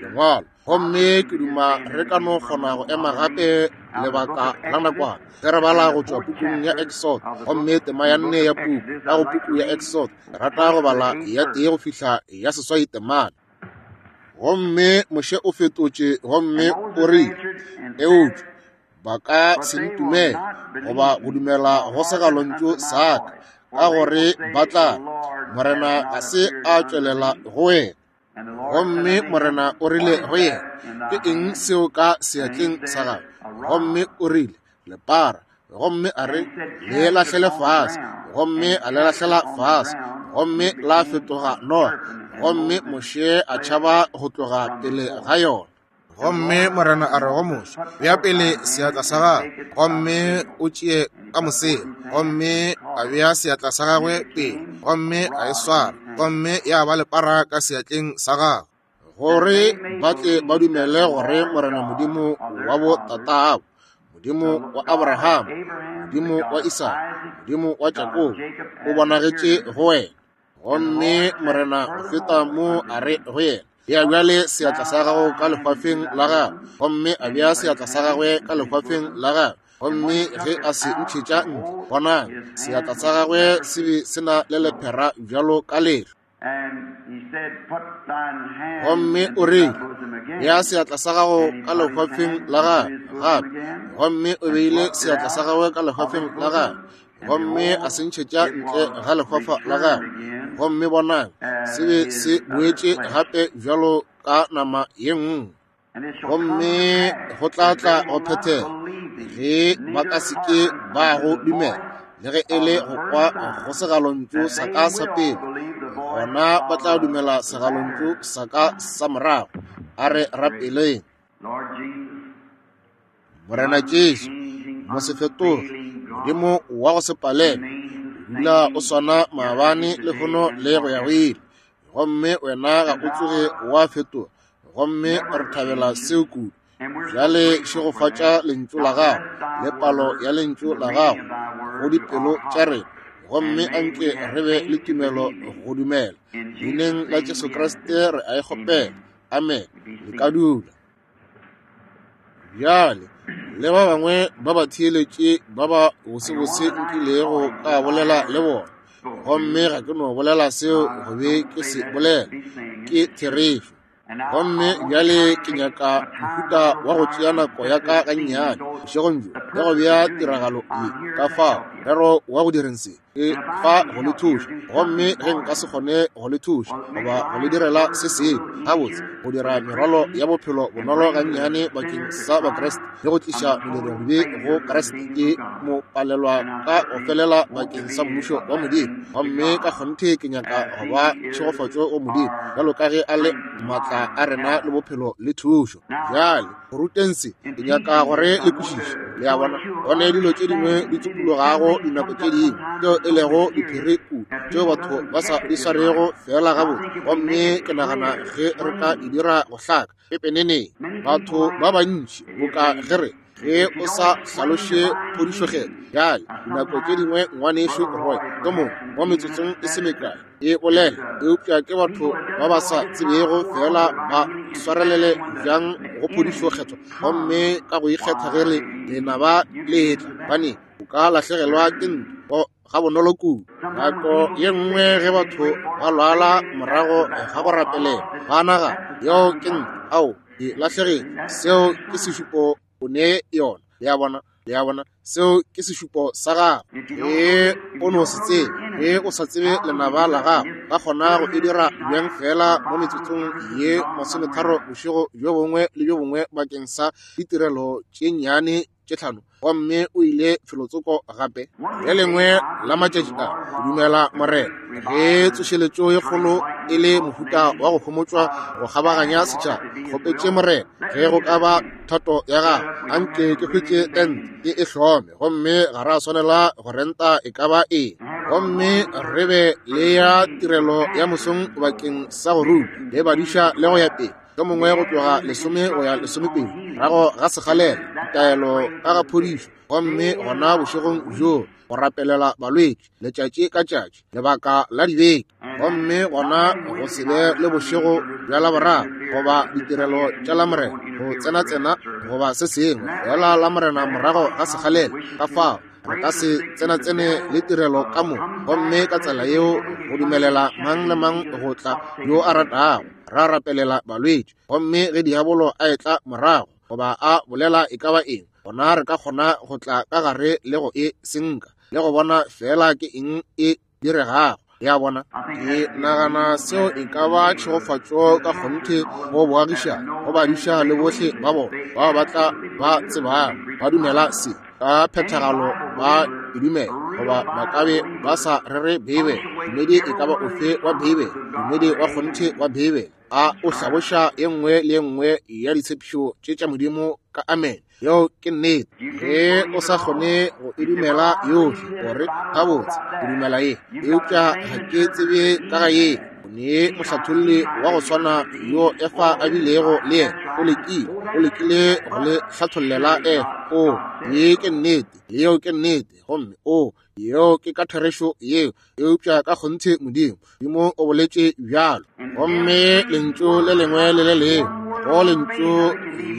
Lengwalo. Gomme ke duma re ka no kgona go ema gape lebaka la nakwana ge re bala go tšwa pukung ya Exod, gomme tema ya nne ya puku ka go puku ya Exod. Ke rata go bala ya tee go fihla ya seswai temana. Gomme Moshe o fetotše gomme o rile, Eupša ba ka se ntumele goba go dumela go segalontšu sa ka, ka gore ba tla re, Morena ga se a tšwelela go wena. Gomme Morena o rile go yena, Ke eng seo ka seatleng sa gago? Gomme o rile, Lepara. Gomme a re, Le lahlele fase. Gomme a le lahlela fase, gomme la fetoga noga. Gomme Moshe a tšhaba go tloga pele ga yona. Gomme Morena a re go Moshe, Bea pele seatla sa gago, gomme o tšee ka mosela. Gomme a bea seatla sa gagwe pele, gomme a e swara, gomme ya ba lepara ka seatleng sa gagwe. Gore ba tle ba dumele gore Morena Modimo wa bo tatabo, Modimo wa Abraham, Modimo wa Isaka, Modimo wa Jakobo, o bonagetše go wena. Gomme Morena go feta mo a re go yena, Bea bjale seatla sa gago ka lehwafeng la gago. Gomme a bea seatla sa gagwe ka lehwafeng la gagwe. Gomme ge a se ntšhetša ntle, bonang, seatla sa gagwe se be se na le lephera bjalo ka lehlwa. Gomme o rile, Bea seatla sa gago ka lehwafeng la gago gape. Gomme o beile seatla sa gagwe ka lehwafeng la gagwe. Gomme a se ntšhetša ntle ga lefafa la gagwe, gomme bonang, se be se boetše gape bjalo ka nama ye nngwe. Gomme go tla tla go phethega, ge ba ka se ke ba go dumela, le ge e le go kwa go segalontšu sa ka sa pele, gona ba tla dumela segalontšu sa ka sa morago. A re rapeleng. Morena Jesu, mosefetoge, Modimo wa go se palelwe, o dula o swana maabane, lehono le go ya go ile. Gomme wena ga o tsoge wa fetoga, gomme re thabela seo kudu. Bjale šegofatša Lentšu la Gago le palo ya Lentšu la Gago go dipelo tša rena, gomme anke re be le tumelo go dumela. Leineng la Jesu Kriste re a e kgopela. Amen. Le ka dula. Bjale, le ba bangwe ba batheeletši ba ba bosebose nkilego ka bolela le bona, gomme ga ke no bolela seo go be ke se bolela, ke therešo. Gomme bjale ke nyaka mohuta wa go tšea nako ya ka gannyane bošegong bjo ya go bea tiragalo ye, ka fao morero wa go direng se. Ke fa go le thuša, gomme ge nka se kgone go le thuša goba go le direla se sengwe gabotse, go dira merwalo ya bophelo bonolo gannyane bakeng sa Bakriste le go tliša modiradibe go Kriste, ke mo palelwa ka go felela bakeng sa Mmušo wa Modimo. Gomme ka kgonthe ke nyaka go ba tšhegofatšo go Modimo, bjalo ka ge a le maatla a rena le bophelo le thušo. Bjale, go ruteng se, ke nyaka gore le kwešiše. Le a bona, go ne dilo tše dingwe di tsupologago dinako tše dingwe, tšeo e lego diphiri kudu, tšeo batho ba sa di swarego feela gabotse. Gomme ke nagana ge re ka di dira go hlaka pepeneneng, batho ba bantši, boka ge re, ge o sa hlaloše phodišokgetho. Bjale, dinako tše dingwe Ngwanešu Roy, yo mongwe, mo metsotsong e se mekae, e bolela, eupša ke batho ba ba sa tsebego feela ba swarelele bjang go phodišo kgethwa, gomme ka go ikgetha ge le lenaba le etla, gobane o ka lahlegelwa ke ntwa gabonolo kudu. Nako ye nngwe ge batho ba lwala morago ga go rapelela, ba nagana, Yeo ke ntwa, ao, ke lahlegetše. Seo ke sešupo o ne yona. Le a bona? Le a bona? Seo ke sešupo sa gago. Ge o no se tsebe, ge o sa tsebe lenaba la gago, ka kgona go e dira bjang feela mo metsotsong ye masometharo bošego bjo bongwe le bjo bongwe bakeng sa ditirelo tše nnyane tše tlhano, gomme o ile felotsoko gape. Le lengwe la matšatši a, ke dumela Morena, ge tsošeletšo ye kgolo e le mohuta wa go homotšwa go kgabaganya setšhaba, kgopetše Morena, ge go ka ba thato ya gagwe, anke ke hwetše tente ke e hlome, gomme ga ra swanela go renta e ka ba eng, gomme re be le ya tirelo ya mosong bakeng sa go ruta le badiša le go ya pele, yo mongwe go tloga lesome go ya lesomepedi morago ga sekgalela, ditaelo ka ga phodišo, gomme gona bošegong bjoo go rapelela balwetši letšatši ka tšatši lebaka la dibeke, gomme gona go se be le bošego bja Laboraro. goba ditirelo tša Lamorena, go tsenatsena goba se sengwe, feela Lamorena morago ga sekgalela. Ka fao re ka se tsenatsene le tirelo ka mo, gomme ka tsela yeo go dumelela mang le mang go tla yo a ratago, ra rapelela balwetši. Gomme ge diabolo a etla morago goba a bolela e ka ba eng, gona re ka kgona go tla ka gare le go e senka le go bona feela ke eng e diregago. Ya bona, ke nagana seo e ka ba tšhegofatšo ka kgonthe go boagišana, go badiša le bohle ba bona bao ba tla ba tsebago ba dumela se ka phethagalo, ba e dumela, goba ba ka be ba sa rere Beibele. Dumedi e ka ba ofe wa Beibele, dumedi wa kgonthe wa Beibele, a o hlaboša ye nngwe le ye nngwe ya ditshepišo tše tša Modimo ka amen. Yeo ke nnete. Ge o sa kgone go e dumela yohle, gore gabotse ke dumela ye, eupša ga ke tsebe ka ga ye. O ne mohlatholli wa go swana yo Efa a bilego le yena, o lekile, o lekile go le hlathollela Efa. O, ye ke nnete, yeo ke nnete, gomme o, yeo ke ka therešo yeo, eupša ka kgonthe Modimo, Modimo o boletše bjalo. Gomme lentšu le lengwe le le lengwe go lentšu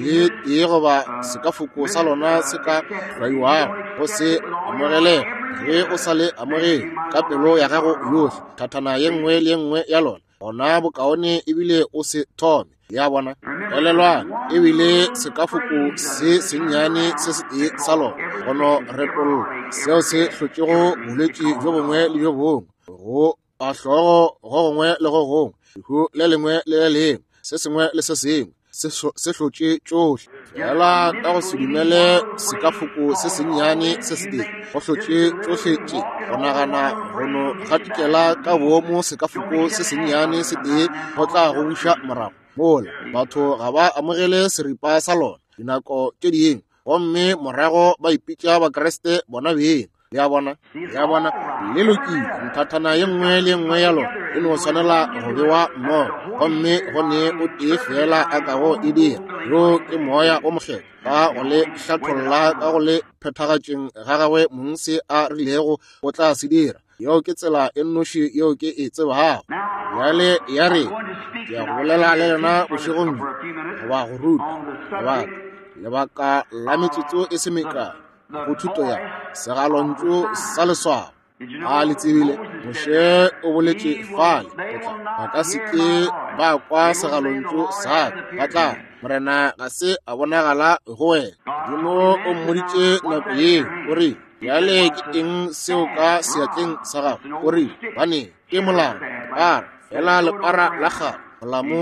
le tee goba sekafoko sa lona se ka hlwaiwago go se amogelege, ge o sa le amogele ka pelo ya gago yohle, thathana ye nngwe le ye nngwe ya lona, gona bokaone ebile o se thome. Ya bona, elelwang, ebile sekafoko se sennyane se setee sa lona go no retolla seo se hlotšego bolwetši bjo bongwe le bjo bongwe, go a hlogo go gongwe le go gongwe, lehu le lengwe le le lengwe, se sengwe le se sengwe se hlotše tšohle. Fela ka go se dumele sekafoko se sennyane se setee go hlotše tšohle tše, go nagana go no gatikela ka boomo sekafoko se sennyane se tee go tla go buša morago mola. Batho ga ba amogele seripa sa lona dinako tše dingwe, gomme morago ba ipitša Bakriste bona beng. Le a bona? Le a bona? Le lokile, nthathana ye nngwe le ye nngwe ya lona e no swanela go bewa mmogo, gomme go ne o tee feela a kago e dira, yoo ke Moya wo Mokgethwa, ka go le hlatholla ka go le phethagatšeng ga gagwe mong se a rilego o tla se dira. Yeo ke tsela e nnoši yeo ke e tsebago. Bjale ya re, ke ya go bolela le lena bošegong bjo, goba go ruta, lebaka, lebaka la metsotso e se mekae, go thuto ya segalontšu sa leswao. A le tsebile Moshe o boletše fale, o tla, ba ka se ke ba kwa segalontšu sa ka, ba tla, Morena ga se a bonagala go wena. Modimo o mmoditše nako yeo, o rile, bjale ke eng seo ka seatleng sa gago? O rile, bane ke molamo, lepara, fela lepara la kgale, molamo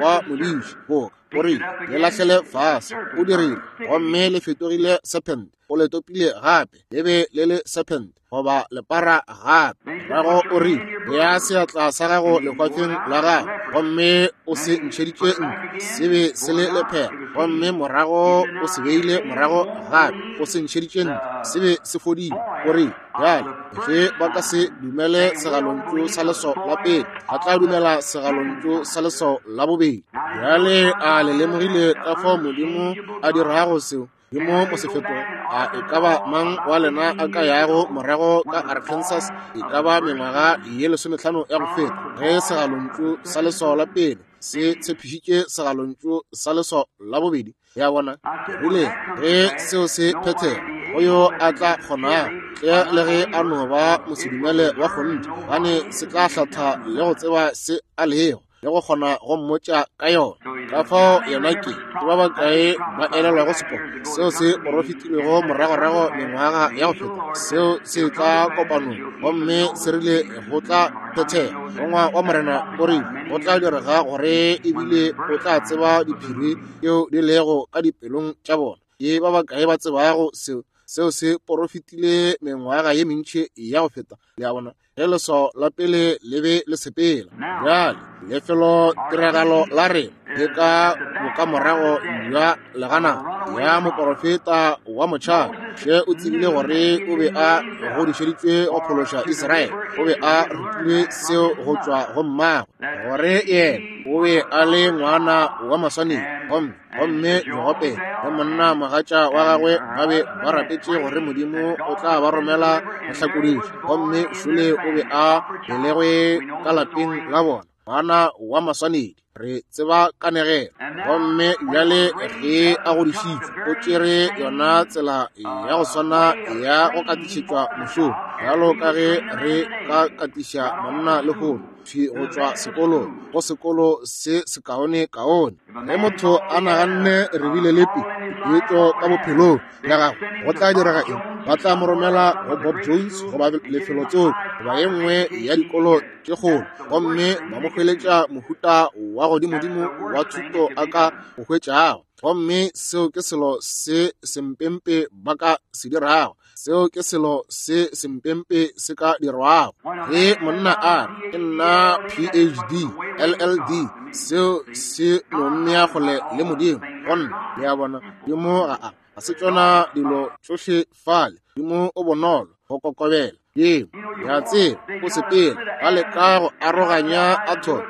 wa modiši, boka. O rile, Le lahlele fase. O dirile, gomme le fetogile serpent. O le topile gape, le be le le serpent, goba lepara gape. Morago o rile, Bea seatla sa gago lehwafeng la gago, gomme o se ntšheditše ntle. Se be se le lephera, gomme morago o se beile morago gape, o se ntšheditše ntle. Se be se fodile. O rile, Bjale, ge ba ka se dumele segalontšu sa leswao la pele, ba tla dumela segalontšu sa leswao la bobedi. Bjale, a le lemogile ka fao Modimo a dirago seo? Modimo o se fetoge. A e ka ba mang wa lena a ka yago morago ka Arkansas e ka ba mengwaga ye 15 ya go feta, ge segalontšu sa leswao la pele se tshepišitše segalontšu sa leswao la bobedi? Ya bona, rile ge seo se phethega, go yo a tla kgonago, tle le ge a no ba mosedumele wa kgonthe, gobane se tla hlatha le go tseba se a lego, le go kgona go mmotša ka yona. Ka fao yena ke, ke ba bakae ba elelwago seporo seo se porofetilwego moragorago mengwaga ya go feta, seo se tla kopanong, gomme se rile go tla phethega. Morongwa wa Morena o rile go tla direga gore ebile o tla tseba diphiri tšeo di lego ka dipelong tša bona. Ke ba bakae ba tsebago seo? Seo se porofetile mengwaga ye mentši ya go feta, le a bona, ge leswao la pele le be le sepela. Bjale, lefelo tiragalo la rena le ka bokamorago bja legana ya moporofeta wa motšhaba. Moshe o tsebile gore o be a godišeditšwe go phološa Israele. O be a rutilwe seo go tšwa go mmagwe, gore yena o be a le ngwana wa maswanedi. Gomme, gomme Jogobede le monna mogatša wa gagwe ba be ba rapetše gore Modimo o tla ba romela mohlakodiši. Gomme šole o be a belegwe ka lapeng la bona. Ngwana wa maswanedi. Re tseba kanegelo. Gomme bjale ge a godišitšwe, o tšere yona tsela ya go swana ya go katišetšwa mošomo, bjalo ka ge re ka katiša monna lehono, thwi go tšwa sekolong, go sekolo se sekaonekaone. Ge motho a naganne re bile le peetšo ka bophelong bja gagwe, go tla direga eng? Ba tla mo romela go Bob Jones goba lefelotsoko goba ye nngwe ya dikolo tše kgolo, gomme ba mo hweletša mohuta wa godimodimo wa thuto a ka o hwetšago. Gomme seo ke selo se sempempe ba ka se dirago. Seo ke selo se sempempe se ka dirwago. Ge monna a re, Ke nna PhD, LLD, seo se no mmea kgole le Modimo. Go nna, le a bona, Modimo ga a, ga se tšona dilo tšohle fale. Modimo o bonolo, go kokobela. Yeo, le a tseba, o sepela, ba leka go aroganya atom,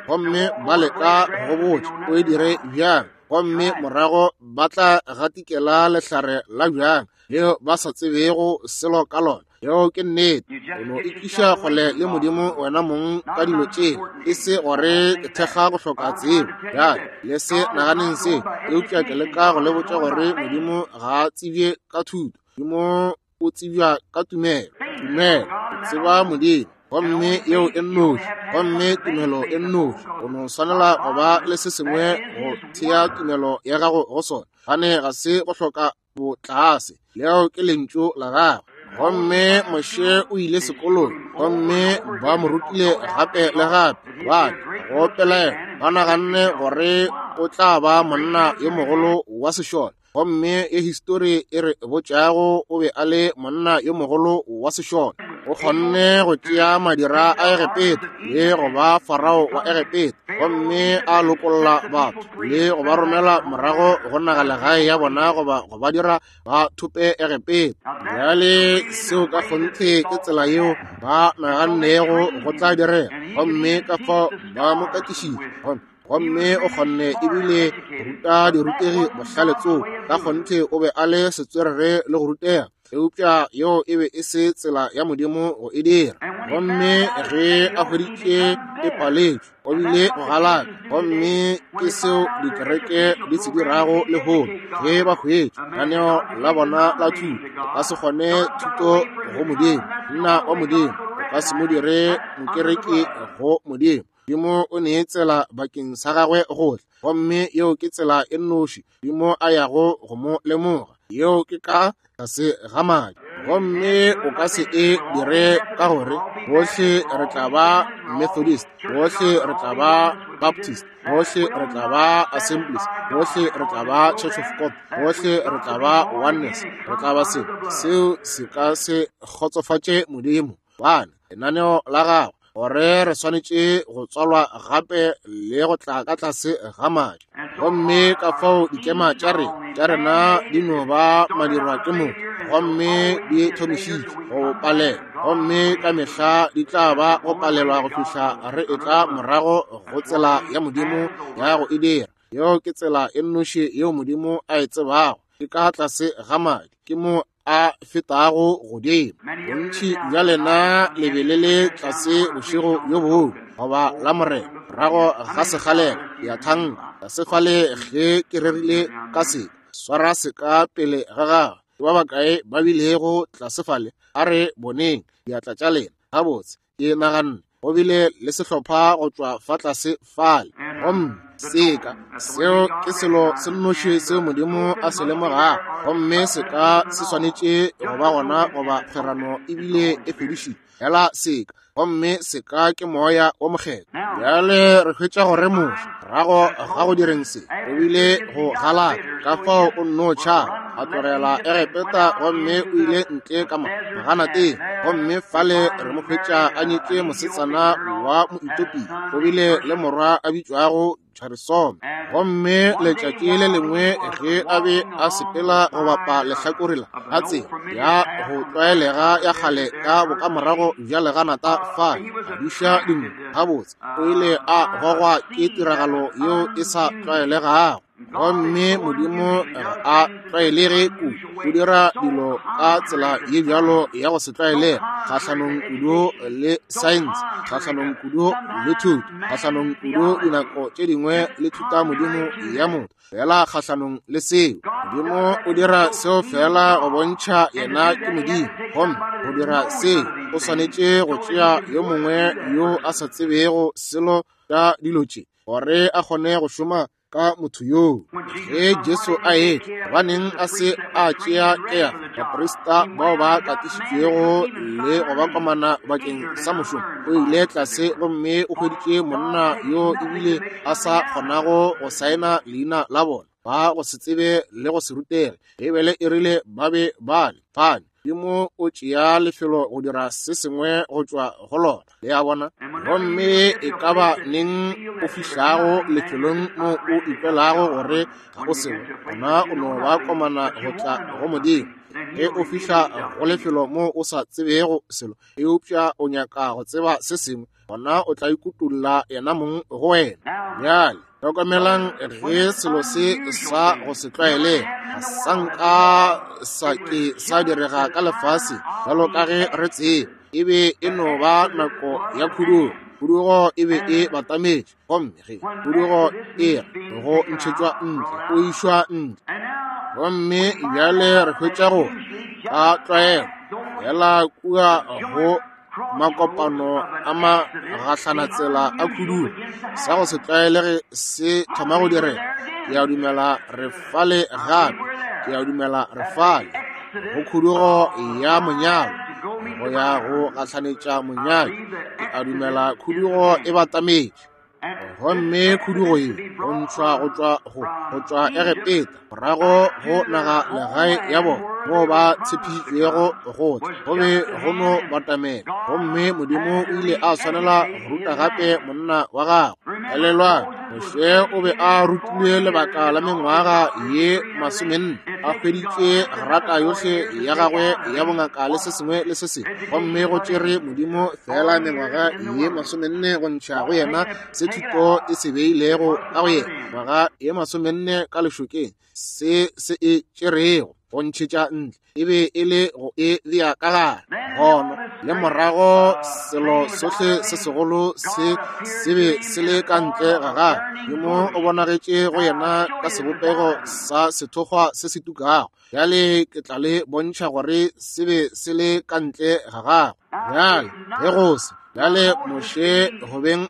gomme ba leka go go botša o e dire bjang, gomme morago ba tla gatikela lehlare la bjang leo ba sa tsebego selo ka lona. Yeo ke nnete. O no itliša kgole le Modimo wena mong ka dilo tšela, e se gore ke thekga go hloka tsebo. Bjale, le se naganeng se, eupša ke leka go le botša gore Modimo ga a tsebje ka thuto. Modimo o tsebja ka tumelo. Tumelo, o tseba Modimo, gomme yeo e nnoši, gomme tumelo e nnoši. O no swanela go ba le se sengwe go thea tumelo ya gago go sona, gane ga se go hloka botlase. Leo ke lentšu la gagwe. Gomme Moshe o ile sekolong, gomme ba mo rutile gape le gape, gobane go pelaelo ba naganne gore o tla ba monna yo mogolo wa sešole. Gomme ye histori e re botšago, o be a le monna yo mogolo wa sešole. O kgonne go tšea madira a Egepeta le go ba farao wa Egepeta, gomme a lokolla batho le go ba romela morago go nagalegae ya bona goba go ba dira ba thope Egepeta. Bjale seo ka kgonthe ke tsela yeo ba nagannego go tla direga, gomme ka fao ba mo katišitše. Gomme o kgonne ebile go ruta dirutegi bohlale tsoko. Ka kgonthe o be a le setswerere le go rutega, eupša yeo e be e se tsela ya Modimo go e dira. Gomme ge a hweditše e paletšwe, o bile go galaka. Gomme ke seo dikereke di se dirago lehono. Ge ba hwetša lenaneo la bona la thuto, o ka se kgone thuto go Modimo, monna wa Modimo, o ka se mo dire mokereki go Modimo. Modimo o nee tsela bakeng sa gagwe go tla, gomme yeo ke tsela e nnoši Modimo a yago go mo lemoga, yeo ke ka tlase ga madi. Gomme o ka se e dire ka gore bohle re tla ba Methodist, bohle re tla ba Baptist, bohle re tla ba Assemblies, bohle re tla ba Church of God, bohle re tla ba Oneness, re tla ba se. Seo se ka se kgotsofatše Modimo. Gobane lenaneo la gagwe gore re swanetše go tswalwa gape le go tla ka tlase ga madi. Gomme ka fao dikema tša rena tša rena di no ba madirwa ke motho, gomme di thomišitšwe go palelwa, gomme ka mehla di tla ba go palelwa go fihla re etla morago go tsela ya Modimo ya go e dira. Yeo ke tsela e nnoši yeo Modimo a e tsebago, ke ka tlase ga madi, ke mo a fetago godimo. Bontši bja lena le be le le tlase bošego bjo bongwe goba la Morena morago ga sekgalela, ke a thanka, tlase fale ge ke rerile ka se, swara seka pele ga gago. Ke ba bakae ba bilego tlase fale? A re boneng diatla tša lena. Gabotse, ke naganne go bile le sehlopha go tšwa fa tlase fale. Gomme seka seo ke selo se nnoši seo Modimo a se lemogago, gomme seka se swanetše go ba gona goba kgwerano ebile e fedišitšwe. Fela seka, gomme seka ke Moya wo Mokgethwa. Bjale re hwetša gore Moshe, morago ga go direng se, o bile go galaka, ka fao o nno tšhaba, a tlogela Egepeta gomme o ile ntle ka maganateng, gomme fale re mo hwetša a nyetše mosetsana wa Moetopia, o bile le morwa a bitšwago Gerisome. Gomme letšatši le lengwe ge a be a sepela go bapa lehlakore la ga tsela ya go tlwaelega ya kgale ka bokamorago bja leganata fale, a duša dinku gabotse, o ile a gogwa ke tiragalo yeo e sa tlwaelegago. Gomme Modimo ga a tlwaelege kudu, o dira dilo ka tsela ye bjalo ya go se tlwaelege, kgahlanong kudu le saense, kgahlanong kudu le thuto, kgahlanong kudu dinako tše dingwe le thutamodimo ya motho, feela kgahlanong le seo. Modimo o dira seo feela go bontšha yena ke Modimo. Gomme go dira seo, o swanetše go tšea yo mongwe yo a sa tsebego selo ka dilo tše, gore a kgone go šoma ka motho yoo. Ge Jesu a etla, gobaneng a se a tšea Kefa, baprista bao ba katišitšwego le go ba komana bakeng sa mošomo? O ile tlase gomme o hweditše monna yo ebile a sa kgonago go saena leina la bona, ba go se tsebe le go se rutege. Beibele e rile ba be ba le fane. Modimo o tšea lefelo go dira se sengwe go tšwa go lona. Le a bona? Gomme e ka ba neng o fihlago lefelong mo o ikwelago gore ga o selo, gona o no ba komana go tla go Modimo. Ge o fihla go lefelo mo o sa tsebego selo, eupša o nyaka go tseba se sengwe, gona o tla ikutolla yena mong go wena. Bjale hlokomelang ge selo se sa go se tlwaelege ga sa nka sa ke sa direga ka lefase bjalo ka ge re tseba. E be e no ba nako ya khudugo. Khudugo e be e batametše, gomme ge khudugo e re go ntšhetšwa ntle, o išwa ntle. Gomme bjale re hwetša gore ka tlwaelo fela kua go makopano a magahlanatsela a khudugo, sa go se tlwaelege se thoma go direga. Ke a dumela re fale gape. Ke a dumela re fale go khudugo ya monyalo, go ya go gahlanetša monyadi. Ke a dumela khudugo e batametše. Gomme khudugo ye go ntšhwa go tšwa go go tšwa Egepeta morago go naga legae ya bona moo ba tshepišitšwego go tla, go be go no batamela. Gomme Modimo o ile a swanela go ruta gape monna wa gagwe. Elelwang, Moshe o be a rutilwe lebaka la mengwaga ye 40, a hweditše grata yohle ya gagwe ya bongaka le se sengwe le se sengwe, gomme go tšere Modimo feela mengwaga ye 40 go ntšha go yena se thuto e se beilego ka go yena, ngwaga ye 40 ka lešokeng, se se e tšerego go ntšhetša ntle e be e le go e bea ka gare. Gona le morago selo sohle se segolo se se be se le ka ntle ga gagwe. Modimo o bonagetše go yena ka sebopego sa sethokgwa se se tukago. Bjale ke tla le bontšha gore se be se le ka ntle ga gagwe. Bjale ge go se bjale, Moshe go beng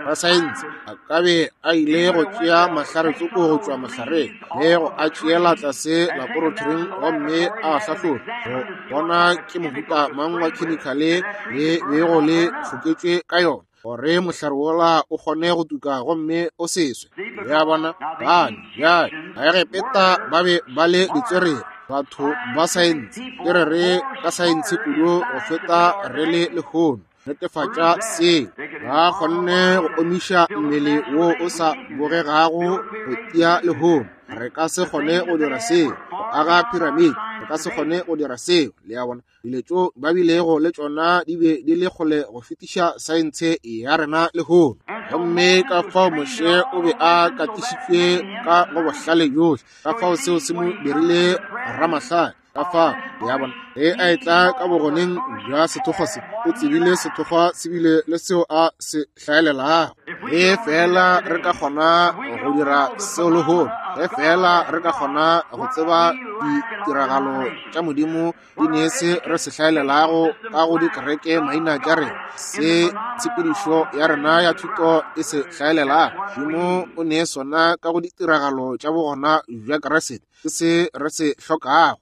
rasaense a ka be a ile go tšea mahlare-tsoko go tšwa mohlareng le go a tšeela tlase laboratoring gomme a hlahloba go bona ke mohuta mang wa khemikhale le bego le hloketšwe ka yona, gore mohlare wola o kgone go tuka gomme o se swe. Le a bona? Bane bjale Baegepeta ba be ba le ditswerere, batho ba saense. Ke re re ka saense kudu go feta re le lehono. Netefatša seo. Ba kgonne go omiša mmele wo o sa bogegago go tia lehono. Re ka se kgone go dira seo. Go aga piramidi, re ka se kgone go dira seo. Le a bona? Dilo tšeo ba bilego le tšona di be di le kgole go fetiša saense ya rena lehono. Gomme ka fao Moshe o be a katišitšwe ka go bohlale bjohle, ka fao seo se mo dirile ramahlale. Ka fao, le a bona, ge a etla ka bogoneng bja sethokgwa se, o tsebile sethokgwa se bile le seo a se hlaelelago. Ge feela re ka kgona go dira seo lehono, ge feela re ka kgona go tseba ditiragalo tša Modimo di ne se re se hlaelelago ka go dikereke maina tša rena, se tshepedišo ya rena ya thuto e se hlaelelago, Modimo o ne sona ka go ditiragalo tša bogona bja Kriste. Ke se re se hlokago.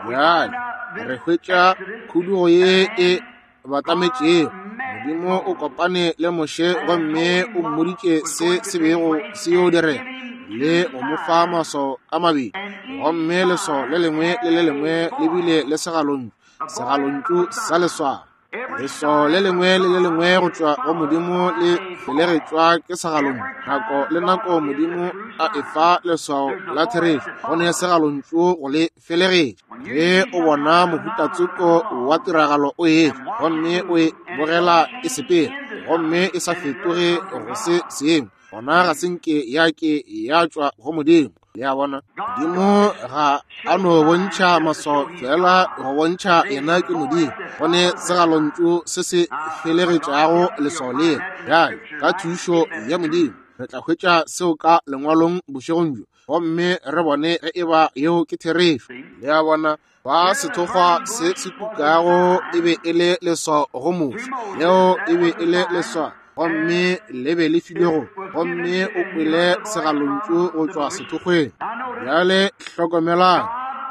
Bjale re hwetša khudugo ye e batametšego. Modimo o kopane le Moshe gomme o mmoditše se se bego se yo direga le go mo fa maswao a mabedi, gomme leswao le lengwe le le lengwe le bile le segalontšu, segalontšu sa leswao. Leswao le lengwe le le lengwe go tšwa go Modimo le felegetšwa ke segalontšu. Nako le nako Modimo a efa leswao la therešo, go ne segalontšu go le felegetša. Ge o bona mohutatsoko wa tiragalo o etla, gomme o e bogela e sepela, gomme e sa fetoge go se sengwe, gona ga se nke ya ke ya tšwa go Modimo. Le a bona? Modimo ga a no bontšha maswao feela go bontšha yena ke Modimo. Go ne segalontšu se se felegetšago leswao lela. Bjale, ka thušo ya Modimo, re tla hwetša seo ka Lengwalong bošegong bjo, gomme re bone ge eba yeo ke therešo. Le a bona? Ba sethokgwa se se tukago e be e le leswao go Moshe. Leo e be e le leswao, gomme le be le filwe go, gomme o kwele segalontšu go tšwa sethokgweng. Bjale hlokomelang,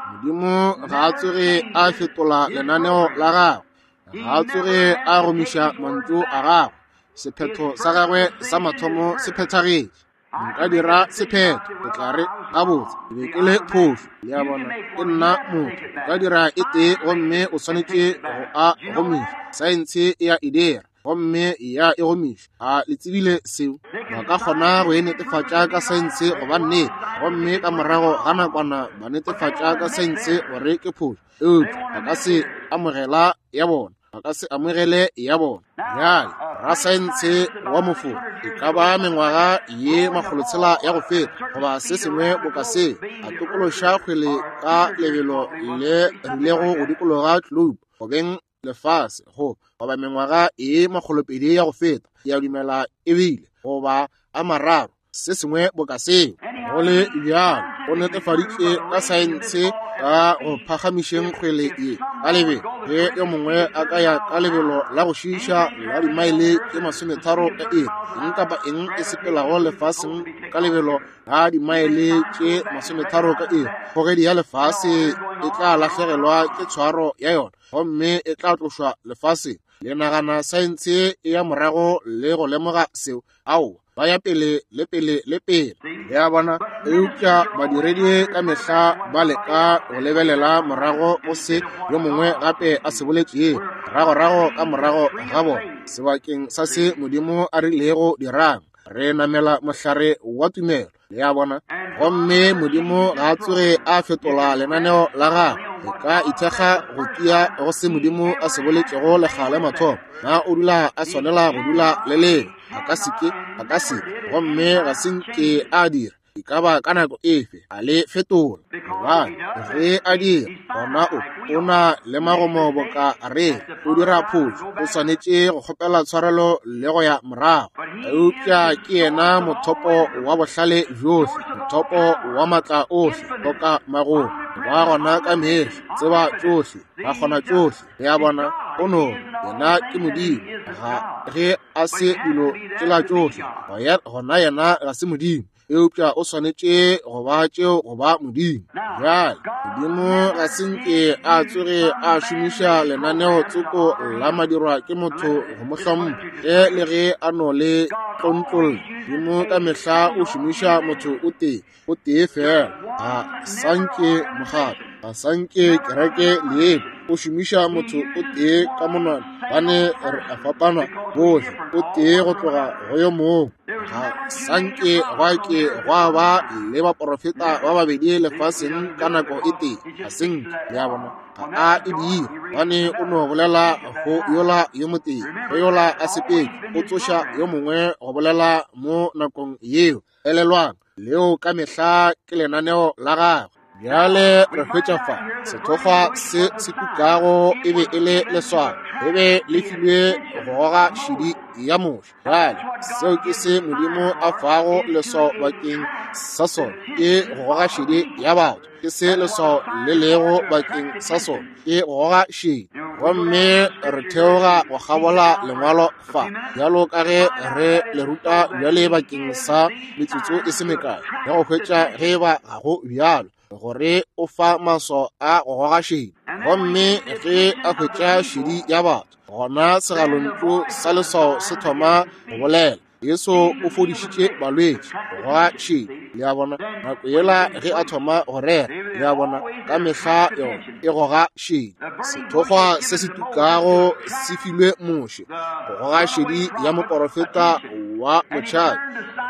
Modimo ga a tsoge a fetola lenaneo la gagwe, ga a tsoge a gomiša mantšu a gagwe. Sephetho sa gagwe sa mathomo se phethagetše. Nka dira sephetho, o tla re, Gabotse, ke be ke le phošo. Le a bona, ke nna motho. O ka dira e tee gomme o swanetše go a gomiša. Saense e a e dira, gomme ya e gomiša. A le tsebile seo? Ba ka kgona go e netefatša ka saense go ba nnete, gomme ka morago ga nakwana ba netefatša ka saense gore ke phošo. Eupša ba ka se amogela ya bona. Ba ka se amogele ya bona. Bjale, rasaense wa mofo e ka ba mengwaga ye makgolotshela ya go feta goba se sengwe boka se, a tokološa kgwele ka lebelo le rilego go dikologa globe gobeng lefase, go goba mengwaga ye makgolopedi ya go feta, ke a dumela e bile, goba a mararo, se sengwe boka seo. Go le bjalo, o netefaditše ka saense ka go phagamišeng kgwele ye ka lebelo. Ge yo mongwe a ka ya ka lebelo la go šiiša la dimaele tše masometharo ka iri, eng kapa eng e sepelago lefaseng ka lebelo la dimaele tše masometharo ka iri, kgogedi ya lefase e tla lahlegelwa ke tshwaro ya yona gomme e tla tlošwa lefaseng. Le nagana saense e ya morago le go lemoga seo? Aowa, ba ya pele le pele le pele. Le a bona? Eupša badiredi ka mehla ba leka go lebelela morago go se yo mongwe gape a se boletšego, moragorago ka morago ga bona, sebakeng sa se Modimo a rilego dirang. Re namela mohlare wa tumelo. Le a bona? Gomme Modimo ga a tsoge a fetola lenaneo la gagwe. Re ka ithekga go tia go se Modimo a se boletšego lekga la mathomo. Na o dula a swanela go dula le lena? A ka se ke, a ka se ke. Gomme ga se nke a dira, e ka ba ka nako efe, a le fetola. Gobane ge a dira, gona o, o na le magomo boka re, o dira phošo, o swanetše go kgopela tshwarelo le go ya morago. Eupša ke yena mothopo wa bohlale bjohle, mothopo wa matla ohle, boka magomo, ba gona ka mehla, tseba tšohle, ba kgona tšohle. Le a bona, o no, yena ke Modimo. Ga ge a se dilo tšela tšohle, gona yena ga se Modimo. Eupša o swanetše go ba tšeo go ba Modimo. Bjale, Modimo ga se nke a tsoge a šomiša lenaneo tsoko la madirwa ke motho go mo hlompha, ge le ge a no le tlontlolla. Modimo ka mehla o šomiša motho o tee, o tee feela. Ga sa nke mokgatlo, ga sa nke kereke leebo. O šomiša motho o tee ka monwana, bane re a fapana bohle, o tee go tloga go yo mongwe. Ga sa nke gwa ke gwa ba le baporofeta ba babedi lefaseng ka nako e tee. Ga se nke, le a bona, ga a e dire, gobane o no bolela go yola yo motee, go yola a sepetše, o tsoša yo mongwe go bolela mo nakong yeo. Elelwang, leo ka mehla ke lenaneo la gagwe. Bjale re hwetša fa sethokgwa se se tukago e be e le leswao, e be le filwe go goga šedi ya Moshe. Bjale seo ke se Modimo a fago leswao bakeng sa sona, ke go goga šedi ya batho. Ke se leswao le lego bakeng sa sona, ke go goga šedi. Gomme re theoga go kgabola lengwalo fa, bjalo ka ge re le ruta bjale bakeng sa metsotso e se mekae, ya go hwetša ge eba ga go bjalo, gore o fa maswao a go goga šedi. Gomme ge a hwetša šedi ya batho, gona segalontšu sa leswao se thoma go bolela. Jesu o fodišitše balwetši, go goga šedi. Le a bona, nako yela ge a thoma go rera, le a bona, ka mehla yona e goga šedi. Sethokgwa se se tukago se filwe Moshe go goga šedi ya moporofeta wa motšhabi,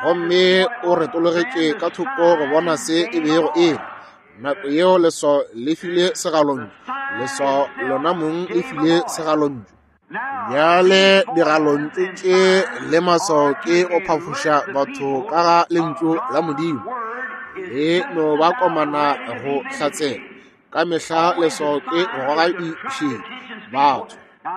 gomme o retologetše ka thoko go bona se e bego e le. Nako yeo leswao le file segalontšu, leswao lona mong le file segalontšu. Bjale digalontšu tše le maswao ke go phafoša batho ka ga Lentšu la Modimo. Le no ba komana go hlatsela. Ka mehla leswao ke go goga dišedi batho.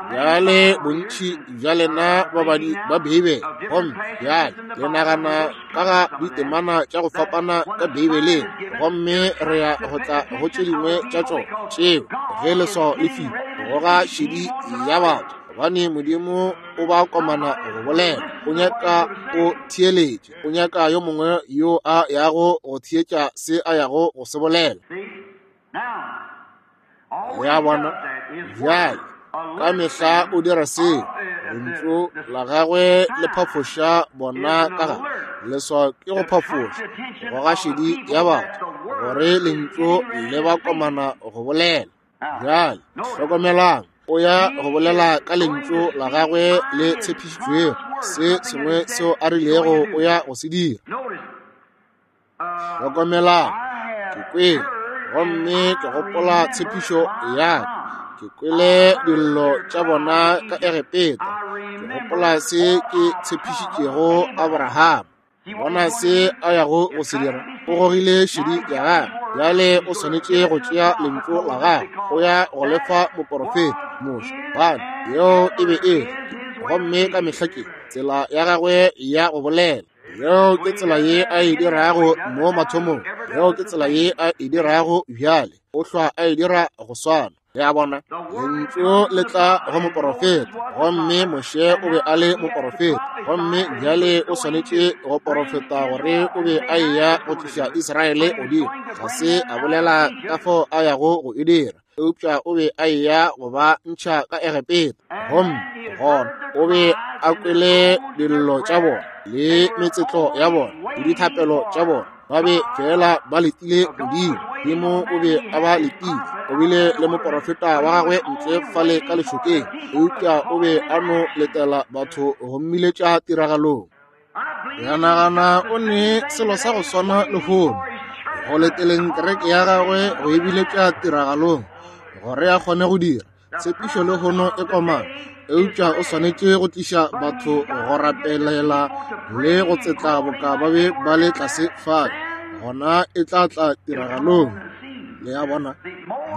Bjale bontši bja lena babadi ba Beibele, gomme bjale le nagana ka ga ditemana tša go fapana ka Beibeleng, gomme re ya go tla go tše dingwe tša tšona tšeo ge leswao le filwe go goga šedi ya batho, gobane Modimo o ba komana go bolela. O nyaka o theeletše, o nyaka yo mongwe yo a yago go theetša se a yago go se bolela. Le a bona? Bjale, ka mehla o dira seo. Lentšu la gagwe le phafoša bona ka gare. Leswao ke go phafoša, go goga šedi ya batho, gore lentšu le ba komana go bolela. Bjale, hlokomelang, o ya go bolela ka lentšu la gagwe le tshepišitšwego, se sengwe seo a rilego o ya go se dira. Hlokomelang, ke kwele, gomme ke gopola tshepišo ya ka. Ke kwele dillo tša bona ka Egepeta. Ke gopola se ke tshepišitšego Abraham. Bona se a yago go se dira. O gogile šedi ya gagwe. Bjale o swanetše go tšea lentšu la gagwe. O ya go le fa moporofeta, Moshe. Gobane yeo e be e le, gomme ka mehla ke, tsela ya gagwe ya go bolela. Yeo ke tsela ye a e dirago mo mathomong. Yeo ke tsela ye a e dirago bjale. O hlwa a e dira go swana. Le a bona? Lentšu le tla go moporofeta, gomme Moshe o be a le moporofeta. Gomme bjale o swanetše go porofeta gore o be a eya go tliša Israele godimo. Ga se a bolela ka fao a yago go e dira, eupša o be a eya go ba ntšha ka Egepeta. Gomme gona o be a kwele dillo tša bona le metsetlo ya bona le dithapelo tša bona. Ba be fela ba letile Modimo. Modimo o be a ba letile. O bile le moporofeta wa gagwe ntle fale ka lešokeng, eupša o be a no letela batho go mmiletša tiragalong. Ya nagana o ne selo sa go swana lehono, go leteleng kereke ya gagwe go e biletša tiragalong, gore a kgone go dira tshepišo lehono e komana, eupša o swanetše go tliša batho go rapelela le go tsetla boka ba be ba le tlase fale, gona e tla tla tiragalong. Le a bona?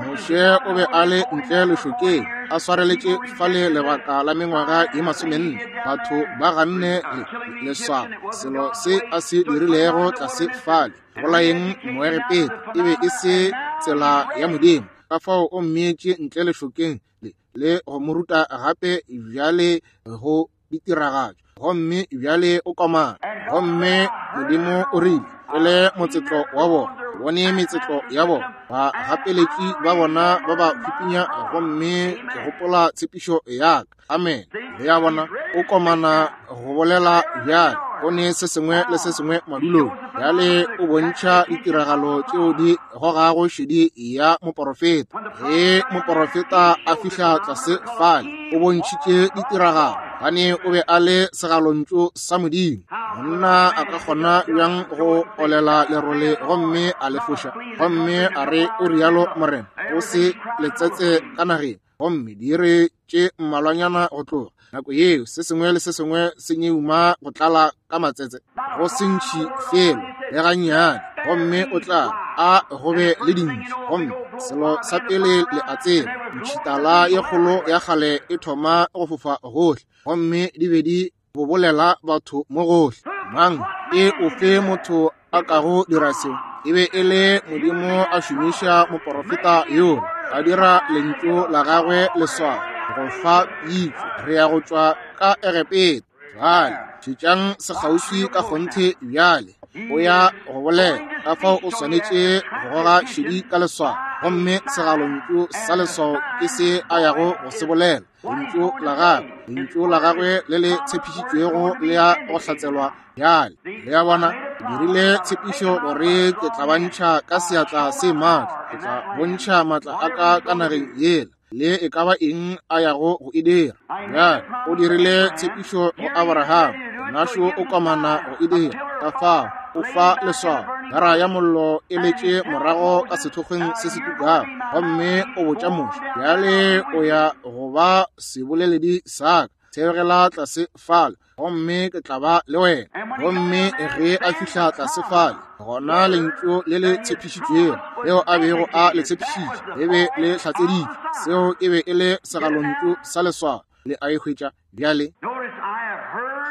Moshe o be a le ntle lešokeng, a swareletše fale lebaka la mengwaga ye masomenne. Batho ba ganne le leswao, selo se a se dirilego tlase fale, bolayeng Moegepeta, e be e se tsela ya Modimo. Ka fao o mmeetše ntle lešokeng le, le go mo ruta gape bjale go ditiragatšo, gomme bjale o komana. Gomme Modimo o rile, Kwele motsetlo wa bona, bone metsetlo ya bona, bagapeletši ba bona ba ba hupinya, gomme ke gopola tshepišo ya ka. Amen. Le a bona, o komana go bolela bjale, o ne se sengwe le se sengwe madulong. Bjale o bontšha ditiragalo tšeo di gogago šedi ya moporofeta. Ge moporofeta a fihla tlase fale, o bontšhitše ditiragalo, gobane o be a le segalontšu sa Modimo. Monna a ka kgona bjang go olela lerole gomme a le foša, gomme a re o rialo Morena, o se letsetse ka nageng, gomme diiri tše mmalwanyana go tloga nako yeo se sengwe le se sengwe se nyeuma go tlala ka matsetse, go se ntšhi felo le gannyane, gomme o tla a go be le dintši. Gomme selo sa pele le a tseba, ntšhitala ye kgolo ya kgale e thoma go fofa gohle, gomme di be di bobolela batho mo gohle. Mang e ofe motho a kago dira seo? E be e le Modimo a šomiša moporofeta yola, a dira lentšu la gagwe leswao go fa pitšo, re ya go tšwa ka Egepeta. Bjale šetšang sekgauswi ka kgonthe bjale. O ya go bolela, ka fao o swanetše go goga šedi ka leswao, gomme segalontšu sa leswao ke se a yago go se bolela. Lentšu la gagwe, lentšu la gagwe le le tshepišitšwego le ya go hlatselwa bjale. Le a bona, ke dirile tshepišo gore ke tla ba ntšha ka seatla se maatla, ke tla bontšha maatla a ka ka nageng yela, le e ka ba eng a yago go e dira. Bjale o dirile tshepišo go Abraham, Našo o komana go e dira. Ka fao o fa leswao, gara ya mollo e letše morago ka sethokgweng se se tukago, gomme o botša Moshe, bjale o ya go ba seboleledi sa ka. Theogela tlase fale, gomme ke tla ba le wena. Gomme ge a fihla tlase fale, gona lentšu le le tshepišitšwego leo a bego a le tshepišitše le be le hlatseditšwe. Seo e be e le segalontšu sa leswao. Le a e hwetša bjale?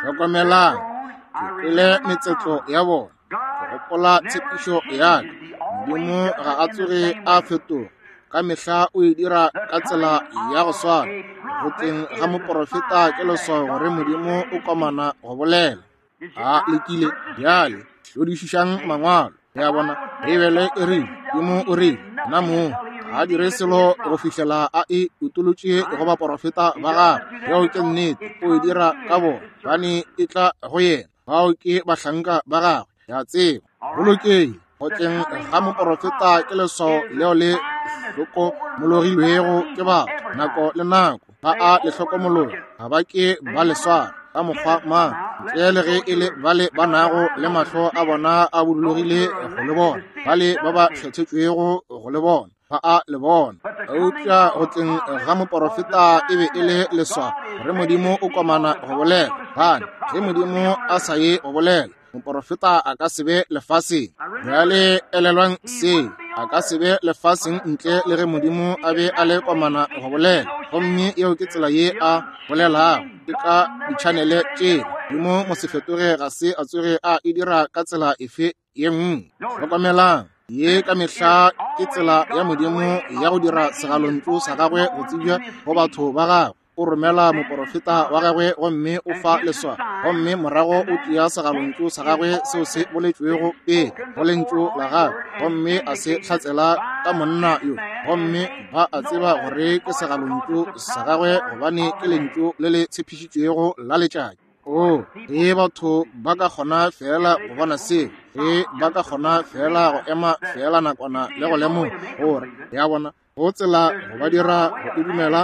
Hlokomelang, ke kwele metsetlo ya bona, ke gopola tshepišo ya ka. Modimo ga a tsoge a fetoga, ka mehla o e dira ka tsela ya go swana. Go tleng ga moporofeta ke leswao gore Modimo o komana go bolela. A lekile bjale, hlodišišang mangwalo. Le a bona, Beibele e rile, Modimo o rile, nna mong ga a dire selo go fihlela a e utolotše go baporofeta ba gagwe. Yeo ke nnete, o e dira ka bona, gobane e tla go yena. Bao ke bahlanka ba gagwe, le a tseba. Go lokile, go tleng ga moporofeta ke leswao leo le hlokomologilwego ke batho nako le nako. Ba a le hlokomologa, ga ba ke ba le swara ka mokgwa mang, ntle le ge e le bale ba nago le mahlo a bona a budulogile go le bona, bale ba ba kgethetšwego go le bona, ba a le bona. Eupša go tleng ga moporofeta e be e le leswao gore Modimo o komana go bolela. Gobane ge Modimo a sa ye go bolela, moporofeta a ka se be lefaseng. Bjale elelwang seo, a ka se be lefaseng ntle le ge Modimo a be a le komana go bolela. Gomme yeo ke tsela ye a bolelago, ke ka ditšhanele tšela. Modimo mosefetoge ga se a tsoge a e dira ka tsela efe ye nngwe. Hlokomelang, ye ka mehla ke tsela ya Modimo ya go dira segalontšu sa gagwe go tsebja go batho ba gagwe. O romela moporofeta wa gagwe gomme o fa leswao, gomme morago o tšea segalontšu sa gagwe seo se boletšwego pele go lentšu la gagwe, gomme a se hlatsela ka monna yo, gomme ba a tseba gore ke segalontšu sa gagwe gobane ke lentšu le le tshepišitšwego la letšatši. Oo, ge batho ba ka kgona feela go bona seo, ge ba ka kgona feela go ema feela nakwana le go lemoga gore, ya bona, go tsela go ba dira go e dumela,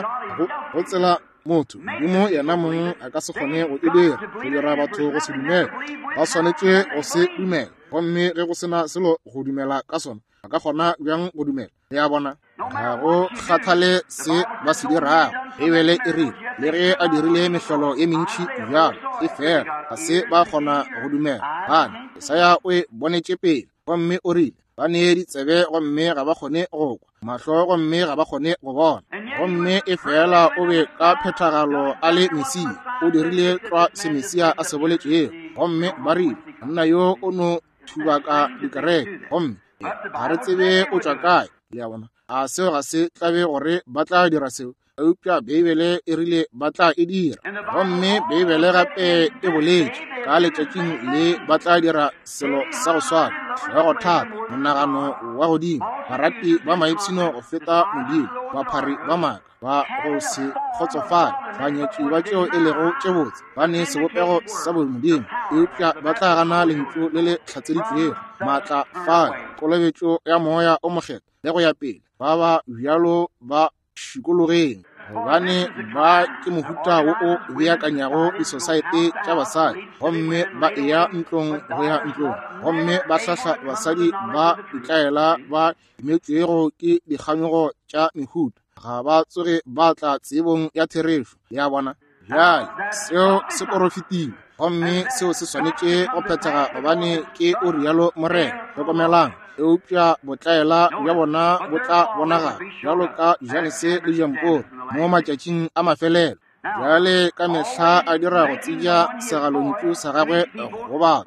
go tsela motho, Modimo yena mong a ka se kgone go e dira, go dira batho go se dumele. Ba swanetše go se dumela. Gomme ge go se na selo go dumela ka sona, ba ka kgona bjang go dumela? Le a bona? Ga go kgathale se ba se dirago. Beibele e rile, le ge a dirile mehlolo ye mentši bjalo, efela ga se ba kgona go dumela. Gobane Jesaya o e bonetše pele, gomme o rile, ba ne ditsebe gomme ga ba kgone go kwa, mahlo gomme ga ba kgone go bona. Gomme efela o be ka phethagalo a le Mesia, o dirile tlwa se Mesia a se boletšego. Gomme ba rile, monna yo o no thubaka dikereke, gomme ga re tsebe o tšwa kae. Le a bona? A seo ga se tlabe gore ba tla dira seo? Eupša Beibele e rile ba tla e dira. Gomme Beibele gape e boletše ka letšatšing le ba tla dira selo sa go swana. Hlogo thata, monagano wa godimo, barati ba maipshino go feta Modimo, baphari ba maaka, ba go se kgotsofale, banyatši ba tšeo e lego tše botse, ba ne sebopego sa bomodimo, eupša ba tla gana lentšu le le hlatseditšwego, maatla fale, kolobetšo ya Moya o Mokgethwa, le go ya pele. Ba ba bjalo ba šikologeng, gobane ba ke mohuta wo o beakanyago disosaete tša basadi, gomme ba eya ntlong go ya ntlong, gomme ba hlahla basadi ba ditlaela ba imetšwego ke dikganyogo tša mehuta, ga ba tsoge ba tla tsebong ya therešo ya bona. Bjale seo se porofetilwe, gomme seo se swanetše go phethega, gobane ke o rialo Morena. Hlokomelang, eupša botlaela bja bona bo tla bonagala bjalo ka Janese le Jamporo mo matšatšing a mafelelo. Bjale ka mehla a dira go tsebja segalontšu sa gagwe go batho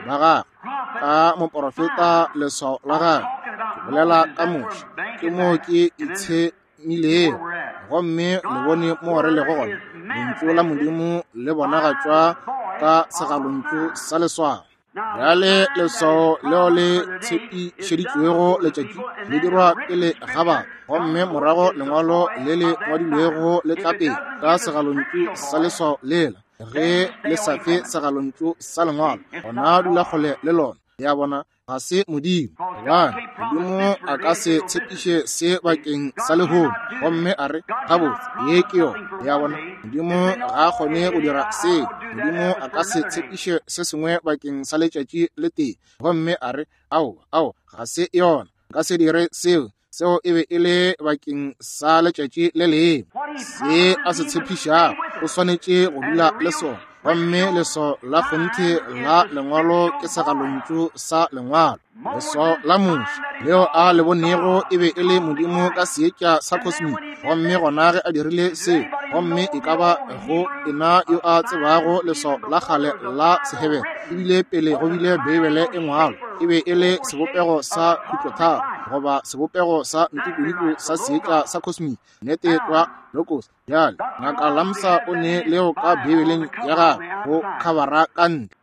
ba gagwe ka moporofeta, leswao la gagwe. Ke bolela ka Moshe, ke moo ke itshemilego, gomme le bone mo re lego gona. Lentšu la Modimo le bonagatšwa ka segalontšu sa leswao. Bjale leswao leo le tshepišeditšwego letšatši le dirwa pele ga batho, gomme morago lengwalo le le ngwadilwego le tla pele ka segalontšu sa leswao lela. Ge le sa fe segalontšu sa lengwalo, gona dula kgole le lona. Le a bona? Ga se Modimo, gobane Modimo a ka se tshepiše se bakeng sa lehono gomme a re, Gabotse, ye ke yona. Le a bona? Modimo ga a kgone go dira seo. Modimo a ka se tshepiše se sengwe bakeng sa letšatši le tee gomme a re, Aowa, aowa, ga se yona. Nka se dire seo. Seo e be e le bakeng sa letšatši le lengwe. Se a se tshepišago, O swanetše go dula le sona. Gomme leswao la kgonthe la Lengwalo ke segalontšu sa Lengwalo. Leswao la Moshe leo a le bonego e be e le Modimo ka seetša sa cosmic. Gomme gona ge a dirile seo, gomme e ka ba go ena yo a tsebago leswao la kgale la Sehebere, ebile pele go bile Beibele e ngwalwa, e be e le sebopego sa khutlotharo goba sebopego sa ntikodiko sa seetša sa cosmic. Nnete tlwa, logos. Bjale, Ngaka Lamsa o ne leo ka Beibeleng ya gagwe go khabara ka ntle.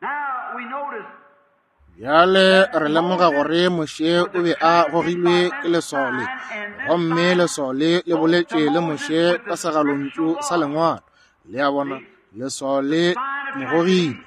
Bjale re lemoga gore Moshe o be a gogilwe ke leswao le, gomme leswao le le boletše le Moshe ka segalontšu sa Lengwalo. Le a bona, leswao le mo gogile.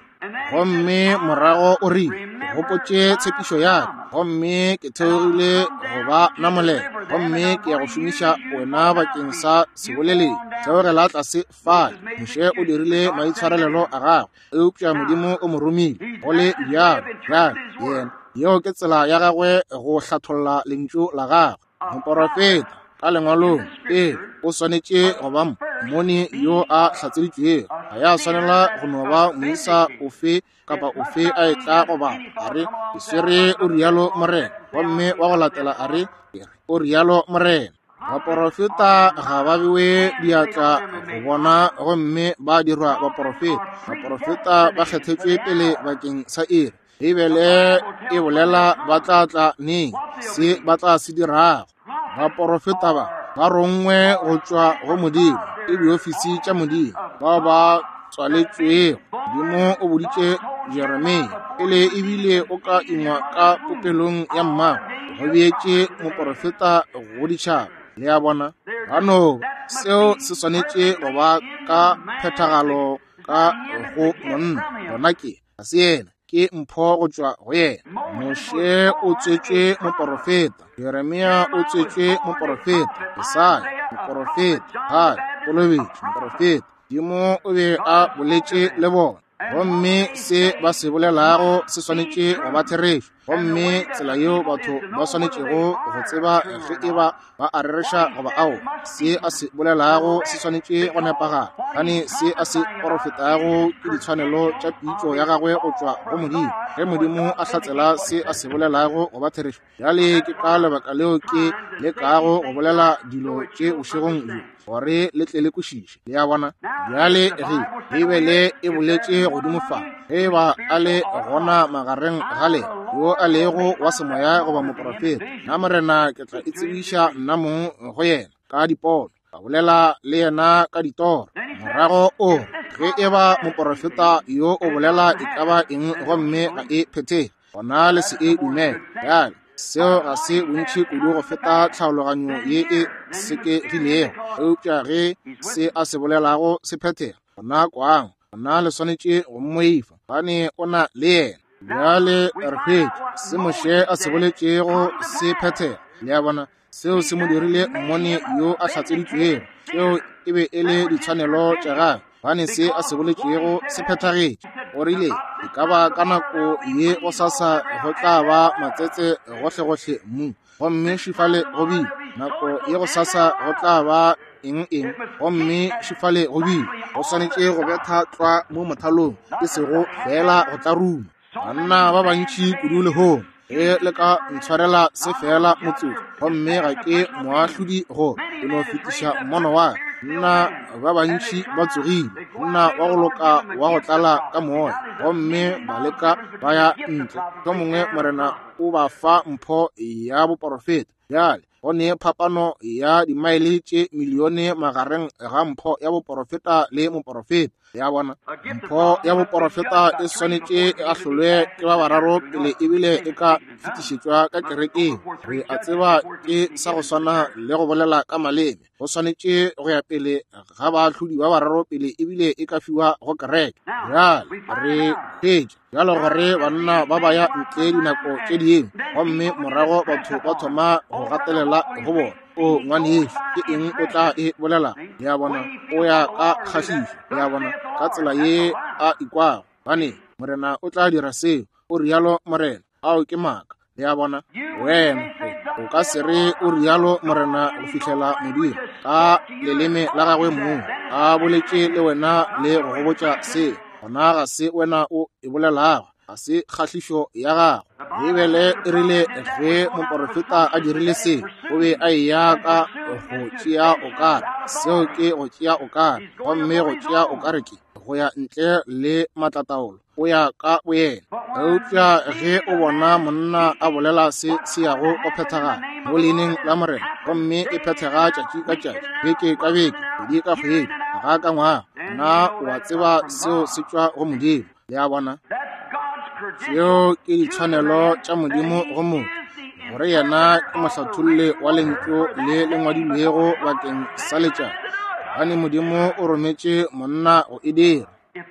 Gomme morago o rile, Ke gopotše tshepišo ya ka, gomme ke theogile go ba namolela, gomme ke ya go šomiša wena bakeng sa seboleledi. Theogela tlase fale. Moshe o dirile maitshwarelelo a gagwe. Eupša Modimo o mo romile, go le bjalo. Bjale, yena, yeo ke tsela ya gagwe go hlatholla Lentšu la gagwe. Moporofeta, ka Lengwalong, pele, o swanetše go ba mmoni yo a hlatseditšwego. Ga ya swanela go no ba moisa ofe kapa ofe a etla go bala, a re, Ke swere o rialo Morena, gomme wa go latela a re, Ke re o rialo Morena. Baporofeta ga ba bewe diatla go bona gomme ba dirwa baporofeta. Baporofeta ba kgethetšwe pele bakeng sa iri. Beibele e bolela ba tla tla neng, se ba tla se dirago. Baporofeta ba ba rongwe go tšwa go Modimo, ke diofisi tša Modimo, bao ba tswaletšwego. Modimo o boditše Jeremia pele ebile o ka ingwa ka popelong ya mmago, go beetše moporofeta go ditšhaba. Le a bona? Ba no seo se swanetše go ba ka phethagalo ka go monna. Gona ke ga se yena, ke mpho go tšwa go yena. Moshe o tswetšwe moporofeta, Jeremia o tswetšwe moporofeta, Jesaya moporofeta, Haggai kolobetšo moporofeta. Modimo o be a boletše le bona, gomme se ba se bolelago se swanetše go ba therešo. Gomme tsela yeo batho ba swanetšego go tseba ge e ba ba a rereša goba ao, se a se bolelago se swanetše go nepagala, gane se a se porofetago ke ditshwanelo tša pitšo ya gagwe go tšwa go Modimo. Ge Modimo a hlatsela se a se bolelago go ba therešo, Bjale ke ka lebaka leo ke lekago go bolela dilo tše bošegong bjo, gore le tle le kwešiše. Le a bona? Bjale ge Beibele e boletše godimo fa, ge e ba a le gona magareng ga lena yo a lego wa semoya goba moprofeta, nna Morena ke tla itsebiša nna mong go yena ka dipono, ka bolela le yena ka ditoro. Morago o re, ge e ba moprofeta yo o bolela e ka ba eng gomme ga e phethege, gona le se e dumele. Bjale, seo ga se bontši kudu go feta tlhaologanyo ye e sekegilego, eupša ge se a se bolelago se phethega, gona kwang, gona le swanetše go mmoifa, gobane o na le yena. Bjale re hwetša se Moshe a se boletšego se phethega. Le a bona? Seo se mo dirile mmoni yo a hlatseditšwego. Tšeo e be e le ditshwanelo tša gagwe, gobane se a se boletšego se phethagetše. O rile, E ka ba ka nako ye gosasa go tla ba matsetse gohlegohle mmung. Gomme šifale go bile. Nako ye gosasa go tla ba eng eng. Gomme šifale go bile. Go swanetše go betha tlwa mo mothalong, e sego feela go tlaruma. Banna ba bantši kudu lehono, ge le ka ntshwarela se feela motsotso, gomme ga ke moahlodi go ke no fetiša mmono wa ka. Nna ba bantši ba tsogile, monna wa go loka wa go tlala ka moya, gomme ba leka ba ya ntle. Mohlomongwe Morena o ba fa mpho ya boporofeta. Bjale, go ne phapano ya dimaele tše milione magareng ga mpho ya boporofeta le moporofeta. Le a bona? Mpho ya boporofeta e swanetše e ahlolwe ke ba bararo pele ebile e ka fetišetšwa ka kerekeng. Re a tseba ke sa go swana le go bolela ka maleme. Go swanetše go ya pele ga baahlodi ba bararo pele ebile e ka fiwa go kereke. Bjale, re hwetša bjalo gore banna ba ba ya ntle dinako tše dingwe, gomme morago batho ba thoma go gatelela go bona. O ngwanešu, ke eng o tla e bolela? Le a bona, o ya ka kgahlišo, le a bona, ka tsela ye a ikwago. Gobane Morena o tla dira seo, o rialo Morena. Ao ke maaka. Le a bona? Wena, O ka se re o rialo Morena go fihlela Modimo ka leleme la gagwe mong a boletše le wena le go go botša seo. Gona ga se wena o e bolelago, ga se kgahlišo ya gago. Beibele e rile ge moporofeta a dirile se, o be a eya ka go tšea okare. Seo ke go tšea okare, gomme go tšea okare ke go ya ntle le maatlataolo, o ya ka boyena. Eupša ge o bona monna a bolela se se yago go phethagala mo leineng la Morena, gomme e phethega tšatši ka tšatši, beke ka beke, kgwedi ka kgwedi, ngwaga ka ngwaga, na o a tseba seo se tšwa go Modimo. Le a bona? Tšeo ke ditshwanelo tša Modimo go motho, gore yena ke mohlatholli wa lentšu le le ngwadilwego bakeng sa letšatši, gobane Modimo o rometše monna go e dira.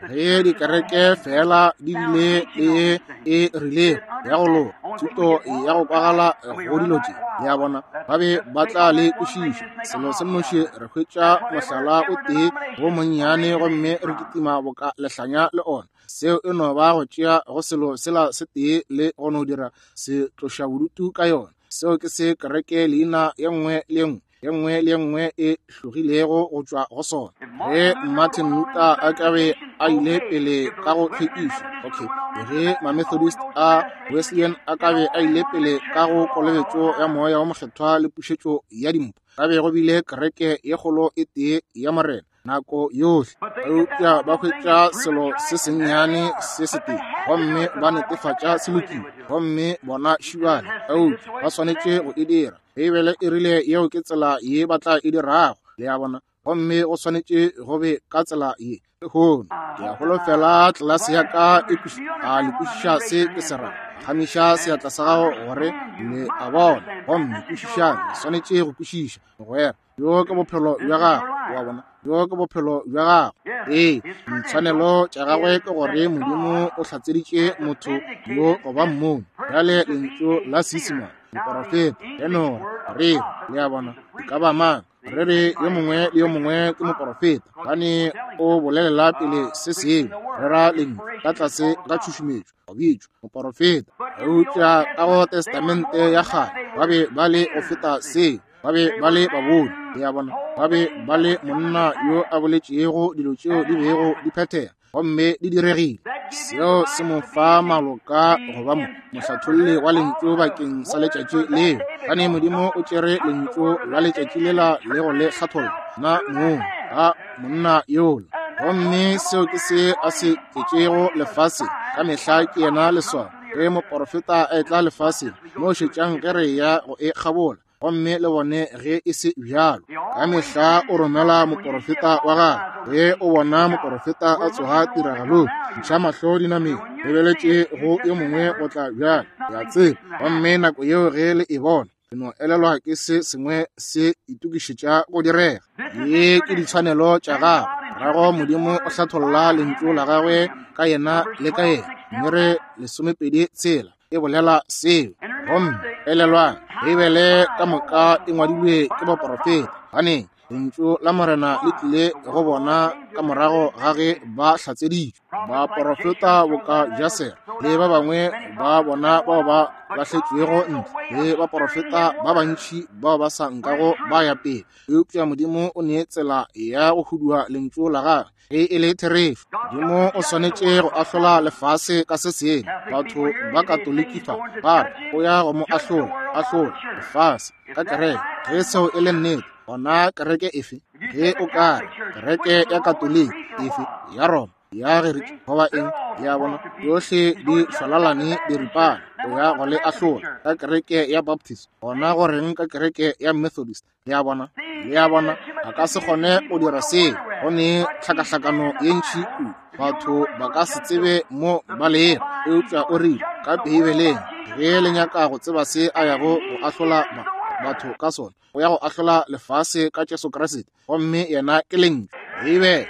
Ge dikereke fela di bile le ye e rilego ya go loka, thuto ya go kwagala go dilo tše, le a bona, ba be ba tla le kwešiša. Selo se nnoši, re hwetša mohlala o tee wo monnyane gomme re kitima boka lehlanya le ona. Seo e no ba go tšea go selo sela se tee le go no dira se tloša bodutu ka yona. Seo ke se kereke leina ye nngwe le ye nngwe ye nngwe le ye nngwe e hlogilego go tšwa go sona. Ge Martin Luther a ka be a ile pele ka go hlwekišo, okay, ge Mamethodist a Wesleyan a ka be a ile pele ka go kolobetšo ya Moya wo Mokgethwa le pušetšo ya dimpho, ka be go bile kereke ye kgolo e tee ya Morena nako yohle. Eupša ba hwetša selo se sennyane se setee gomme ba netefatša se lokile, gomme bona šibane. Eupša ba swanetše go e dira. Beibele e rile yeo ke tsela ye ba tla e dirago, le a bona, gomme go swanetše go be ka tsela ye lehono. Ke a holofela tlelase ya ka e a le kwešiša se ke se rago. Phagamiša seatla sa gago gore le a bona, gomme kwešišang, le swanetše go kwešiša, mogwera. Bjo ke bophelo bja gago, wa bona, bjo ke bophelo bja gago. Ee, ditshwanelo tša gagwe ke gore Modimo o hlatseditše motho yo go ba mmoni. Bjale lentšu la Seisemane, moporofeta, tenore, rere, le a bona, e ka ba mang, re re yo mongwe le yo mongwe ke moporofeta, gobane o bolelela pele se sengwe, rera lentšu ka tlase ga tšhušumetšo, go bitšwa moporofeta. Eupša ka go Testamente ya Kgale ba be ba le go feta seo, ba be ba le baboni, le a bona, ba be ba le monna yo a boletšego dilo tšeo di bego di phethega gomme di diregile. Seo se mo fa maloka go ba mohlatholli wa lentšu bakeng sa letšatši leo, gobane Modimo o tšere lentšu la letšatši lela le go le hlatholla na mong ga monna yola. Gomme seo ke se a se tletšego lefaseng ka mehla, ke yena leswao. Ge moporofeta a etla lefaseng, mo šetšang ge re ya go e kgabola, gomme le bone ge e se bjalo. Ka mehla o romela moporofeta wa gagwe. Ge o bona moporofeta a tsoga tiragalong, ntšha mahlo dinameng, lebeletše go yo mongwe go tla bjalo, le a tseba. Gomme nako yeo ge le e bona, le no elelwa ke se sengwe se itokišetša go direga. Ye ke ditshwanelo tša gagwe. Morago Modimo o hlatholla lentšu la gagwe ka yena le ka yena. Mme re 26 e bolela seo. Gomme elelwang, Beibele ka moka e ngwadilwe ke baporofeta, gobane lentšu la Morena le tlile go bona ka morago ga ge ba hlatseditšwe. Baporofeta boka Jasera le ba bangwe ba bona bao ba lahletšwego ntle, le baporofeta ba bantši bao ba sa nkago ba ya pele, eupša Modimo o ne tsela ya go hudua lentšu la gagwe ge e le therešo. Modimo o swanetše go ahlola lefase ka se sengwe. Batho ba Katoliki fa ba re o ya go mo ahlola, ahlola lefase ka kereke. Ge seo e le nnete, gona kereke efe? Ge o ka re kereke ya Katoliki efe, ya Roma, ya Gerika, goba eng, ya bona yohle di šwalalane diripana, o ya go le ahlola ka kereke ya Baptist, gona go reng ka kereke ya Methodist? Le a bona? Le a bona, a ka se kgone go dira seo, go ne tlhakahlakano ye ntši kudu, batho ba ka se tsebe mo ba lego. Eupša o rile ka Beibeleng, ge le nyaka go tseba se a yago go ahlola batho ka sona, o ya go ahlola lefase ka Jesu Kriste, gomme yena ke Lentšu. Beibele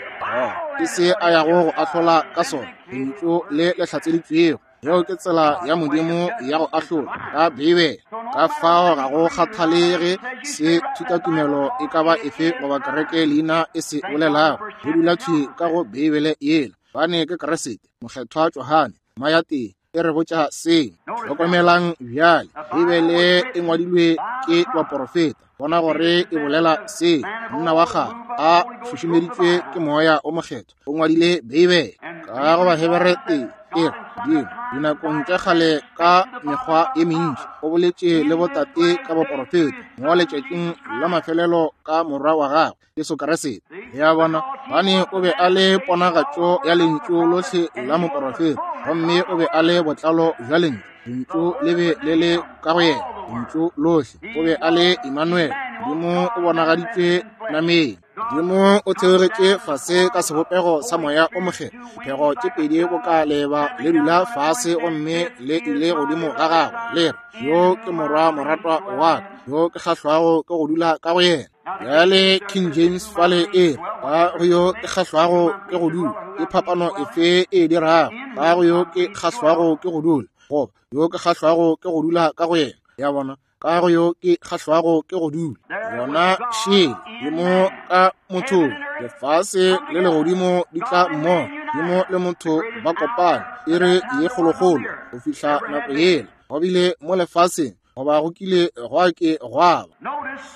ke se a yago go ahlola ka sona, Lentšu le le hlatseditšwego. Yeo ke tsela ya Modimo ya go ahlola ka Beibele. Ka fao ga go kgathalege se thutatumelo e ka ba efe goba kereke leina e se bolelago, go dula thwi ka go Beibele yela, gobane ke Kriste, Mokgethwa Johane, Mayatee. e re botša seo. Hlokomelang bjale, Beibele e ngwadilwe ke baporofeta. Bona gore e bolela seo. Monna wa kgale a šušumeditšwe ke Moya o Mokgethwa o ngwadile Beibele. Ka go Bahebere e e re, Modimo dinakong tša kgale ka mekgwa ye mentši o boletše le botate ka baporofeta, mo letšatšing la mafelelo ka Morwa wa gagwe Jesu Kriste. Le a bona, gobane o be a le ponagatšo ya lentšu lohle la moporofeta, gomme o be a le botlalo bja lentšu. Lentšu le be le le ka go yena, lentšu lohle. O be a le Emmanuel, Modimo o bonagaditšwe nameng. Modimo o theogetše fase ka sebopego sa Moya o Mokgethwa, diphego tše pedi boka leeba le dula fase gomme le ile godimo ga gagwe, le re, Yo ke Morwa moratwa wa ka, yo ke kgahlwago ke go dula ka go yena. Bjale King James fale e re, ka go yo ke kgahlwago ke go dula. Ke phapano efe e dirago? Ka go yo ke kgahlwago ke go dula, goba yo ke kgahlwago ke go dula ka go yena. Ya bona, ka go yo ke kgahlwago ke go dula. Yona šele, Modimo ka mothong, lefase le legodimo di tla mmogo. Modimo le motho ba kopane, iri ye kgolokgolo go fihla nako yela. Go bile mo lefaseng goba go kile gwa ke gwa ba.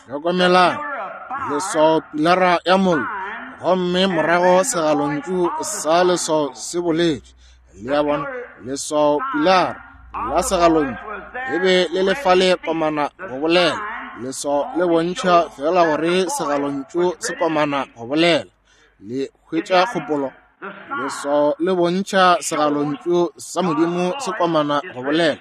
Hlokomelang, leswao pilara ya mollo, gomme morago segalontšu sa leswao se boletše. Le a bona, leswao pilara la segalontšu e be le le fale komana go bolela. Leswao le bontšha fela gore segalontšu se komana go bolela. Le hwetša kgopolo? Leswao le bontšha segalontšu sa Modimo se komana go bolela.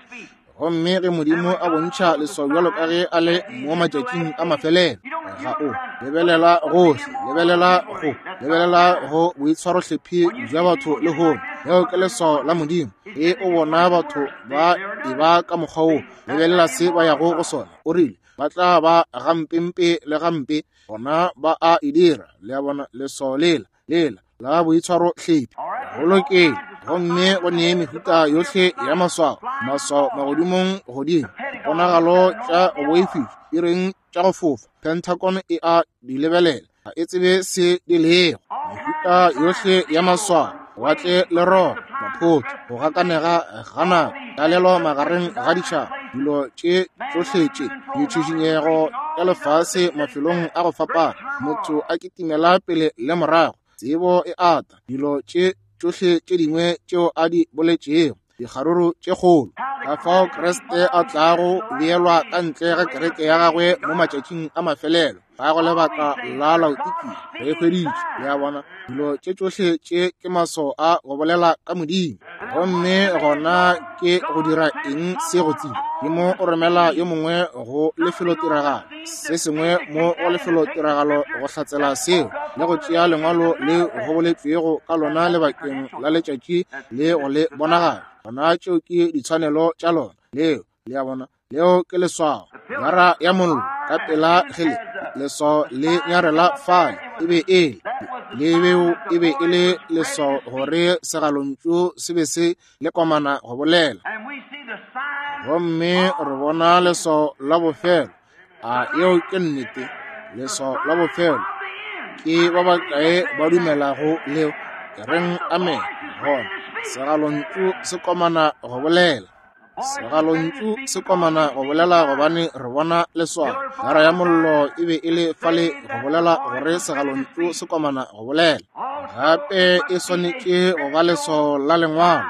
Gomme ge Modimo a bontšha leswao bjalo ka ge a le mo matšatšing a mafelelo, ga o lebelela gohle, lebelela go, lebelela go boitshwarohlephi bja batho lehono. Leo ke leswao la Modimo. Ge o bona batho ba e ba ka mokgwa wo, lebelela se ba yago go sona. O rile, ba tla ba gampempe le gampe, gona ba a e dira. Le a bona, leswao lela, lela la boitshwarohlephi. Go lokile. Gomme go ne mehuta yohle ya maswao, maswao magodimong godimo, ponagalo tša go boifiša, di reng tša go fofa. Pentagon e a di lebelela, ga e tsebe se di lego. Mehuta yohle ya maswao, lewatle le roba, maphoto, go gakanega ga nako, tlalelo magareng ga ditšhaba, dilo tše tšohle tše, ditšhišinyego tša lefase mafelong a go fapana, motho a kitimela pele le morago, tsebo e ata, dilo tše tšohle tše dingwe tšeo a di boletšego, dikgaruru tše kgolo. Ka fao Kriste a tlago beelwa ka ntle ga kereke ya gagwe mo matšatšing a mafelelo, ka go lebaka la Laodikia, re e hweditše. Le a bona, dilo tše tšohle tše ke maswao a go bolela ka Modimo. Gomme gona ke go dira eng se go tseba? Modimo o romela yo mongwe go lefelotiragalo, se sengwe mo go lefelotiragalo go hlatsela seo, le go tšea lengwalo le go boletšwego ka lona lebakeng la letšatši le go le bonagatša. Gona tšeo ke ditshwanelo tša lona. Leo, le a bona, leo ke leswao. Lara ya mollo ka pela ge le leswao le nyarela fale, e be e le lebeo, e be e le leswao gore segalontšu se be se le komana go bolela. Gomme re bona leswao la bofelo. A yeo ke nnete? Leswao la bofelo. Ke ba bakae ba dumelago leo? Ke reng amen. Gona segalontšu se komana go bolela. Segalontšu se komana go bolela gobane re bona leswao. Gara ya mollo e be e le fale go bolela gore segalontšu se komana go bolela. Gape e swanetše go ba leswao la lengwalo.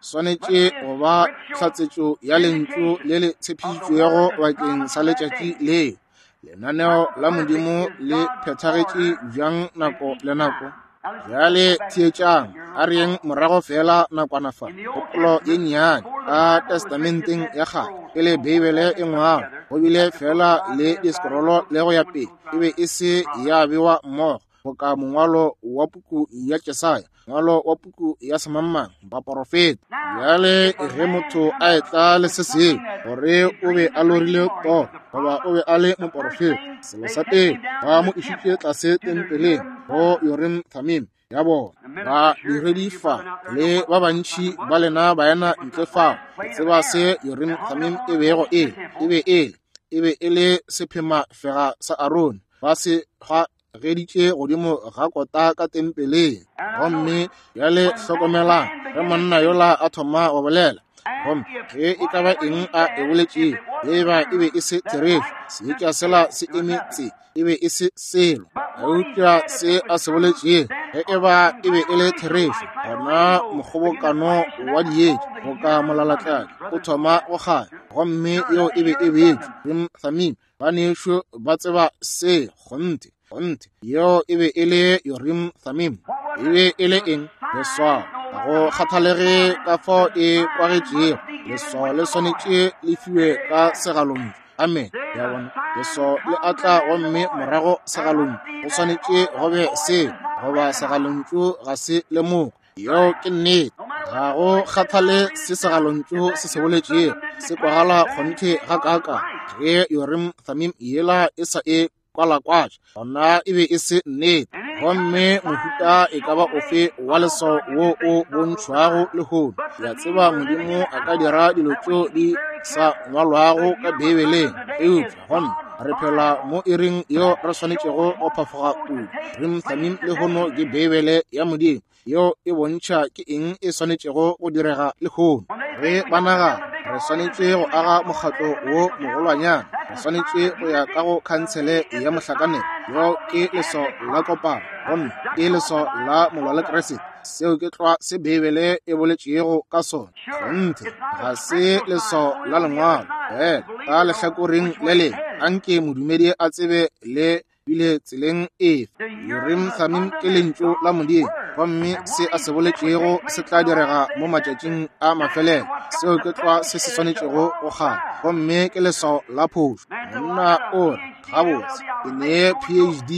Swanetše go ba tlhatsetšo ya lentšu le le tshepišitšwego bakeng sa letšatši leo. Lenaneo la Modimo le phethagetše bjang nako le nako? Bjale theetšang, a re yeng morago feela nakwana fa, kgopolo ye nnyane ka Testamenteng ya Kgale, pele Beibele e ngwalwa, go bile feela le diskrolo le go ya pele, e be e se ya bewa mmogo boka mongwalo wa puku ya Jesaya, mongwalo wa puku ya semangmang, baporofeta. Bjale ge motho a etla le se sengwe, gore o be a lorile toro goba o be a le moporofeta, selo sa pele ba mo išitše tlase tempeleng go Urim Thummim ya bona. Badiredi fa le ba bantši ba lena baena ntle fao, le tseba se Urim Thummim e bego e le. E be e le, e be e le sephemafega sa Arone, ba se geditše godimo ga kota ka tempeleng. Gomme bjale hlokomelang, ge monna yola a thoma go bolela, Gomme ge e ka ba eng a e boletšego, ge e ba e be e se therešo, seetša sela se eme tse, e be e se selo. Eupša se a se boletšego, ge e ba e be e le therešo, gona mokgobokano wa dietša boka molalatladi o thoma go kganya, gomme yeo e be e beetšwe Urim Thummim. Banešu ba tseba se, kgonthe, kgonthe. Yeo e be e le Urim Thummim. E be e le eng? Leswao. Ga go kgathalege ka fao e kwagetšego, leswao le swanetše le fiwe ka segalontšu. Amen. Ya bona, leswao le a tla gomme morago segalontšu. Go swanetše go be seo, goba segalontšu ga se lemoge. Yeo ke nnete. Ga go kgathale se segalontšu se se boletšego, se kwagala kgonthe gakaakang. Ge Urim Thummim yela e sa e kwalakwatša, gona e be e se nnete. Gomme mohuta e ka ba ofe wa leswao wo o bontšhwago lehono, ke a tseba Modimo a ka dira dilo tšeo di sa ngwalwago ka Beibeleng, eupša gomme re phela mo iring yeo re swanetšego go phafoga kudu. Urim Thummim lehono ke Beibele ya Modimo yeo e bontšha ke eng e swanetšego go direga lehono. Ge ba nagana re swanetše go aga mokgatlo wo mogolwanyana, re swanetše go ya ka go khansele ya mohlakanelo, yeo ke leswao la kopano, gomme ke leswao la molwalekriste. Seo ke tlwa se Beibele e boletšego ka sona. Kgonthe, ga se leswao la Lengwalo. Fela ka lehlakoreng le lengwe, anke modumedi a tsebe le bile tseleng efe. Urim Thummim ke lentšu la Modimo, gomme se a se boletšego se tla direga mo matšatšing a mafelelo. Seo ke tlwa se se swanetšego go kganya, gomme ke leswao la phošo. Monna o re, Gabotse, ke ne PhD,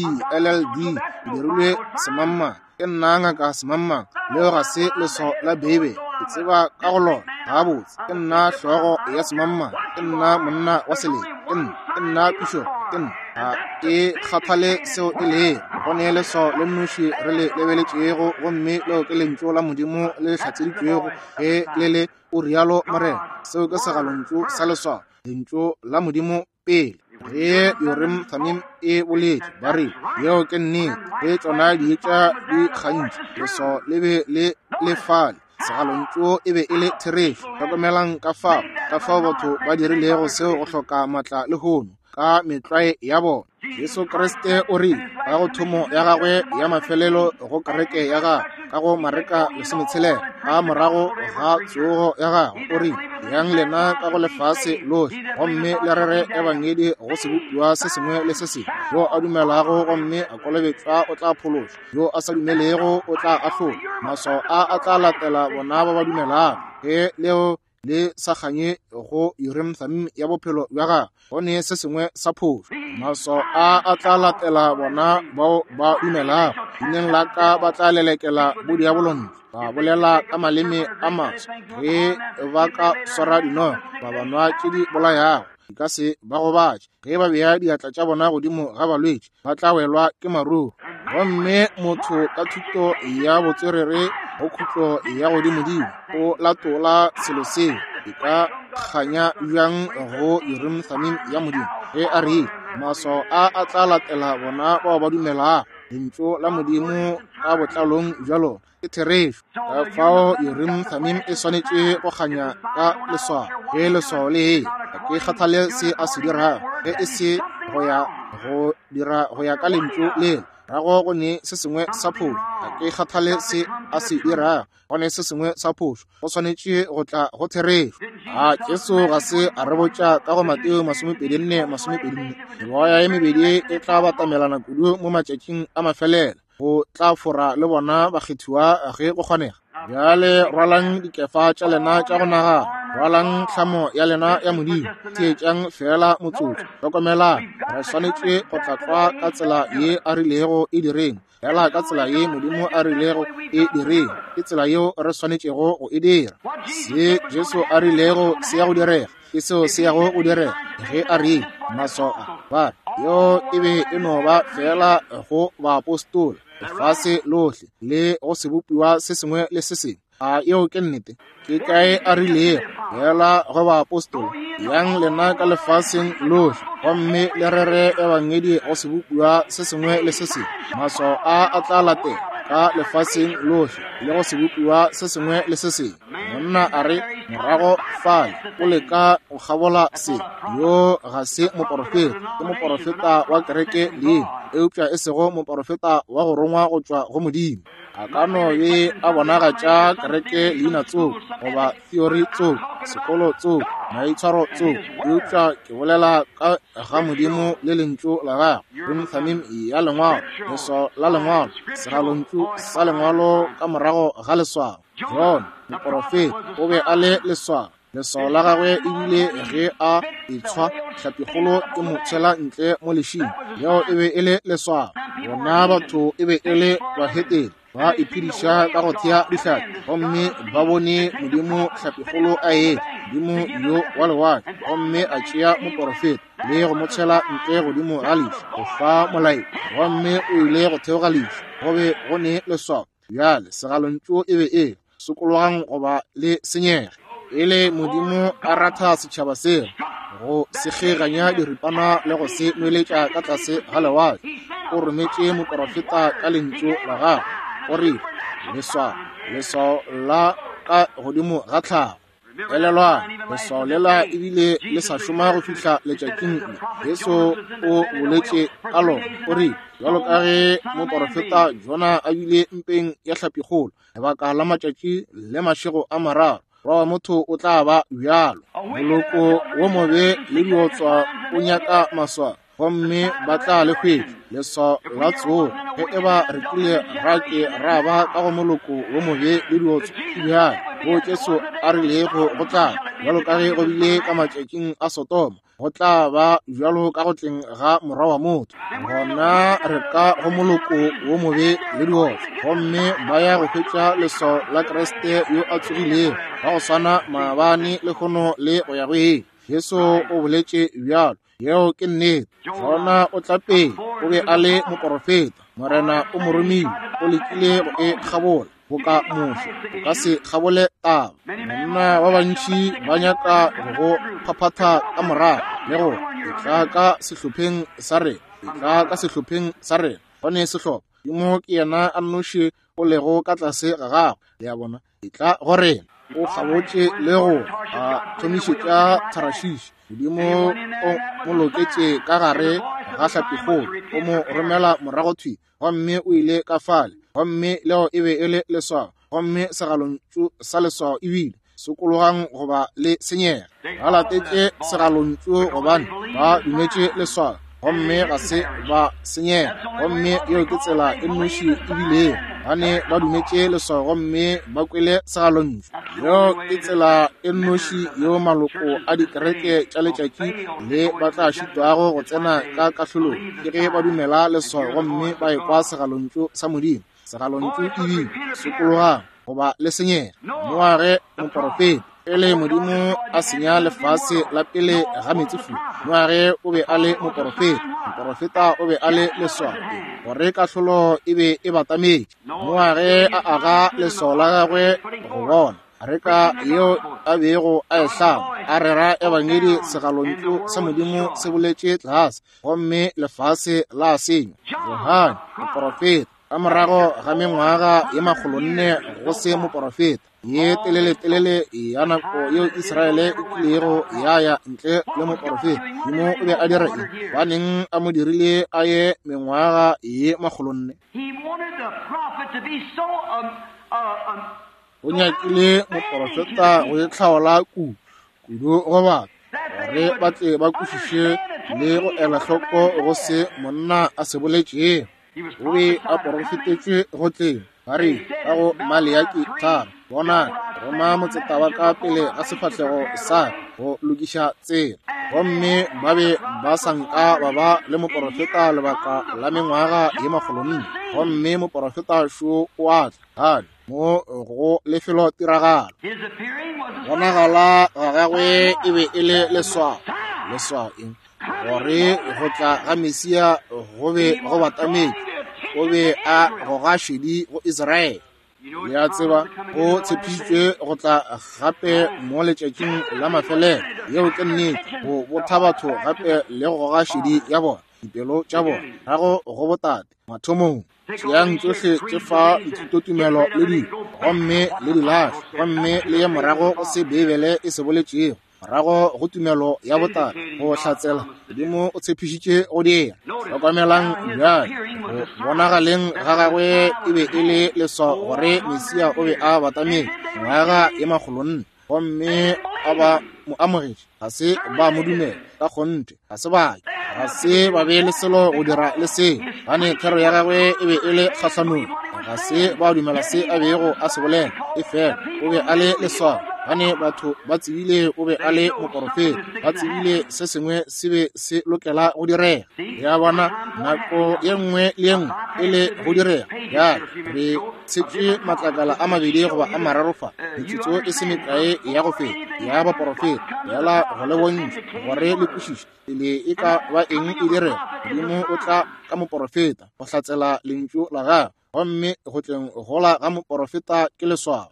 LLD, ke dirilwe semangmang. Ke nna ngaka semangmang. Leo ga se leswao la Beibele. Ke tseba ka go lona. Gabotse, ke nna hlogo ya semangmang. Ke nna monna wa selete. Ke nna, ke nna pišopo. Ke nna. Ga ke kgathale seo e lego. Go ne leswao le nnoši re le lebeletšego, gomme leo ke Lentšu la Modimo le le hlatseditšwego ge le le, O rialo morena. Seo ke segalontšu sa leswao, Lentšu la Modimo pele. Ge Urim Thummim e boletše, ba rile, Yeo ke nnete. Ge tšona dietša di kgantšha, leswao le be le le fale. Segalontšu e be e le therešo. Hlokomelang ka fao, ka fao batho ba dirilego seo go hloka maatla lehono, ka metlwae ya bona. Jesu Kriste o rile, ka go thomo ya gagwe ya mafelelo go kereke ya gagwe, ka go Mareka 16, ka morago ga tsogo ya gagwe, o rile, Yang lena ka go lefase lohle, gomme le rere ebangedi go sebopiwa se sengwe le se sengwe. Yo a dumelago gomme a kolobetšwa o tla phološwa, yo a sa dumelego o tla ahlolwa. Maswao a a tla latela bona ba ba dumelago. Ge leo le sa kganye go Urim Thummim ya bophelo bja gagwe, go ne se sengwe sa phošo. Maswao a a tla latela bona bao ba dumelago. Leineng la ka ba tla lelekela bodiabolo ntle, ba bolela ka maleme a maswa. Ge ba ka swara dinoga, ba ba nwa tše di bolayago, di ka se ba gobatše. Ge ba bea diatla tša bona godimo ga balwetši, ba tla welwa ke maruo. Gomme motho ka thuto ya botswerere go khutlo ya godimodimo o latola selo seo, e ka kganya bjang go Urim Thummim ya Modimo ge a rile, Maswao a a tla latela bona bao ba dumelago Lentšu la Modimo ka botlalong bja lona. Ke therešo. Ka fao Urim Thummim e swanetše go kganya ka leswao. Ge leswao le eya, ga ke kgathale se a se dirago, ge e se go ya go dira go ya ka lentšu lela, rago go ne se sengwe sa phošo. Ga ke kgathale se a se dirago, go ne se sengwe sa phošo. Go swanetše go tla go therešo. A Jesu ga se a re botša ka go Mateo 24, 24, meoya ye mebedi e tla batamelana kudu mo matšatšing a mafelelo, go tla fora le bona bakgethiwa ge go kgonega. Bjale rwalang dikefa tša lena tša go nagana, rwalang tlhamo ya lena ya Modimo. Theetšang feela motsotso. Hlokomelang, re swanetše go tla tlwa ka tsela ye a rilego e direng, feela ka tsela ye Modimo a rilego e direng. Ke tsela yeo re swanetšego go e dira. Se Jesu a rilego se ya go direga, ke seo se yago go direga. Ge a rile, maswao a, ba re, yeo e be e no ba feela go baapostola, lefase lohle, le go sebopiwa se sengwe le se sengwe. A yeo ke nnete? Ke kae a rilego, feela go baapostola, yang lena ka lefaseng lohle, gomme le rere ebangedi go sebopiwa se sengwe le se sengwe. Maswao a a tla latela. ka lefaseng lohle le go sebopiwa se sengwe le se sengwe. Monna a re, Morago fale, o leka go kgabola se. Yo ga se moporofeta, ke moporofeta wa kereke leina, eupša e sego moporofeta wa go rongwa go tšwa go Modimo. A ka no be a bonagatša kereke leina tsoko, goba theory tsoko, sekolo tsoko, maitshwaro tsoko, eupša ke bolela ka ga Modimo le Lentšu la Gagwe, Urim Thummim ya Lengwalo, leswao la Lengwalo, segalontšu sa Lengwalo ka morago ga leswao. Jona, moporofeta, o be a le leswao. Leswao la gagwe e bile ge a etshwa hlapikgolo e mo tshwela ntle mo lešing. Leo e be e le leswao. Bona batho e be e le bahetene, ba iphediša ka go thea dihlapi, gomme ba bone Modimo hlapikgolo a etla, Modimo yo wa lewatle, gomme a tšea moporofeta le go mo tshwela ntle godimo ga leši go fa molaetša, gomme o ile go theoga leši. Go be go ne leswao. Bjale segalontšu e be e le, Sokologang goba le senyege. E le Modimo a ratha setšhaba seo go se kgeganya diripana le go se nweletša ka tlase ga lewatle. O rometše moporofeta ka lentšu la gagwe. O rile, Leswao, leswao la ka godimo ga tlhago. Elelwang, leswao lela ebile le sa šoma go fihla letšatšing le. Jesu o boletše ka lona, o rile, Bjalo ka ge moporofeta Jona a bile mpeng ya hlapikgolo lebaka la matšatši le mašego a mararo, Morwa wa motho o tla ba bjalo. Moloko wo mobe le diotswa o nyaka maswao, gomme ba tla le hwetša, leswao la tsogo. Ge e ba re kile ra ke ra ba ka go moloko wo mobe le diotswa, ke bjale wo Jesu a rilego go tla, bjalo ka ge go bile ka matšatšing a Sodoma, go tla ba bjalo ka go tleng ga Morwa wa motho. Gona re ka go moloko wo mobe le diotswa, gomme ba ya go hwetša leswao la Kriste yo a tsogilego, ba go swana maabane, lehono le go ya go ile. Jesu o boletše bjalo. Yeo ke nnete. Jona o tla pele, o be a le moporofeta. Morena o mo romile, o lekile go e kgabola boka Moshe. O ka se kgabole taba. Banna ba bantši ba nyaka go go phaphatha ka morago le go etla ka sehlopheng sa rena, etla ka sehlopheng sa rena. Go ne sehlopha. Modimo ke yena a nnoši o lego ka tlase ga gagwe. Le a bona? Etla go rena. O kgabotše le go a thomišetša Tharashishi. Modimo o mo loketše ka gare ga hlapikgolo, o mo romela morago thwi, gomme o ile ka fale, gomme leo e be e le leswao, gomme segalontšu sa leswao e bile, Sokologang goba le senyege. Ba latetše segalontšu gobane ba dumetše leswao, gomme ga se ba senyega. Gomme yeo ke tsela e nnoši e bilego, gane ba dumetše leswao gomme ba kwele segalontšu. Yeo ke tsela e nnoši yeo maloko a dikereke tša letšatši le ba tla šitwago go tsena ka kahlolong, ke ge ba dumela leswao gomme ba ekwa segalontšu sa Modimo. Segalontšu e bile, Sokologang goba le senyege. Noage moporofeta, pele Modimo a senya lefase la pele ga meetsefula, Noage o be a le moporofeta. Moporofeta o be a le leswao gore kahlolo e be e batametše. Noage a aga leswao la gagwe go bona areka yeo a bego a e hlama, a rera ebangedi, segalontšu sa Modimo se boletše tlase, gomme lefase la senywa. Johane moporofeta, ka morago ga mengwaga ye 400 go se moporofeta, ye teleletelele ya nako yeo Israele e kilego ya ya ntle le moporofeta, Modimo o be a dira eng? Gobaneng a mo dirile a ye mengwaga ye 400? O nyakile moporofeta go itlhaola kudu kudu go batho, gore ba tle ba kwešiše le go ela hloko go se monna a se boletšego. O be a porofetetšwe go tleng, ba re ka go Maleaki 3, Bonang, ke roma motseta wa ka pele ga sefahlego sa ka go lokiša tsela. Gomme ba be ba sa nka ba ba le moporofeta lebaka la mengwaga ye 400. Gomme moporofeta šo o a tla, gane mo go lefelotiragalo. Bonagala ga gagwe e be e le leswao. Leswao eng? Gore go tla ga Mesia go be go batametše. O be a goga šedi go Israele. Le a tseba, o tshepišitšwe go tla gape mo letšatšing la mafelelo. Yeo ke nnete, go botha batho gape le go goga šedi ya bona, dipelo tša bona, morago go botate, mathomong. Tšeang tšohle tše fa dithutotumelo le dilo, gomme le di lahle, gomme le ye morago go se Beibele e se boletšego, morago go tumelo ya botala, go hlatsela Modimo o tshepišitše go dira. Hlokomelang bjale, go bonagaleng ga gagwe e be e le leswao gore Mesia o be a batametše, mengwaga ye makgolonne, gomme a ba mo amogetše, ga se ba mo dumela, ka kgonthe ga se ba ga se ba be le selo go dira le seo, gane thero ya gagwe e be e le kgahlanong, ga se ba dumela se a bego a se bolela, efela o be a le leswao, gane batho ba tsebile o be a le moporofeta, ba tsebile se sengwe se be se lokela go direga. Ya bona, nako ye nngwe le ye nngwe e le go direga. Bjale re tshetše matlakala a mabedi goba a mararo fa, metsotso e se mekae ya go feta, ya baporofeta, bjala go le bontšha gore le kwešiše pele e ka ba eng e direga. Modimo o tla ka moporofeta go hlatsela lentšu la gagwe, gomme go tleng gola ga moporofeta ke leswao.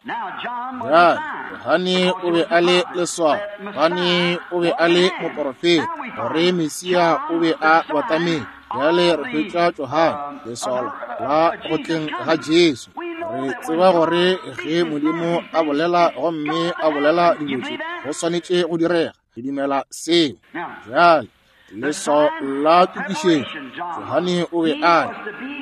Bjale Johane o be a le leswao, Johane o be a le moporofeta gore Mesia o be a batametse. Bjale re hwetša Johane leswao la go tleng ga Jesu. Re tseba gore ge Modimo a bolela gomme a bolela dilo tše, go swanetše go direga. Re dumela seo. Bjale leswao la tokišetšo, Johane o be a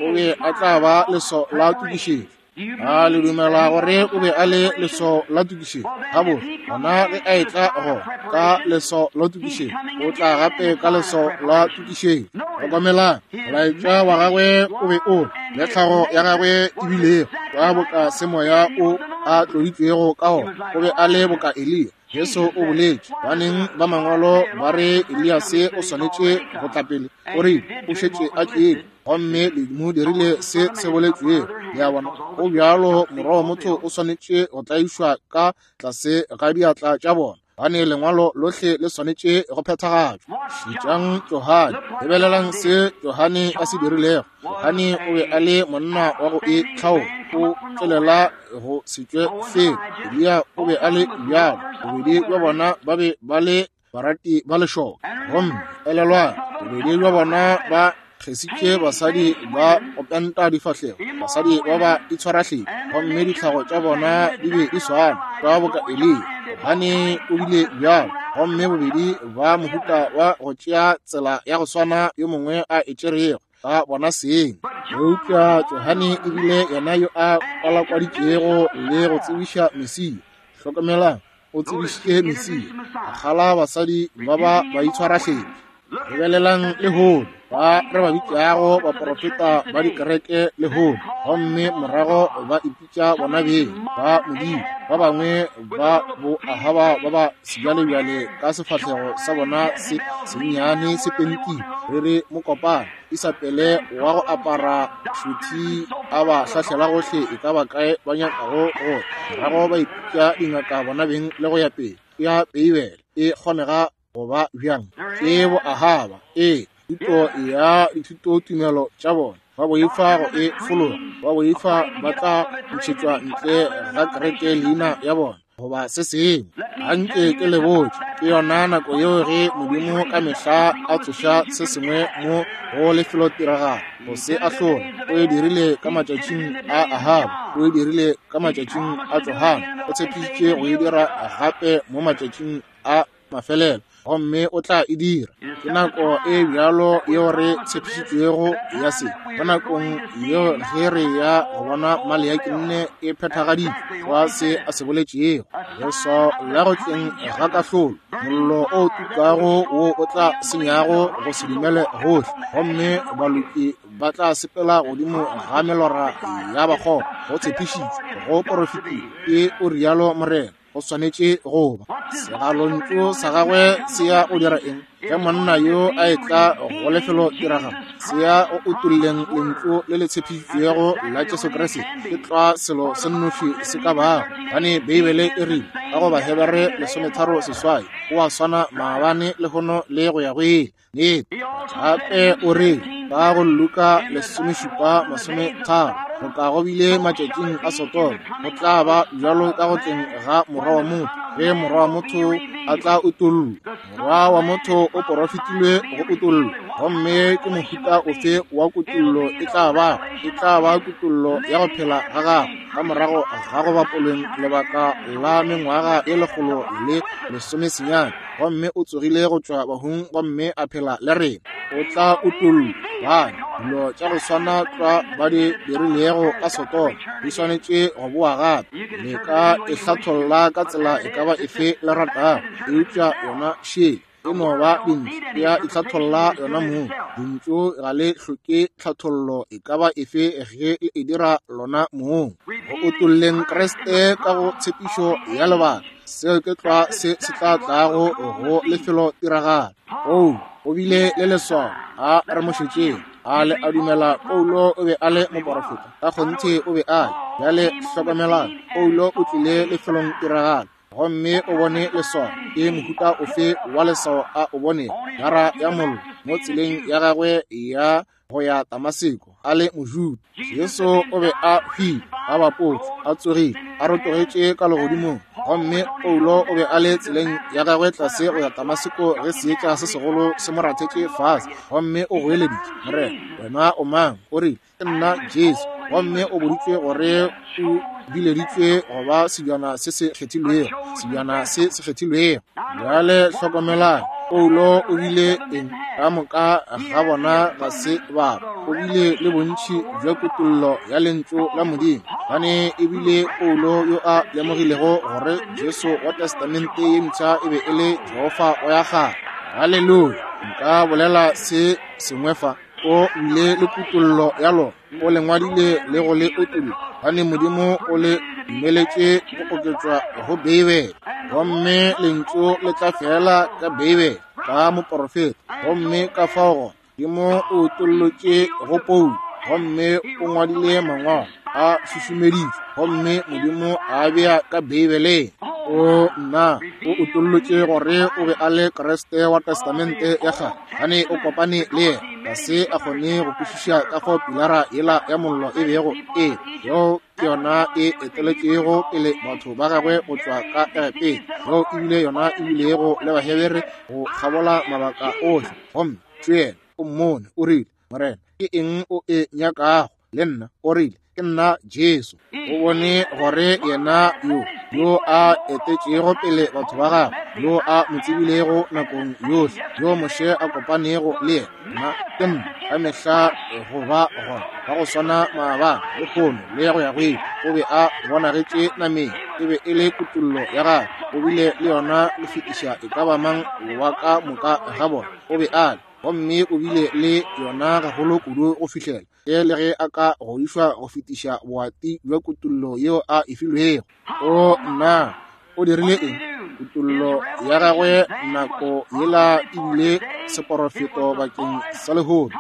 o be a tla ba leswao la tokišetšo. A le dumela gore o be a le leswao la tokišetšo? Gabotse, gona ge a etla go ka leswao la tokišetšo, o tla gape ka leswao la tokišetšo. Hlokomelang, molaetša wa gagwe o be o le tlhago ya gagwe e bilego ka boka semoya o a tloditšwego ka ona. O be a le boka Eliya. Jesu o boletše, baneng ba mangwalo ba re Eliase o swanetše go tla pele, o rile o šetše a tlile, gomme le mo dirile se se boletšwego. Le a bona, go bjalo Morwa wa motho o swanetše go tlaišwa ka tlase ga diatla tša bona, gane lengwalo lohle le swanetše go phethagatšwa. Šetšang Johane, lebelelang se Johane a se dirilego. Johane o be a le monna wa go itlhaola, o tšwelela go se tšwe felo. Eliya o be a le bjalo, bobedi bja bona ba be ba le barati ba lešoka. Gomme elelwang, bobedi bja bona ba kgesitše basadi ba go penta difahlego, basadi ba ba itshwarahleng, gomme ditlhago tša bona di be di swana ka boka Eliya. Johane o bile bjalo, gomme bobedi ba mohuta wa go tšea tsela ya go swana yo mongwe a e tšerego ba bona seng. Eupša Johane e bile yena yo a kwalakwaditšego le go tsebiša Mesia. Hlokomelang, o tsebišitše Mesia, a kgala basadi ba ba ba itshwarahlephi. Lebelelang lehono, ba re ba bitšago baporofeta ba dikereke lehono, gomme morago ba ipitša bona beng ba Modimo. Ba bangwe ba bo Ahaba ba ba sebjalebjale ka sefahlego sa bona se sennyane se pentilwe, re re mokopana, Isabele wa go apara šothi a ba hlahlela gohle e ka ba kae ba nyakago go ya, morago ba ipitša dingaka bona beng le go ya pele. Ya Beibele e kgonega go ba bjang? Ke bo Ahaba, ee, thuto ya dithutotumelo tša bona. Ba boifa go e fologa, ba boifa ba tla ntšhetšwa ntle ga kereke leina ya bona goba se sengwe. Anke ke le botše, ke yona nako yeo ge Modimo ka mehla a tsoša se sengwe mo go lefelotiragalo go se ahlola. O e dirile ka matšatšing a Ahaba, o e dirile ka matšatšing a Johane, o tshepišitše go e dira gape mo matšatšing a mafelelo, gomme o tla e dira. Ke nako e bjalo yeo re tshepišitšwego ya se. Mo nakong yeo ge re ya go bona Maleaki nne e phethagaditšwe wa se a se boletšego, leswao la go tleng ga kahlolo, mollo o tukago wo o tla senyago go se dumele gohle, gomme baloki ba tla sepela godimo ga melora ya bakgopo. Go tshepišitšwe, go porofetile, ke o rialo Morena. Go swanetše go ba. Segalontšu sa gagwe se ya go dira eng? Ge monna yo a etla go lefelo tiragalo, se ya go utolleng lentšu le le tshepišitšwego la Jesu Kriste. Ke tlwa selo se nnoši se ka bago, gobane Beibele e rile, ka go Bahebere 13:8, O a swana maabane, lehono, le go ya go ile. Nnete. Gape o re, ka go Luka 17:30, boka go bile matšatšing a Sodoma, go tla ba bjalo ka go tleng ga Morwa wa motho. Ge Morwa wa motho a tla utollwa. Morwa wa motho o porofetilwe go utollwa. Gomme ke mohuta ofe wa kutollo e tla ba? E tla ba kutollo ya go phela ga gagwe ka morago ga go bapolweng lebaka la mengwaga e 119, gomme o tsogile go tšwa bahung gomme a phela le rena. O tla utollwa. Bana, dilo tša go swana tlwa ba di dirilego ka Sodoma di swanetše go boa gape. Le ka e hlatholla ka tsela e ka ba efe le ratago, eupša yona šele e no ba dintšu, e a itlhatholla yona mong. Lentšu ga le hloke tlhathollo e ka ba efe ge le e dira lona mong. Go utolleng Kriste ka go tshepišo ya lebaka, seo ke tlwa se se tla tlago go lefelotiragalo. Oo, o bile le leswao. A re mo šetšeng. A le a dumela Paulo o be a le moporofeta? Ka kgonthe o be a le. Bjale hlokomelang, Paulo o tlile lefelong tiragalo gomme o bone leswao. Ke mohuta ofe wa leswao a o bonego? Gara ya mollo mo tseleng ya gagwe ya go ya Damaseko a le Mojuda. Jesu o be a hwile, a bapotšwe, a tsogile, a rotogetše ka legodimong, gomme Paulo o be a le tseleng ya gagwe tlase go ya Damaseko ge seetša se segolo se mo rathetše fase, gomme o goeleditše, Morena, wena o mang? O rile, Ke nna Jesu. Gomme o boditšwe gore o bileditšwe go ba sebjana se se kgethilwego, sebjana se se kgethilwego. Bjale hlokomelang, Paulo o bile eng? Ka moka ga bona ga se ba. O bile le bontši bja kutollo ya Lentšu la Modimo, gobane e bile Paulo yo a lemogilego gore Jesu wa Testamente ye Mpsha e be e le Jehofa wa ya kgale. Haleluya! Nka bolela se sengwe fa. O bile le kutollo ya lona, o le ngwadile le go le utolla, gobane Modimo o le dumeletše go oketšwa go Beibele. Gomme Lentšu le tla feela ka Beibele, ka moporofeta. Gomme ka fao gona, Modimo o utollotše go Paulo, gomme o ngwadile mangwalo a šušumeditšwe, gomme Modimo a bea ka Beibeleng. O nna, o utollotše gore o be a le Kriste wa Testamente ya Kgale, gane o kopane le yena. Ga se a kgone go kwešiša ka fao pilara yela ya mollo e bego e yeo ke yona e eteletšego pele batho ba gagwe go tšwa ka Egepeta, yeo e bile yona e bilego le Bahebere go kgabola mabaka ohle. Gomme šo yena, o mmone, o rile, Morena, ke eng o e nyakago le nna? O rile, Ke nna Jesu. O bone gore yena yo, yo a etetšego pele batho ba gagwe, yo a mo tsebilego nakong yohle, yo Moshe a kopanego le yena, nna ke nna, ka mehla go ba gona, ba go swana maabane, lehono, le go ya go ile. O be a bonagetše nameng, e be e le kutollo ya gagwe, o bile le yona go fetiša e ka ba mang wa ka moka ga bona. O be a le, gomme o bile le yona gagolo kudu go fihlela ge le ge a ka godišwa go fetiša boati bja kutollo yeo a e filwego. O nna, o dirile eng? Kutollo ya gagwe nako yela e bile seporofeto bakeng sa lehono.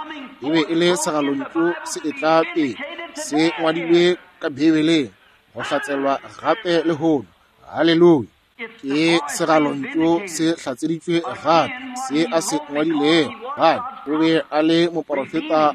E be e le segalontšu se etla pele, se ngwadilwe ka Beibeleng, go hlatselwa gape lehono. Haleluya! Ke segalontšu se hlatseditšwe gape, se a se ngwadilego. Gane o be a le moporofeta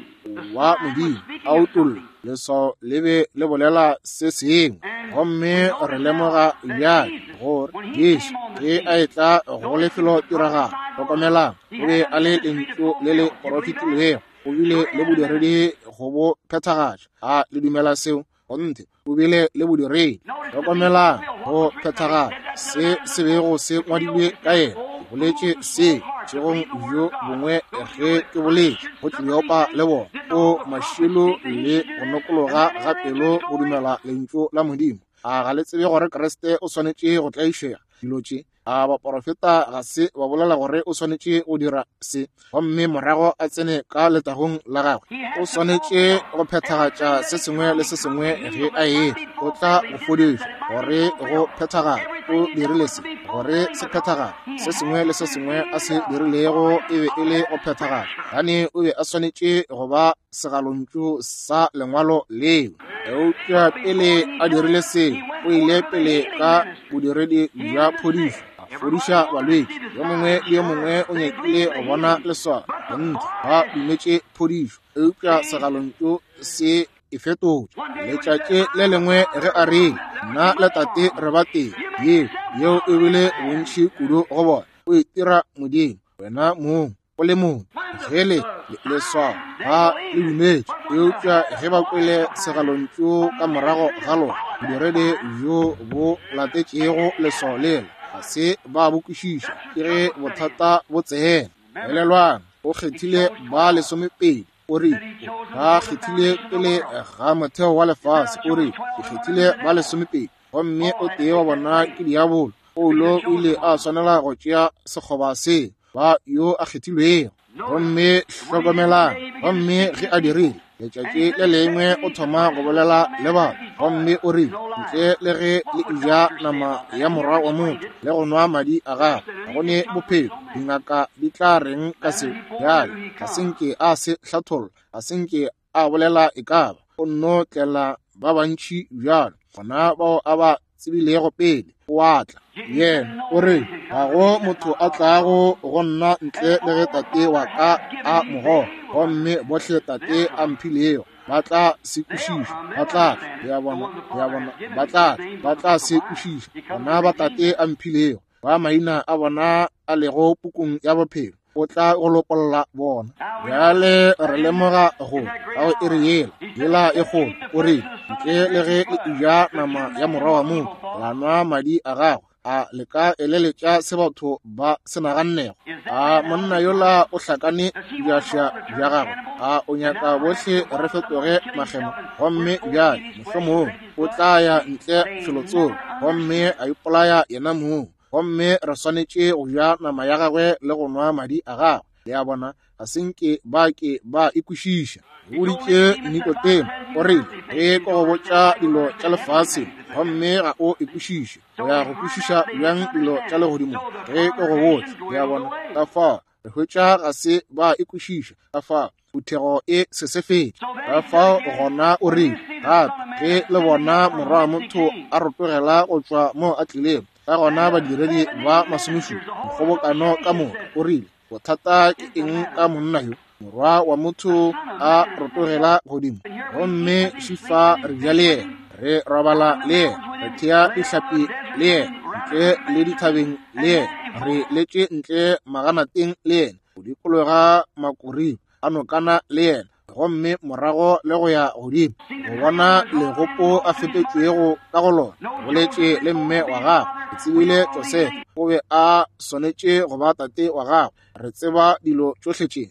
wa Modimo, a utolla leswao le be le bolela se sengwe. Gomme re lemoga bjale gore Jesu ge a etla go lefelo tiragalo, hlokomelang, o be a le lentšu le le porofetilwego, o bile le bodiredi go bo phethagatša. A le dumela seo? Kgonthe, o bile le bodiredi. Hlokomelang go phethagala se se bego se ngwadilwe ka yena. Ke boletše se bošegong bjo bongwe ge ke boletše go Kleopa le bona. O mašilo le go nokologa ga pelo go dumela lentšu la Modimo. A ga le tsebe gore Kriste o swanetše go tlaišega dilo tše? A baporofeta ga se ba bolela gore o swanetše go dira se gomme morago a tsene ka letagong la gagwe? O swanetše go phethagatša se sengwe le se sengwe ge a etla. O tla go fodišwa gore go phethagale. O dirile se gore se phethagale. Se sengwe le se sengwe a se dirilego e be e le go phethagala, gane o be a swanetše go ba segalontšu sa lengwalo leo. Eupša pele a dirile seo, o ile pele ka bodiredi bja phodišo, a fodiša balwetši. Yo mongwe le yo mongwe o nyakile go bona leswao. Kgonthe, ba dumetše phodišo, eupša segalontšu se e fetotše. Letšatši le lengwe ge a rile, Nna le Tate re ba tee, yeo Yeo e bile bontši kudu go bona. O itira Modimo, wena mong, o le mong. Ge le leswao ba le dumetše, eupša ge ba kwele segalontšu ka morago ga lona, bodiredi bjo bo latetšego leswao lela, ga se ba bo kwešiša. Ke ge bothata bo tsena. Elelwang, o kgethile ba 12. O re, ba kgethile pele ga motheo wa lefase. O re, ke kgethile ba 12, gomme o tee wa bona ke diabolo. Paulo o ile a swanela go tšea sekgoba se ba yo a kgethilwego. Gomme hlokomelang, gomme ge a dirile, letšatši le lengwe o thoma go bolela le batho, gomme o rile, ntle le ge le eja nama ya morwa wa motho le go nwa madi a gagwe, ga go ne bophelo. Dingaka di tla reng ka seo? Bjale, ga se nke a se hlatholla, ga se nke a bolela e ka ba. O nno tlela ba bantši bjalo, gona bao a ba tsebilego pele, o a tla. Yena o re, ga go motho a tlago go nna ntle le ge Tate wa ka a mo goga, gomme bohle Tate a mphilego ba tla se kwešiša, ba tla tla. Le a bona, le a bona, ba tla tla, ba tla se kwešiša. Bona ba Tate a mphilego, ba maina a bona a lego pukung ya bophelo, o tla go lopolla bona. Bjale re lemoga go ka go iri yela, yela e kgolo, o rile, ntle le ge le eja nama ya morwa wa motho, la nwa madi a gagwe, a le ka eleletša se batho ba se nagannego? A monna yola o hlakane bjaša bja gagwe? A o nyaka bohle re fetoge makgema? Gomme bjale mohlomongwe o tla ya ntle felotsoko gomme a ipolaya yena mong, gomme re swanetše go ja nama ya gagwe le go nwa madi a gagwe. Le a bona, ga se nke ba ke ba e kwešiša. O boditše Nikodemo, o rile, ge ke go botša dilo tša lefase gomme ga o e kwešiše, o ya go kwešiša bjang dilo tša legodimo ge ke go botša? Le a bona, ka fao re hwetša ga se ba e kwešiša, ka fao phuthego e sesefetše. Ka fao gona o rile gape, ge le bona Morwa wa motho a rotogela go tšwa mo a tlilego, ka gona badiredi ba masomešupa, mokgobokano ka moka, o rile, bothata ke eng ka monna yo? Morwa wa motho a rotogela godimo, gomme šifa re ja le yena, re robala le yena, re thea dihlapi le yena, ntle le dithabeng le yena, re letše ntle maganateng le yena, go dikologa makoring a nokana le yena, gomme morago le go ya godimo go bona legopo a fetetšwego ka go lona. Boletše le mme wa gagwe, ke tsebile Josefa o be a swanetše go ba tate wa gagwe, re tseba dilo tšohle tše.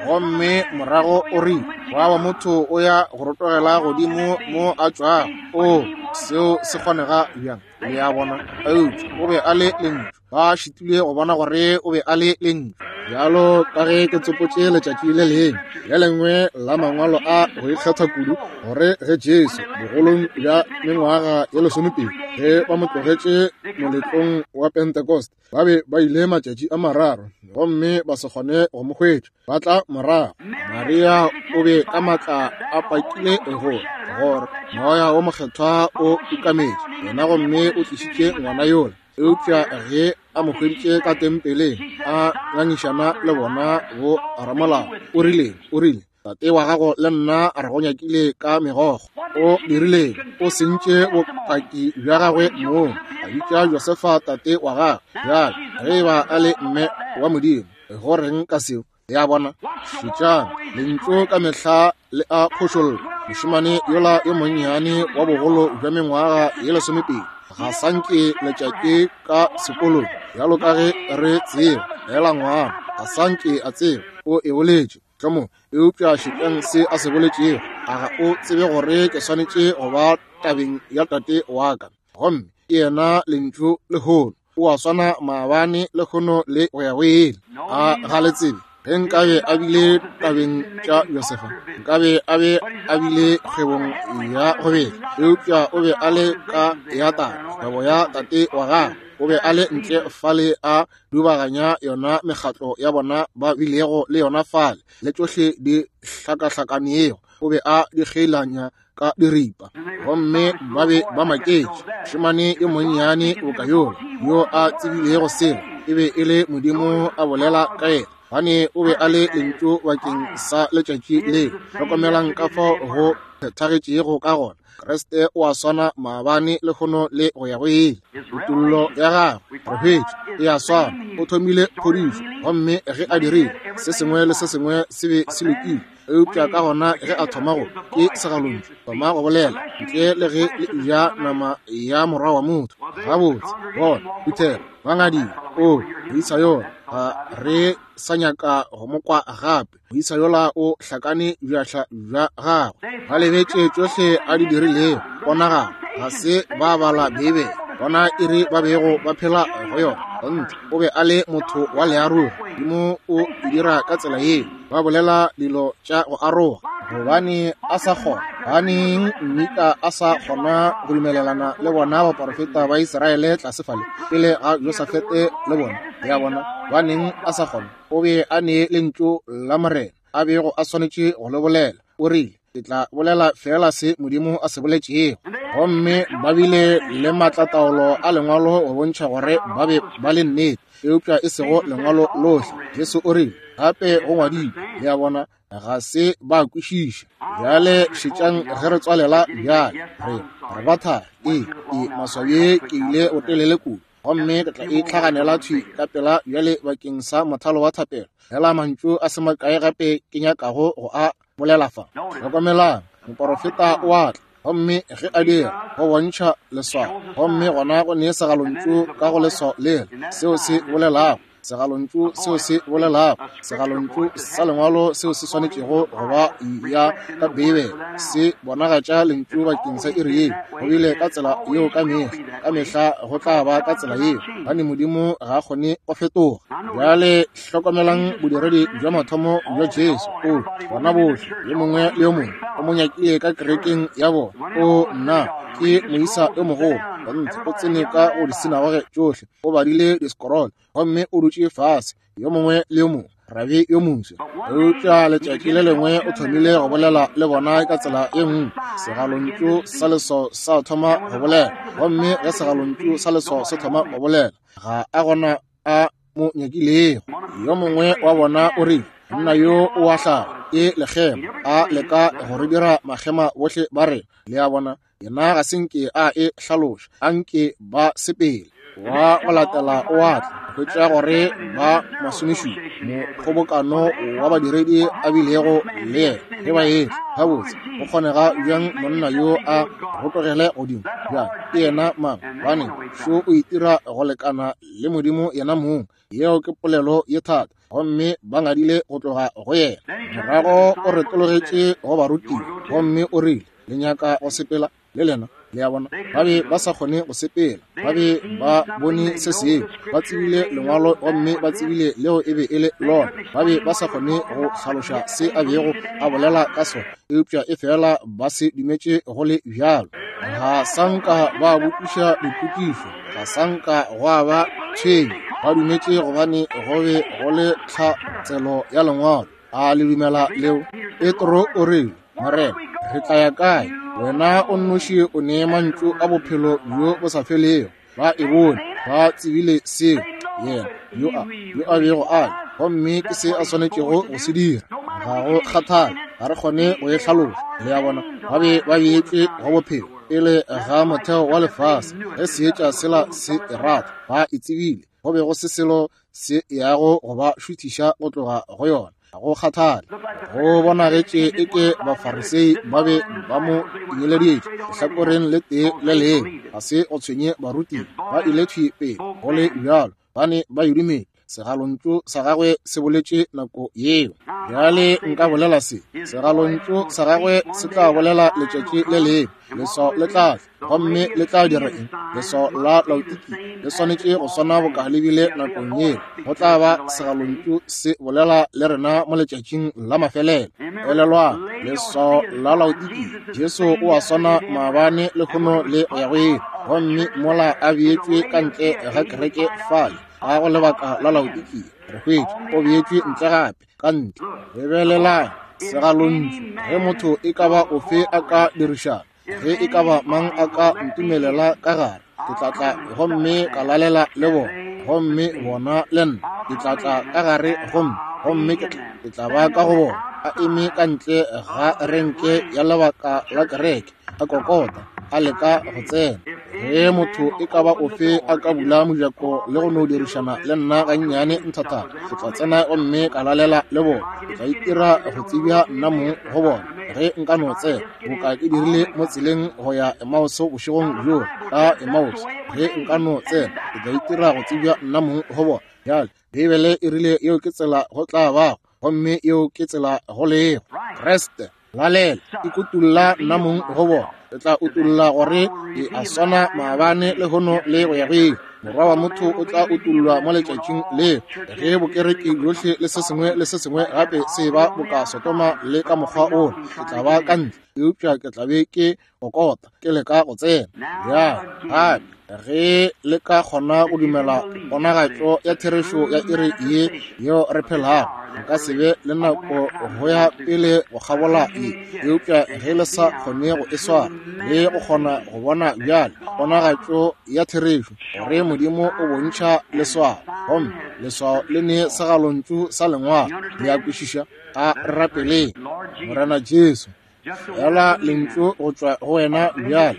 Gomme morago o rile, morwa wa motho o ya go rotogela godimo mo a tšwago. O, seo se kgonega bjang? Le a bona? Eupša o be a le Lentšu. Ba šitilwe go bona gore o be a le Lentšu. Bjalo ka ge ke tsopotše letšatši le lengwe, le lengwe la mangwalo a go ikgetha kudu, gore ge Jesu bogolong bja mengwaga ye 20, ge ba mo tlogetše moletlong wa Pentecost, ba be ba ile matšatši a mararo gomme ba se kgone go mo hwetša, ba tla morago. Maria o be ka matla a pakile gore gore Moya wo Mokgethwa o ukametše yena gomme o tlišitše ngwana yola. Eupša ge a mo hweditše ka tempeleng a ngangišana le bona bo ramolao, o rile, o rile, Tate wa gago le nna re go nyakile ka megokgo. O dirileng? O sentše bopaki bja gagwe mong, a bitša Josefa tate wa gagwe. Bjale, ge e ba a le mme wa Modimo, go reng ka seo? Le a bona? Šetšang, Lentšu ka mehla le a phošolla. Mošemane yola yo monnyane wa bogolo bja mengwaga ye 20, ga sa nke letšatši ka sekolong, bjalo ka ge re tseba, feela ngwana, ga sa nke a tseba, o e boletše. Mohlomong, eupša šetšang se a se boletšego. A ga o tsebe gore ke swanetše go ba tabeng ya tate wa ka? Gomme ke yena Lentšu lehono. O a swana maabane, lehono le go ya go ile. A ga le tsebe? Ge nkabe a bile tabeng tša Josefa, nkabe a be a bile kgwebong ya go betla. Eupša o be a le ka ya tate, kgwebo ya tate wa gagwe. O be a le ntle fale a dubaganya yona mekgatlo ya bona ba bilego le yona fale, le tšohle di hlakahlakanego, o be a di kgeilanya ka diripa. Gomme ba be ba maketše, mošemane yo monnyane boka yola, yo a tsebilego selo, e be e le Modimo a bolela ka yena. Gobane o be a le Lentšu bakeng sa letšatši leo. Hlokomelang ka fao go phethagetšego ka gona. Kriste o a swana maabane, lehono le go ya go ile. Kutollo ya gagwe, re hwetše, e a swana. O thomile phodišo, gomme ge a dirile, se sengwe le se sengwe se be se lokile. Eupša ka gona ge a thoma go, ke segalontšu, thoma go bolela, ntle le ge le eja nama ya Morwa wa motho. Gabotse, bona, phuthego, ba ngadile, O, moisa yola, ga re sa nyaka go mo kwa gape. Moisa yola o hlakane bjahla bja gagwe. Ba lebetše tšohle a di dirilego. Ponagalo, ga se ba bala Beibele. Bona iri ba bego ba phela go yona. Kgonthe, o be a le motho wa learogi. Modimo o e dira ka tsela yeo. Ba bolela dilo tša go aroga. Gobane a sa kgona, gobaneng Mika a sa kgona go dumelelana le bona baporofeta ba Israele tlase fale pele ga Josafete le bona? Le a bona? Gobaneng a sa kgona? O be a ne Lentšu la Morena a bego a swanetše go le bolela. O rile, Ke tla bolela feela se Modimo a se boletšego. Gomme ba bile le maatlataolo a Lengwalo go bontšha gore ba be ba le nnete, eupša e sego Lengwalo lohle. Jesu o rile, Gape go ngwadilwe. Le a bona, ga se ba kwešiša. Bjale šetšang ge re tswalela bjale. Re, re ba thari. Ee, ee, maswao ye ke ile botelele kudu. Gomme ke tla itlhaganela thwi ka pela bjale bakeng sa mothalo wa thapelo. Fela mantšu a se makae gape ke nyakago go a bolela fa. Hlokomelang, moporofeta o a tla, gomme ge a dira, go bontšha leswao. Gomme gona go ne segalontšu ka go leswao lela, seo se bolelago, segalontšu seo se bolelago, segalontšu sa Lengwalo seo se swanetšego go ba ya ka Beibele, se bonagatša Lentšu bakeng sa iri yeo. Go bile ka tsela yeo ka mehla, ka mehla go tla ba ka tsela yeo, gobane Modimo ga a kgone go fetoga. Bjale hlokomelang bodiredi bja mathomo bja Jesu. O, bona bohle, yo mongwe le yo mongwe, o mo nyakile ka kerekeng ya bona. O, nna, ke moisa yo mogolo. Kgonthe, o tsene ka go disinagoge tšohle, o badile discroll, gomme o dutše fase, yo mongwe le yo mongwe, rabi yo moswa. Eupša letšatši le lengwe o thomile go bolela le bona ka tsela ye nngwe. Segalontšu sa leswao sa thoma go bolela, gomme ge segalontšu sa leswao se thoma go bolela, ga a gona a mo nyakilego. Yo mongwe wa bona o rile, Monna yo o a hlaba, ke lekgema, a leka go re dira makgema bohle ba rena. Le a bona, yena ga se nke a e hlaloša, a nke ba sepele. Wa go latela o a tla, hwetša gore ba masomešupa, mokgobokano wa badiredi a bilego le yena ge ba etla. Gabotse, go kgonega bjang monna yo a rotogele godimo? Bjang, ke yena mang? Gobane šo o itira go lekana le Modimo yena mong. Yeo ke polelo ye thata. Gomme ba ngadile go tloga go yena. Morago o retologetše go barutiwa gomme o rile, Le nyaka go sepela le lena? Le a bona, ba be ba sa kgone go sepela. Ba be ba bone se sengwe, ba tsebile Lengwalo gomme ba tsebile leo e be e le lona. Ba be ba sa kgone go hlaloša se a bego a bolela ka sona, eupša efela ba se dumetše go le bjalo. Ga sa nka ba botšiša dipotšišo, ga sa nka gwa ba tshwenyo. Ba dumetše gobane go be go le tlhatselo ya Lengwalo. A le dumela leo? Petro o rile, Morena, re tla ya kae? Wena o nnoši o ne mantšu a bophelo bjo bo sa felego. Ba e bone, ba tsebile seo yena yo a yo a bego a le, gomme ke se a swanetšego go se dira. Ga go kgathale, ga re kgone go e hlaloša. Le a bona, ba be ba beetšwe go bophelo pele ga motheo wa lefase. Ge seetša sela se e rata, ba e tsebile. Go be go se selo se yago go ba šuthiša go tloga go yona. Ga go kgathale, go bonagetše eke Bafarisei ba be ba mo tinyeleditše lehlakoreng le tee le lengwe. Ga se go tshwenye barutiwa, ba ile thwi pele go le bjalo, ba ne ba e dumetše. Segalontšu sa gagwe se boletše nako yeo. Bjale nka bolela se, segalontšu sa gagwe se tla bolela letšatši le lengwe. Leswao le tla tla, gomme le tla dira eng? Leswao la Laodikia le swanetše go swana boka le bile nakong yeo. Go tla ba segalontšu se bolela le rena mo letšatšing la mafelelo. Elelwang, leswao la Laodikia, Jesu o a swana maabane, lehono le go ya go ile. Gomme mola a beetšwe ka ntle ga kereke fale, ga go lebaka la Laodikia, re hwetše o beetšwe ntle gape, ka ntle. Lebelelang segalontšu, ge motho e ka ba ofe a ka dirišana, ge e ka ba mang a ka ntumelela ka gare, ke tla tla gomme ka lalela le bona, gomme bona le nna. Ke tla tla ka gare gomme Gomme ke tla, ke tla ba ka go bona, a eme ka ntle ga renke ya lebaka la kereke, a kokota, a leka go tsena. Ge motho e ka ba ofe a ka bula mojako le go no dirišana le nna gannyane nthathana, ke tla tsena gomme ka lalela le bona. Ke tla itira go tsebja nna mong go bona ge nka no tsena, boka ke dirile mo tseleng go ya Emmaus bošegong bjola, ka Emmaus. Ge nka no tsena, ke tla itira go tsebja nna mong go bona. Bjale, Beibele e rile yeo ke tsela go tla bago, gomme yeo ke tsela go lego. Kriste, lalela, ikutulla nna mong go bona. Ke tla utulla gore ke a swana maabane, lehono le go ya go ile. Morwa wa motho o tla utullwa mo letšatšing leo, ge bokereki bjohle le se sengwe le se sengwe gape se ba boka Sodoma le ka mokgwa wola. Ke tla ba ka ntle, eupša ke tla be ke kokota, ke leka go tsena. Bjale, gape, ge le ka kgona go dumela ponagatšo ya therešo ya iri ye yeo re phelago, nka se be le nako go ya pele go kgabola ye. Eupša ge le sa kgone go e swara le go kgona go bona bjale ponagatšo ya therešo, gore Modimo o bontšha leswao, gomme leswao le ne segalontšu sa lengwalo, le a kwešiša? A re rapeleng. Morena Jesu, Feela lentšu go tšwa go wena bjale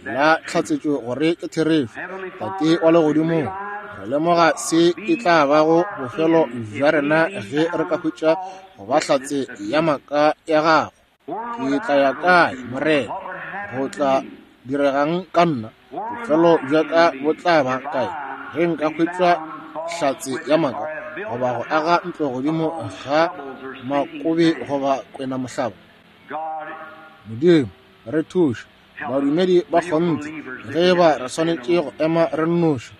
la tlhatsetšo gore ke therešo. Tate wa Legodimong, re lemoga se e tla bago bofelo bja rena ge re ka hwetša go ba hlatse ya maaka ya gago. Ke tla ya kae, Morena? Go tla diregang ka nna? Bofelo bja ka bo tla ba kae ge nka hwetšwa hlatse ya maaka, goba go aga ntlo godimo ga makobe goba kwenamohlaba? Modimo, re thuše, badumedi ba kgonthe, ge e ba re swanetše go ema re nnoši,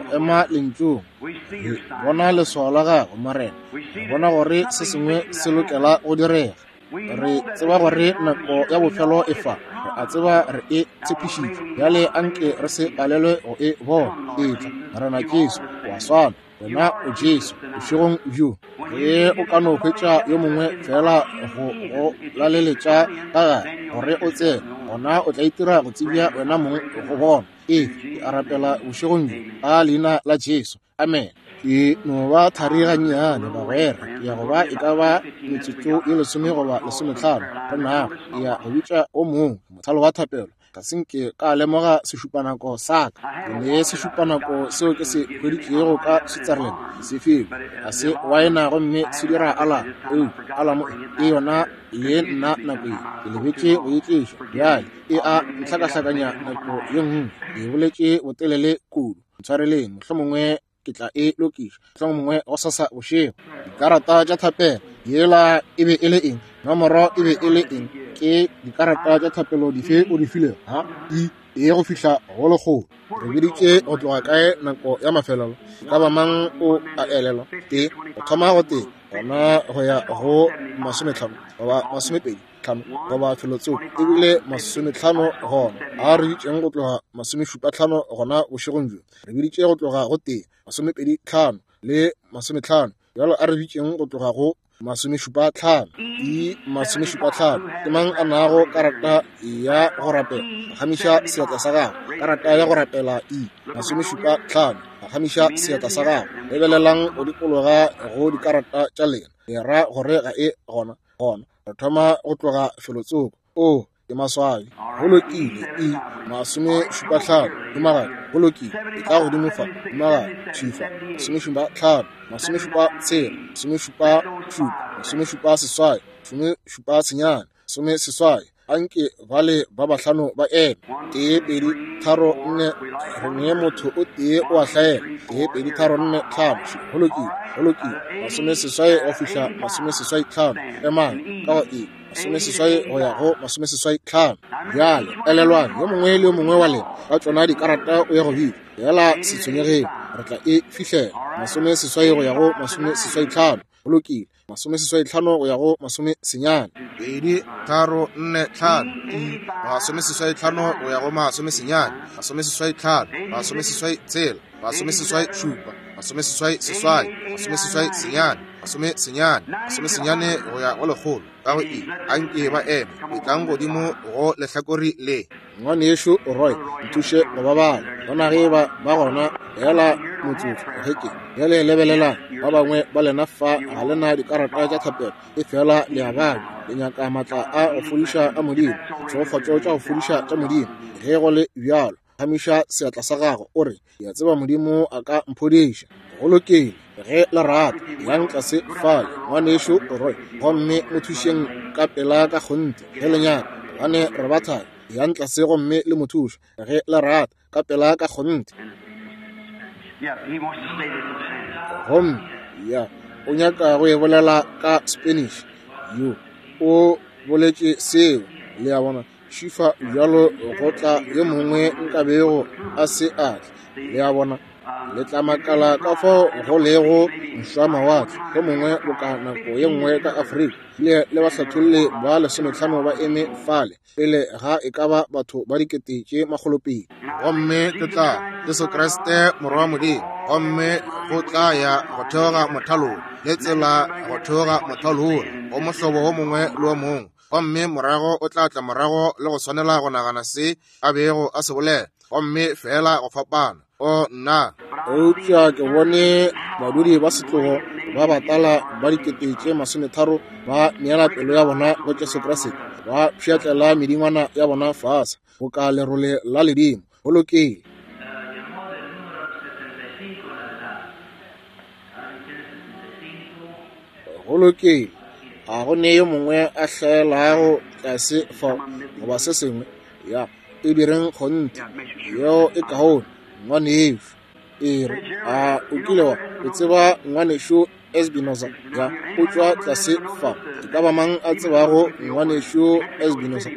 go ema Lentšung. Re bona leswao la Gago, Morena. Re bona gore se sengwe se lokela go direga. Re tseba gore nako ya bofelo e fa. Re a tseba re e tshepišitšwe. Bjale anke re se palelwe go e bona. Etla, Morena Jesu, o a swana. Wena o Jesu, bošegong bjo. Ge o ka no hwetša yo mongwe feela go go laleletša ka gare, gore o tsene, gona o tla itira go tsebja wena mong go bona. Ee, ke a rapela bošegong bjo, ka Leina la Jesu. Amen. Ke no ba thari gannyane, bagwera. Ke ya go ba e ka ba metsotso ye lesome goba lesometlhano go nago. Ke ya go bitša o mongwe mothalo wa thapelo. Ga se nke ka lemoga sešupanako sa ka. Ke ne sešupanako seo ke se hweditšego ka Switzerland, ke se filwe. Ga se waena gomme se dira alamo, eupša alamo e yona le nna nako ye. Ke lebetše go e tliša. Bjale e a ntlhakahlakanya nako ye nngwe. Ke boletše botelele kudu. Ntshwareleng, mohlomongwe ke tla e lokiša, mohlomongwe gosasa bošego. Dikarata tša thapelo, yela e be e le eng? Nomoro e be e le eng? Ke dikarata tša thapelo dife o di filego? Ha, i, e go fihla go lekgolo. Re biditše go tloga kae nako ya mafelelo? E ka ba mang o a elelwa? Tee, go thoma go tee, gona go ya go masometlhano goba masomepedi tlhano goba felotsoko, ebile masometlhano gona. A re bitšeng go tloga masomešupatlhano gona bošegong bjo. Re biditše go tloga go tee, masomepedi tlhano le masometlhano. Bjalo a re bitšeng go tloga go masomešupatlhano. I masomešupatlhano. Ke mang a nago karata ya go rapela? Phagamiša seatla sa gago. Karata ya go rapela I masomešupatlhano. Phagamiša seatla sa gago. Lebelelang go dikologa go dikarata tša lena. Le ra gore ga e gona. Gona re thoma go tloga felotsoko. Oo, ke maswabi. Go lokile. I masomešupatlhano. Humagadi. Go lokile. E tla godimo fa. Humagadi. Thwi fa. Masomešupatlhano. Masomešupatshela. Masomešupašupa. Masomešupaseswai. Masomešupasenyane. Masomeseswai. Anke bale ba bahlano ba eme. Tee, pedi, tharo, nne. Re ne motho o tee o a hlaela. Tee, pedi, tharo, nne, tlhano. Go lokile. Go lokile. Masomeseswai go fihla masomeseswai tlhano. Emang ka go e. Masomeseswai go ya go masomeseswai tlhano. Bjale, elelwang, yo mongwe le yo mongwe wa lena ka tšona dikarata o ya go bitša. Feela se tshwenyegeng, re tla e fihlela. Masomeseswai go ya go masomeseswai tlhano. Go lokile. Masomeseswai-tlhano go ya go masomesenyane. Pedi, tharo, nne, tlhano. I, masomeseswai-tlhano go ya go masomesenyane. Masomeseswai-tlhano, masomeseswai-tshela, masomeseswai-šupa, masomeseswai-seswai, masomeseswai-senyane, masomesenyane, masomesenyane go ya go lekgolo. Ka go I, a nke ba eme. Etlang godimo go lehlakore le. Ngwanešu Roy, nthuše go ba bala. Bona ge eba ba gona, feela motsotso ge ke. Bjale lebelelang, ba bangwe ba lena fa ga le na dikarata tša thapelo, efela le a babja, le nyaka maatla a go fodiša a Modimo, ditšhegofatšo tša go fodiša tša Modimo. Ge go le bjalo, phamiša seatla sa gago, o re, Ke a tseba Modimo a ka mphodiša. Go lokile, ge le rata, yang tlase fale, Ngwanešu Roy, gomme mo thušeng ka pela ka kgonthe, ge le nyaka, gobane re ba thari. Yang tlase gomme le mo thuše, ge le rata, ka pela ka kgonthe. Gomme, ya, o nyaka go e bolela ka Spanish. Yo, o boletše seo, le a bona. Šifa bjalo go tla yo mongwe nkabego a se a tla. Le a bona? Le tla makala ka fao go lego mošwamawatle yo mongwe boka nako ye nngwe ka Afrika. Le, le bahlatholli ba lesometlhano ba eme fale pele ga e ka ba batho ba dikete tše makgolopedi. Gomme ke tla Jesu Kriste Morwa wa Modimo, gomme go tla ya go theoga mothalong le tsela go theoga mothalo wola go mohlobo wo mongwe le wo mongwe. Gomme morago o tla tla morago le go swanela go nagana se a bego a se bolela, gomme feela go fapana. O, nna! Eupša ke bone badudi ba setlogo ba batala ba dikete tše masometharo ba neela pelo ya bona go Jesu Kriste, ba pšhatlela medingwana ya bona fase boka lerole la ledimo. Go lokile. Go lokile. Ga go ne yo mongwe a hlaelago tlase fa goba se sengwe. Ya, e direng kgonthe. Yeo e kaone, ngwanešu. E re, a o kile wa o tseba ngwanešu Espinoza? Ya, o tšwa tlase fa. E ka ba mang a tsebago ngwanešu Espinoza?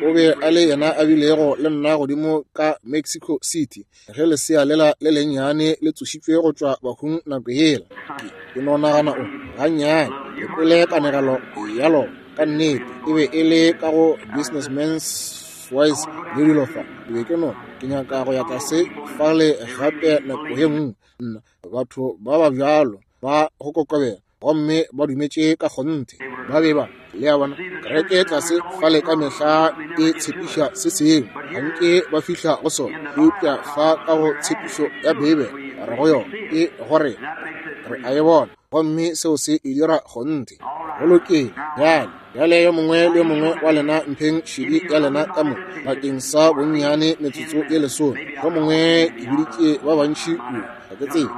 O be a le yena a bilego le nna godimo ka Mexico City. Ge lesea lela le lennyane le tsošitšwe go tšwa bahung nako yela, ke, ke no nagana o gannyane, ke kwele kanegelo ya lona. Ka nnete, e be e le ka go Businessman's Wise le dilo fa. Ke be ke no, ke nyaka go ya tlase fale gape nako ye nngwe. Nna, batho ba ba bjalo ba go kokobela, gomme ba dumetše ka kgonthe. Ba be ba, le a bona, kereke tlase fale ka mehla e tshepiša se sengwe, ga nke ba fihla go sona. Eupša fa ka go tshepišo ya Beibele, re go yona, e go rena, re a e bona, gomme seo se e dira kgonthe. Go lokile, bjale, bjale yo mongwe le yo mongwe wa lena mpheng šedi ya lena ka mo bakeng sa bonnyane metsotso ye lesome. Yo mongwe ke biditše ba bantši kudu, ga ke tsebe.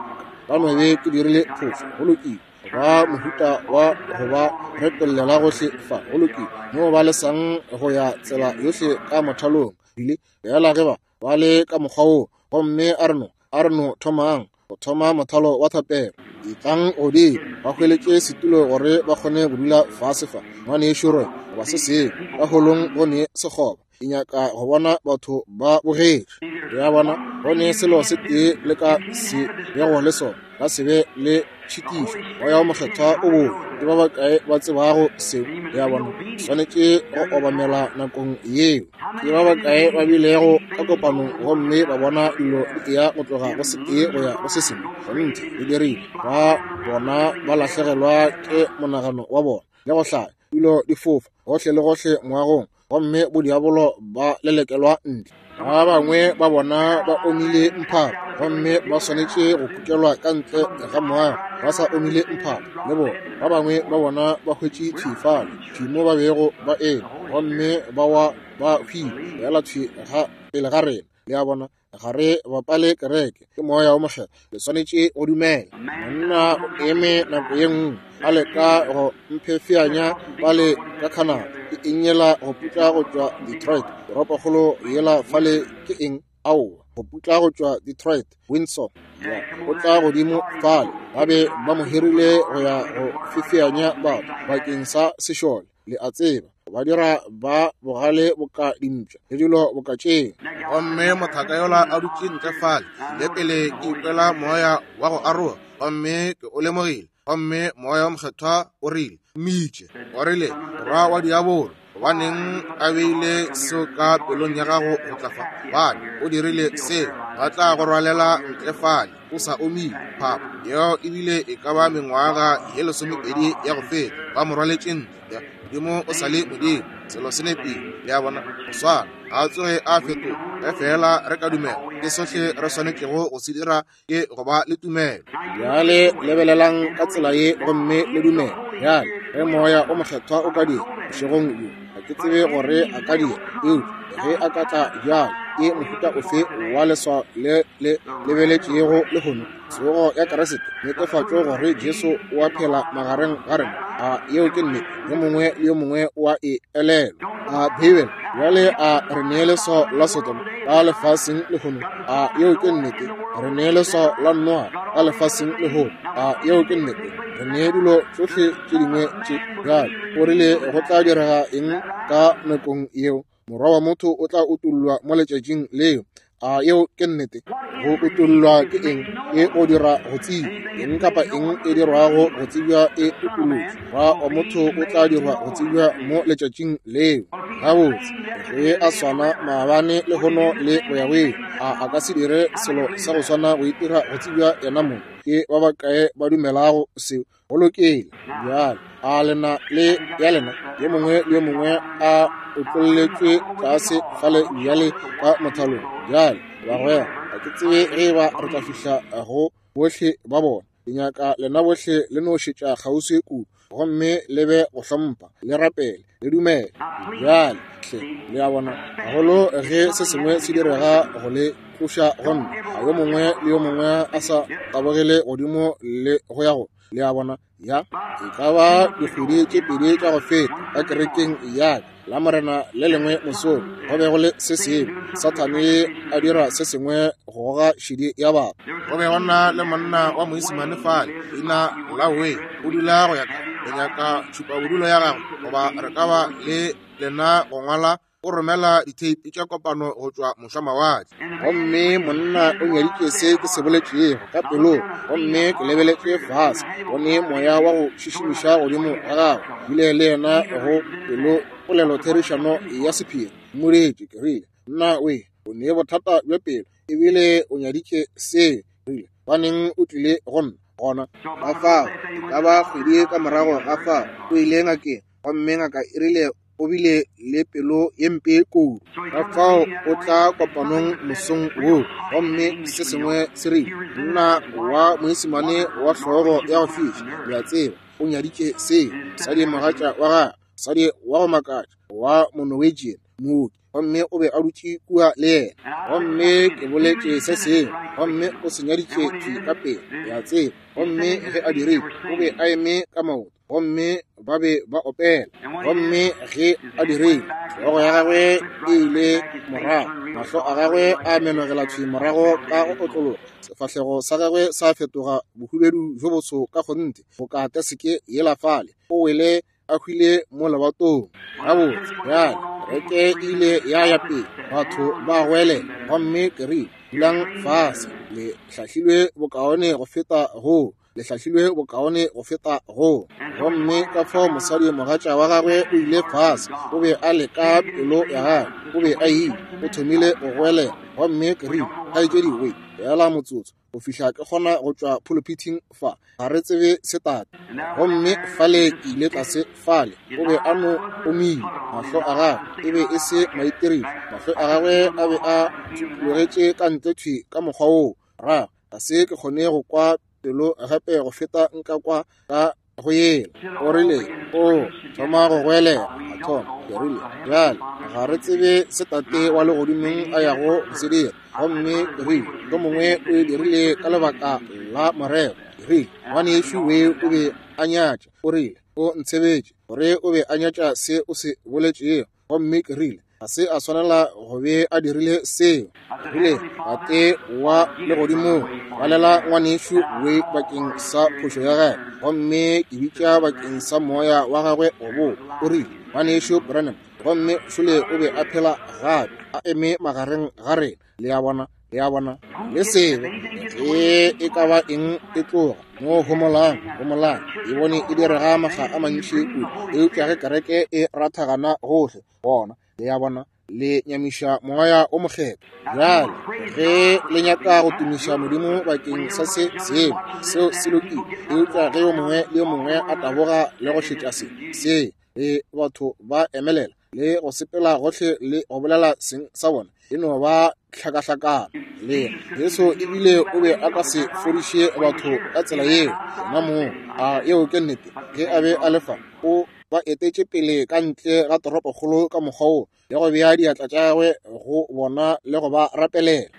Ba no be ke dirile phošo. Go lokile. Ba mohuta wa go ba retollela gohle fa. Go lokile. Mo ba lesang go ya tsela yohle ka mothalong. Bile, bjala ge ba, ba le ka mokgwa woo, gomme a re no, a re no thomang go thoma mothalo wa thapelo. Etlang godimo, ba hweletše setulo gore ba kgone go dula fase fa. Ngwanešu Roy, goba se sengwe, ka holong go ne sekgoba. Ke nyaka go bona batho ba bogetše. Le a bona, go ne selo se tee le ka se bego le sona, ka se be le tšhitišo. Moya wo Mokgethwa o boe. Ke ba bakae ba tsebago seo? Le a bona, swanetše go obamela nakong yeo. Ke ba bakae ba bilego ka kopanong gomme ba bona dilo di eya go tloga go se tee go ya go se sengwe? Kgonthe, le dirile. Ba bona ba lahlegelwa ke monagano wa bona le go hlaya, dilo di fofa gohle le gohle moagong, gomme bodiabolo ba lelekelwa ntle. Ba bangwe ba bona ba omile mphato gomme ba swanetše go kukelwa ka ntle ga moago ba sa omile mphato le bona. Ba bangwe ba bona ba hwetše thwi fale, thwi mo ba bego ba eme, gomme ba wa ba hwile feela thwi ga pele ga rena. Le a bona? Ga re bapale kereke, ke Moya wo Mokgethwa. Le swanetše go dumela. Monna o eme nako ye nngwe a leka go mphefeanya fale ka Canada. Ke eng yela go putla go tšwa Detroit, toropokgolo yela fale ke eng? Aowa, go putla go tšwa Detroit, Windsor. Ya, o tla godimo fale. Ba be ba mo hirile go ya go fefeanya batho bakeng sa sešole. Le a tseba, ba dira ba bogale boka dimpša le dilo boka tšeo. Gomme mothaka yola a dutše ntle fale, le pele ke ikwela moya wa go aroga, gomme ke o lemogile. Gomme Moya wo Mokgethwa o rile, Mmitše. O rile, Morwa wa diabolo, gobaneng a beile seo ka pelong ya gago go tla fa? Gobane o dirile seo. Ba tla go rwalela ntle fale, o sa omile, phapha. Yeo ebile e ka ba mengwaga ye 20 ya go feta, ba mo rwaletše ntle. Modimo o sa le Modimo, selo se nepile, le a bona, go swana, ga a tsoge a fetoga. Ge feela re ka dumela, ke sohle re swanetšego go se dira ke go ba le tumelo. Bjale lebelelang ka tsela ye gomme le dumele. Bjale ge Moya o Mokgethwa o ka dira bošegong bjo, ga ke tsebe gore a ka dira, eupša ge a ka tla bjale, ke mohuta ofe wa leswao le le lebeletšego lehono? Tsogo ya Kriste, netefatšo gore Jesu o a phela magareng ga rena. A yeo ke nnete? Yo mongwe le yo mongwe o a e elelwa. A Beibele bjale a re nee leswao la Sodoma ka lefaseng lehono? A yeo ke nnete? Re nee leswao la Noa ka lefaseng lehono? A yeo ke nnete? Re nee dilo tšohle tše dingwe tše. Bjale o rile go tla direga eng ka nakong yeo? Morwa wa motho o tla utollwa mo letšatšing leo. A yeo ke nnete? Go utollwa ke eng? Ke go dira go tsebja. Eng kapa eng e dirwago go tsebja e utolotšwe. Morwa wa motho o tla dirwa go tsebja mo letšatšing leo. Gabotse, ge a swana maabane, lehono le go ya go ile, a a ka se dire selo sa go swana go itira go tsebja yena mong? Ke ba bakae ba dumelago seo? Go lokile. Bjale a lena le ya lena, yo mongwe le yo mongwe a otlolletšwe tlase fale bjale ka mothalong. Bjale bagwera, ga ke tsebe ge e ba re tla fihla go bohle ba bona. Ke nyaka lena bohle le no šetša kgauswi kudu, gomme le be go hlompha, le rapele, le dumele. Bjale hle, le a bona, gagolo ge se sengwe se direga go le tloša go nna, a yo mongwe le yo mongwe a sa tabogele godimo le go ya go, le a bona, ya e ka ba dikgwedi tše pedi tša go feta ka kerekeng ya ka la Morena le lengwe mosong, go be go le se sengwe, Sathane a dira se sengwe go goga šedi ya batho. Go be go na le monna wa Moisimane fale, leina la Way, o dula go ya ka, le nyaka tšhupabodulo ya gagwe, goba re ka ba le lena go ngwala, o romela ditheipi tša kopano go tšwa mošwamawatle. Gomme monna o nyaditše se ke se boletšego ka pelong, gomme ke lebeletše fase, bone moya wa go šišimiša godimo ga gagwe, bile le yena go pelo polelo therišano ya sephiri. Mmoditše, ke rile, Nna we, o ne bothata bja pelo, ebile o nyaditše se. Rile, baneng o tlile go nna gona? Ka fao, e ka ba kgwedi ka morago ga fao, o ile ngakeng, gomme ngaka e rile o bile le pelo ye mpe kudu. Ka fao o tla kopanong mosong woo, gomme se sengwe se rile, monna wa Moisimane wa hlogo ya go fiša, le a tseba, o nyaditše seo, mosadi mogatša wa gagwe, mosadi wa go makatša wa Monorwegian, mooki, gomme o be a dutše kua le yena. Gomme ke boletše se sengwe, gomme o se nyaditše thwi ka pele, le a tseba. Gomme ge a dirile, o be a eme ka maoto, gomme ba be ba opela. Gomme ge a dirile, hlogo ya gagwe e ile morago, mahlo a gagwe a menogela thwi morago ka go otlologa, sefahlego sa gagwe sa fetoga bohubedu bjo boso ka kgonthe, boka teseke yela fale. O wele a hwile mo lebatong. Gabotse, bjale kereke e ile ya ya pele, batho ba goelela, gomme ke rile, Dulang fase, le hlahlilwe bokaone go feta go, le hlahlilwe bokaone go feta go. Gomme ka fao mosadi mogatša wa gagwe o ile fase, o be a leka pelo ya gagwe, o be a ile, o thomile go goelela. Gomme ke rile, Kgaetšedi we, feela motsotso, go fihla ke kgona go tšwa phuluphithing fa, ga re tsebe se tate. Gomme fale ke ile tlase fale, o be a no omile, mahlo a gagwe e be e se maitirelo, mahlo a gagwe a be a tsupologetše ka ntle thwi ka mokgwa woo. Ra, ga se ke kgone go kwa pelo gape go feta nka kwa ka go yela. O rile, O thoma go goelela, a thoma. Ke rile, Bjale, ga re tsebe se Tate wa Legodimong a yago go se dira. Gomme ke rile, Yo mongwe o e dirile ka lebaka la morero. Ke rile, Ngwanešu we o be a nyatša. O rile, O ntshebetše gore o be a nyatša se o se boletšego. Gomme ke rile, Ga se a swanela go be a dirile seo. Ke rile, Tate wa Legodimong, balela ngwanešu we bakeng sa phošo ya gagwe, gomme ke bitša bakeng sa moya wa gagwe go boa. O rile, Ngwanešu Branham, gomme šole o be a phela gape, a eme magareng ga rena. Le a bona? Le a bona? Le sebe ge e ka ba eng e tloga mo homolang, homolang, e bone e direga makga a mantši kudu, eupša ge kereke e rathagana gohle, gona, le a bona, Le nyamiša Moya o Mokgethwa. Bjale, ge le nyaka go tumiša Modimo bakeng sa se sengwe, seo se lokile. Eupša ge yo mongwe le yo mongwe a taboga le go šetša se, se, le batho ba emelela le go sepela gohle le go bolela seng sa bona, e no ba hlakahlakano. Le Jesu ebile o be a ka se fodiše batho ka tsela yeo yena mong. A yeo ke nnete? Ge a be a le fa, o ba etetše pele ka ntle ga toropokgolo ka mokgwa wo, le go bea diatla tša gagwe go bona le go ba rapelela.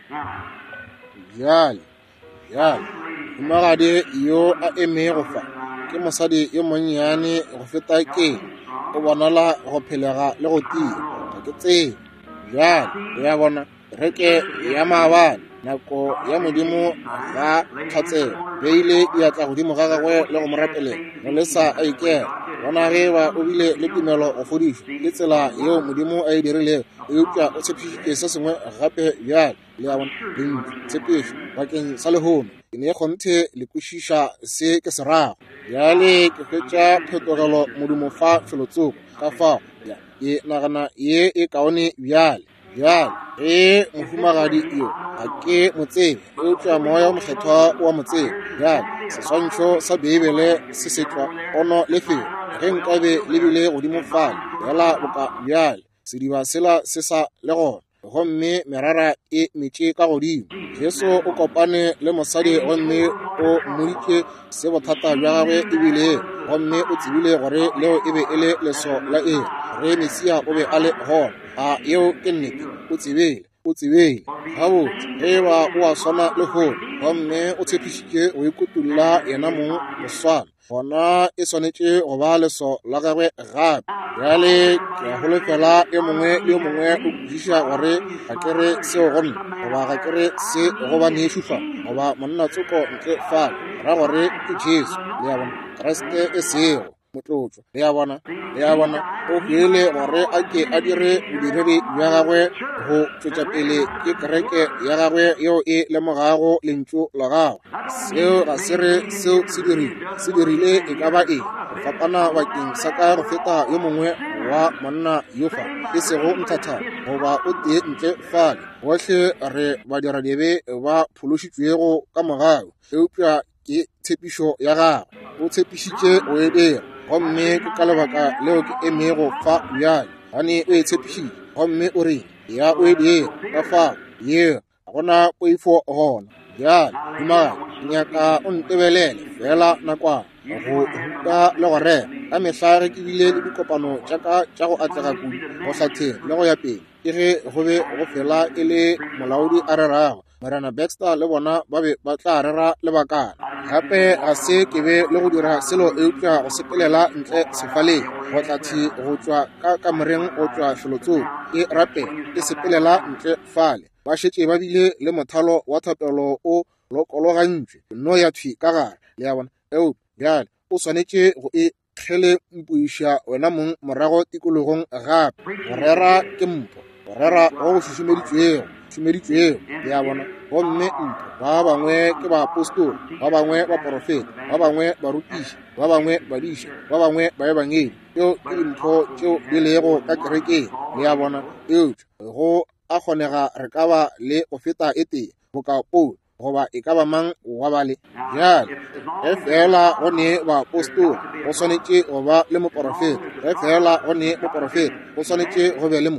Bjale, bjale, mohumagadi yo a emego fa ke mosadi yo monnyane go feta ke, o bonala go phelega le go tia. Ga ke tsebe. Bjale, le a bona, kereke ya maabane, nako ya Modimo ga tlhatselo, beile diatla godimo ga gagwe le go mo rapelela, mo lesa a ikela. Bona ge ba o bile le tumelo go fodišwa, ke tsela yeo Modimo a e dirilego, eupša o tshepišitše se sengwe gape bjale. Le a bona, lentšu, tshepišo bakeng sa lehono. Ke ne kgonthe le kwešiša se ke se rago. Bjale ke hwetša phetogelo modumo fa felotsoko, ka fao ya, ke nagana ye e kaone bjale. Bjale, ge mohumagadi yo, ga ke mo tsebe, eupša Moya wo Mokgethwa o a mo tseba. Bjale, seswantšho sa Beibele se se tšwa pono lefelo. Ge nkabe le bile godimo fale, feela boka bjale, sediba sela se sa le gona, gomme merara e metše ka godimo. Jesu o kopane le mosadi gomme o mmoditše se bothata bja gagwe e bilego, gomme o tsebile gore leo e be e le leso la iri, gore Mesia o be a le gona. A yeo ke nnete? O tsebile, o tsebile. Gabotse, ge eba o a swana lehono, gomme o tshepišitše go ikutolla yenamong go swana, gona e swanetše go ba leso la gagwe gape. Bjale ke a holofela yo mongwe le yo mongwe o kwešiša gore ga ke re seo go nna, goba ga ke re se go banešu fa, goba monna tsoko ntle fale, ra gore ke Jesu, le a bona, Kriste e sego motlotšwa. Le a bona, le a bona, o hwele gore a ke a dire bodiredi bja gagwe go tšwetša pele ke kereke ya gagwe yeo e lemogago lentšu la gagwe. Seo ga se re seo se dirile, se dirile e ka ba eng go fapana bakeng sa ka go feta yo mongwe wa monna yo fa, e sego nthathana goba o tee ntle fale. Bohle re badiradibe ba phološitšwego ka mogau, eupša ke tshepišo ya gagwe. O tshepišitše go e dira, gomme ke ka lebaka leo ke emego fa bjale, gobane o e tshepišitše, gomme o rile ya o e dira. Ka fao yeo ga go na poifo gona. Bjale, dumagadi, ke nyaka o ntebelele feela nakwana, go ruta le go rera. Ka mehla ge ke bile le dikopano tša ka tša go atlega kudu, go hlatheng le go ya pele, ke ge go be go fela e le molaodi a rerago. Morena Baxter le bona ba be ba tla rera lebakana. Gape ga se ke be le go dira selo eupša go sepelela ntle sefaleng, go tla thwi go tšwa ka kamoreng go tšwa felotsoko, ke rapela, ke sepelela ntle fale. Ba šetše ba bile le mothalo wa thapelo o lokologantšwe, nno ya thwi ka gare, le a bona. Eupša bjale o swanetše go e kgelempoiša wena mong morago tikologong gape. Go rera ke mpho, go rera go go šušumeditšwego, šumeditšwego, le a bona. Gomme mpho, ba bangwe ke baapostola, ba bangwe baporofeta, ba bangwe barutiši, ba bangwe badiša, ba bangwe baebangedi. Tšeo ke dimpho tšeo di lego ka kerekeng, le a bona. Eupša go a kgonega re ka ba le go feta e tee, boka Paulo goba e ka ba mang wa bale. Bjale, ge feela go ne baapostola, go swanetše go ba le moporofeta. Ge feela go ne moporofeta, go swanetše go be le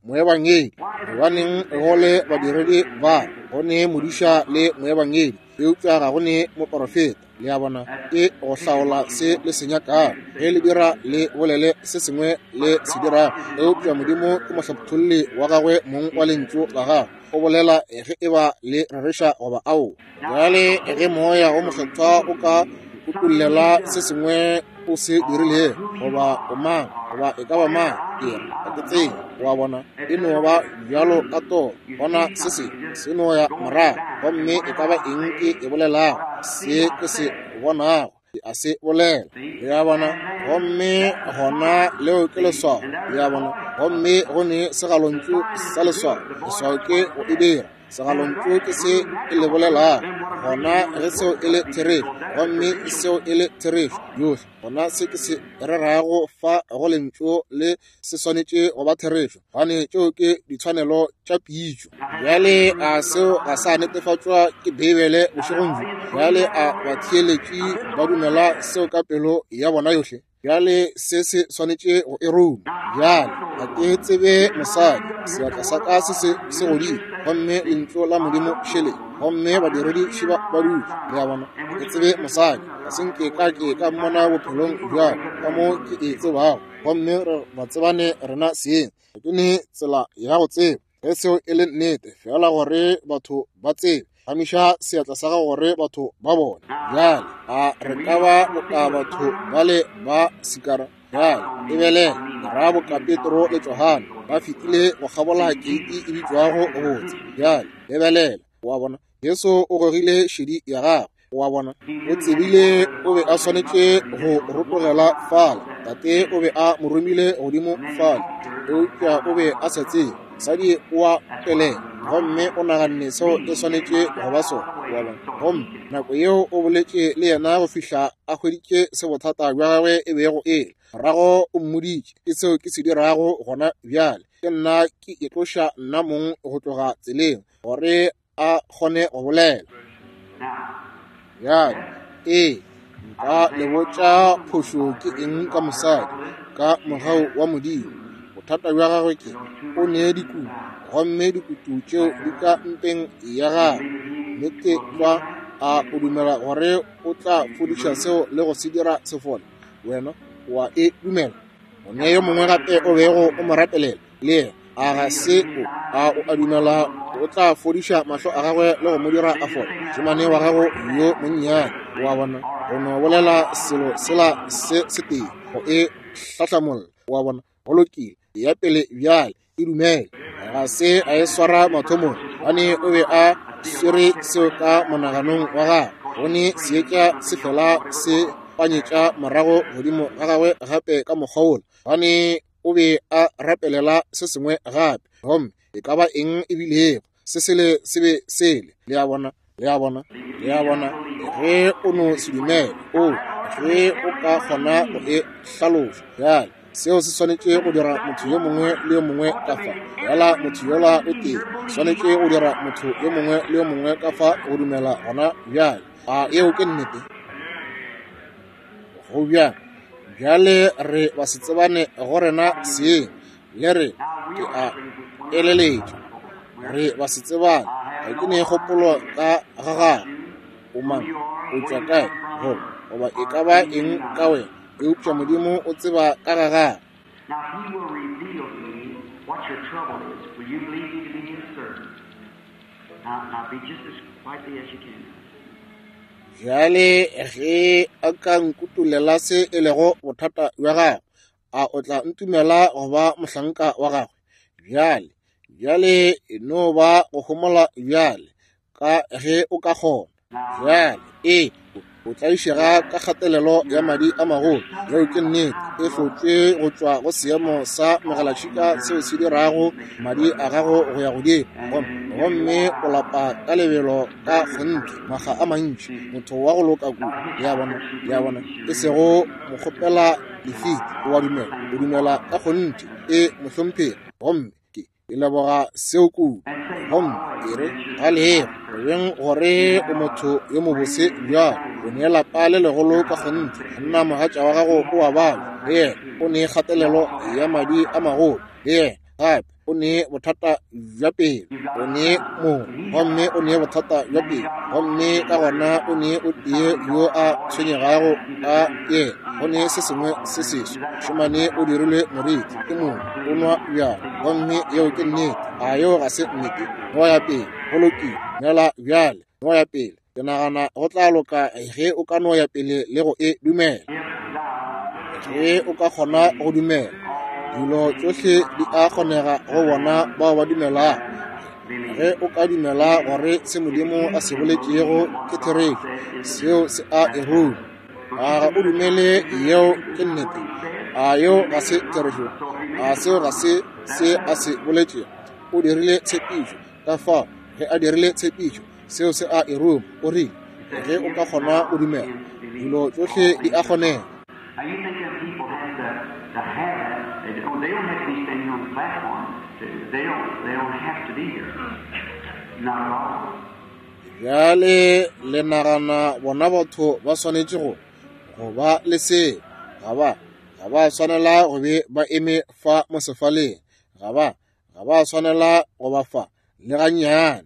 moebangedi. Gobaneng go le badiredi ba, go ne modiša le moebangedi, eupša ga go ne moporofeta. Le a bona, ke go hlaola se le se nyakago. Ge le dira, le bolele se sengwe le se dirago. Eupša Modimo ke mohlapholli wa gagwe mong wa lentšu la gagwe. O bolela ge e ba le rereša goba aowa. Bjale ge Moya wo Mokgethwa o ka utollela se sengwe o se dirilego, goba o mang, goba e ka ba mang, ke re, ga ke tsebe, o a bona, e no ba bjalo ka toro, gona se sengwe se no ya morago, gomme e ka ba eng ke e bolelago, se ke se bonago, ke a se bolela, le a bona, gomme gona leo ke leswao, le a bona, gomme go ne segalontšu sa leswao, leswao ke go e dira. Segalontšu ke se e le bolelago. Gona ge seo e le therešo, gomme seo e le therešo yohle, gona se ke se rerago fa go Lentšu le se swanetše go ba therešo, gobane tšeo ke ditshwanelo tša pitšo. Bjale a seo ga sa netefatšwa ke Beibele bošegong bjo? Bjale a batheeletši ba dumela seo ka pelo ya bona yohle? Bjale se se swanetše go e ruma. Bjale ga ke tsebe mosadi, seatla sa ka se se se godimo, gomme lentšu la Modimo šele, gomme badiredi šiba ba dutše. Le a bona? Ga ke tsebe mosadi, ga se nke ka ke ka mmona bophelong bja ka mo ke e tsebago, gomme re ba tsebane rena seng. Ga ke ne tsela ya go tseba ge seo e le nnete, fela gore batho ba tsebe. Gamiša seatla sa gago gore batho ba bone. Bjale a re ka ba boka batho bale ba Sikara? Bjale lebelela, ra boka Petro le Johane ba fetile go kgabola keiti e bitšwago Botse. Bjale lebelela, wa bona, Jesu o gogile šedi ya gagwe. Wa bona, o tsebile o be a swanetše go rotogela fale. Tate o be a mo romile godimo fale, eupša o be a sa tsebe. Mosadi o a pelela, gomme o naganne seo e swanetše go ba sona. Wa bona, gomme nako yeo o boletše le yena go fihla a hweditše se bothata bja gagwe e bego e le. Morago o mmoditše, ke seo ke se dirago gona bjale. Ke nna ke itloša nna mong go tloga tseleng, gore a kgone go bolela. Bjale, ee, nka le botša phošo ke eng ka mosadi, ka mogau wa Modimo. Bothata bja gagwe ke, o ne dikutu, gomme dikutu tšeo di ka mpeng ya gagwe. Nnete tlwa, a o dumela gore o tla fodiša seo le go se dira se fole? Wena, o a e dumela? O ne yo mongwe gape o bego o mo rapelela, le yena. A ga se o? A o a dumela o tla fodiša mahlo a gagwe le go mo dira a fole? Mošemane wa gago yo monnyane, o a bona, go no bolela selo sela se setee go e hlahlamolla. O a bona? Go lokile, ya pele bjale, e dumele. Ga se a e swara mathomong, gobane o be a swere seo ka monaganong wa gagwe. Go ne seetša se fela se panyetša morago godimo ga gagwe gape ka mokgwa wola, gobane o be a rapelela se sengwe gape, gomme e ka ba eng e bilego, se sele se be sele. Le a bona? Le a bona? Le a bona? Ge o no se dumele, o ge o ka kgona go e hlaloša. Bjale, seo se swanetše go dira motho yo mongwe le yo mongwe ka fa, fela motho yola o tee, swanetše go dira motho yo mongwe le yo mongwe ka fa go dumela gona bjale. A yeo ke nnete? Go bjang? Bjale re ba se tsebane go rena seng, le re, ke a eleletša. Re ba se tsebane. Ga ke ne kgopolo ka ga gago. O mang? O tšwa kae? Goba, goba e ka ba eng ka wena. Eupša Modimo o tseba ka ga gago. Now, if He will reveal to me what your trouble is, will you believe me to be His servant? Now, now be just as quietly as you can. Bjale ge a ka nkutolela se e lego bothata bja gago, a o tla ntumela go ba mohlanka wa gagwe? Bjale, bjale e no ba go homola bjale, ka ge o ka kgona. Bjale, ee, o tlaišega ka kgatelelo ya madi a magolo. Yeo ke nnete. E hlotšwe go tšwa go seemo sa megalatšhika seo se dirago madi a gago go ya godimo, gomme o lapa ka lebelo ka kgonthe makga a mantši. Motho wa go loka kudu, le a bona, le a bona, e sego mokgopela lefiti. O a dumela, o dumela ka kgonthe. E, mohlomphegi. Gomme ke Ke leboga seo kudu. Gomme ke re, ga lego, go beng gore o motho yo mobose bjalo, o ne lapa le legolo ka kgonthe. Monna mogatša wa gago o a babja, le yena. O ne kgatelelo ya madi a magolo, le yena. Gape o ne bothata bja pelo. O ne mongwe, gomme o ne bothata bja pelo. Gomme ka gona o ne o tee yo a tshwenyegago ka yena. Go ne se sengwe se seswa. Mošemane o dirilwe moriti ke mongwe, o nwa bjala. Gomme yeo ke nnete. A yeo ga se nnete? No ya pele. Go lokile. Dumela bjale. No ya pele. Ke nagana go tla loka ge o ka no ya pele le go e dumela. Ge o ka kgona go dumela, dilo tšohle di a kgonega go bona bao ba dumelago. Ge o ka dumela gore se Modimo a se boletšego ke therešo, seo se a e ruma. A ga o dumele yeo ke nnete? A yeo ga se therešo? A seo ga se se a se boletšego? O dirile tshepišo. Ka fao Ge a dirile tshepišo, seo se a e ruma. O rile, Ge o ka kgona go dumela, dilo tšohle di a kgonega. Now you think them people have to have that. They don't have to be standing here on the platform. They don't have to be here. Not at all. Bjale le nagana bona batho ba swanetše go ba le seo. Ga ba swanela go be ba eme fa mo sefaleng. Ga ba swanela go ba fa le gannyane.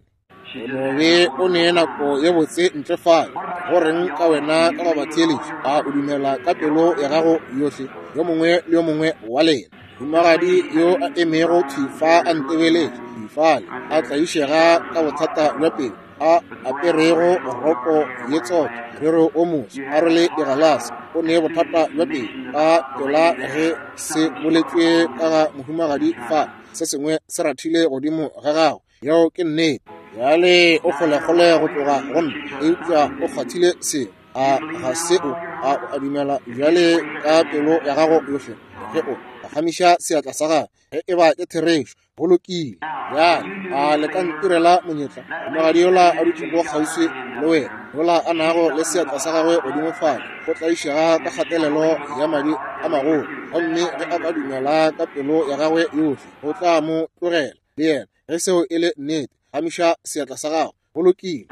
O no be o ne nako ye botse ntle fale. Go reng ka wena ka go ba theeletša? A o dumela ka pelo ya gago yohle, yo mongwe le yo mongwe wa lena? Mohumagadi yo a emego thwi fa a ntebeletše, thwi fale, a tlaišega ka bothata bja pelo, a aperego roko ye tsotho, morero o moso, a rwele digalase, o ne bothata bja pelo. Ka pela ge se boletšwe ka ga mohumagadi fa, se sengwe se rathile godimo ga gagwe. Yeo ke nnete. Bjale o kgolekgole go tloga go nna, eupša o kgwathile seo. A ga se o? A o a dumela bjale ka pelo ya gago yohle? Ge o phagamiša seatla sa gago, ge e ba ke therešo, go lokile. Bjale a le ka ntirela monyetla? Mohumagadi yola a dutšego kgauswi le wena, yola a nago le seatla sa gagwe godimo fale, go tlaišega ka kgatelelo ya madi a magolo, gomme ge a ka dumela ka pelo ya gagwe yohle, o tla mo tlogela le yena. Ge seo e le nnete, phagamiša seatla sa gago. Go lokile.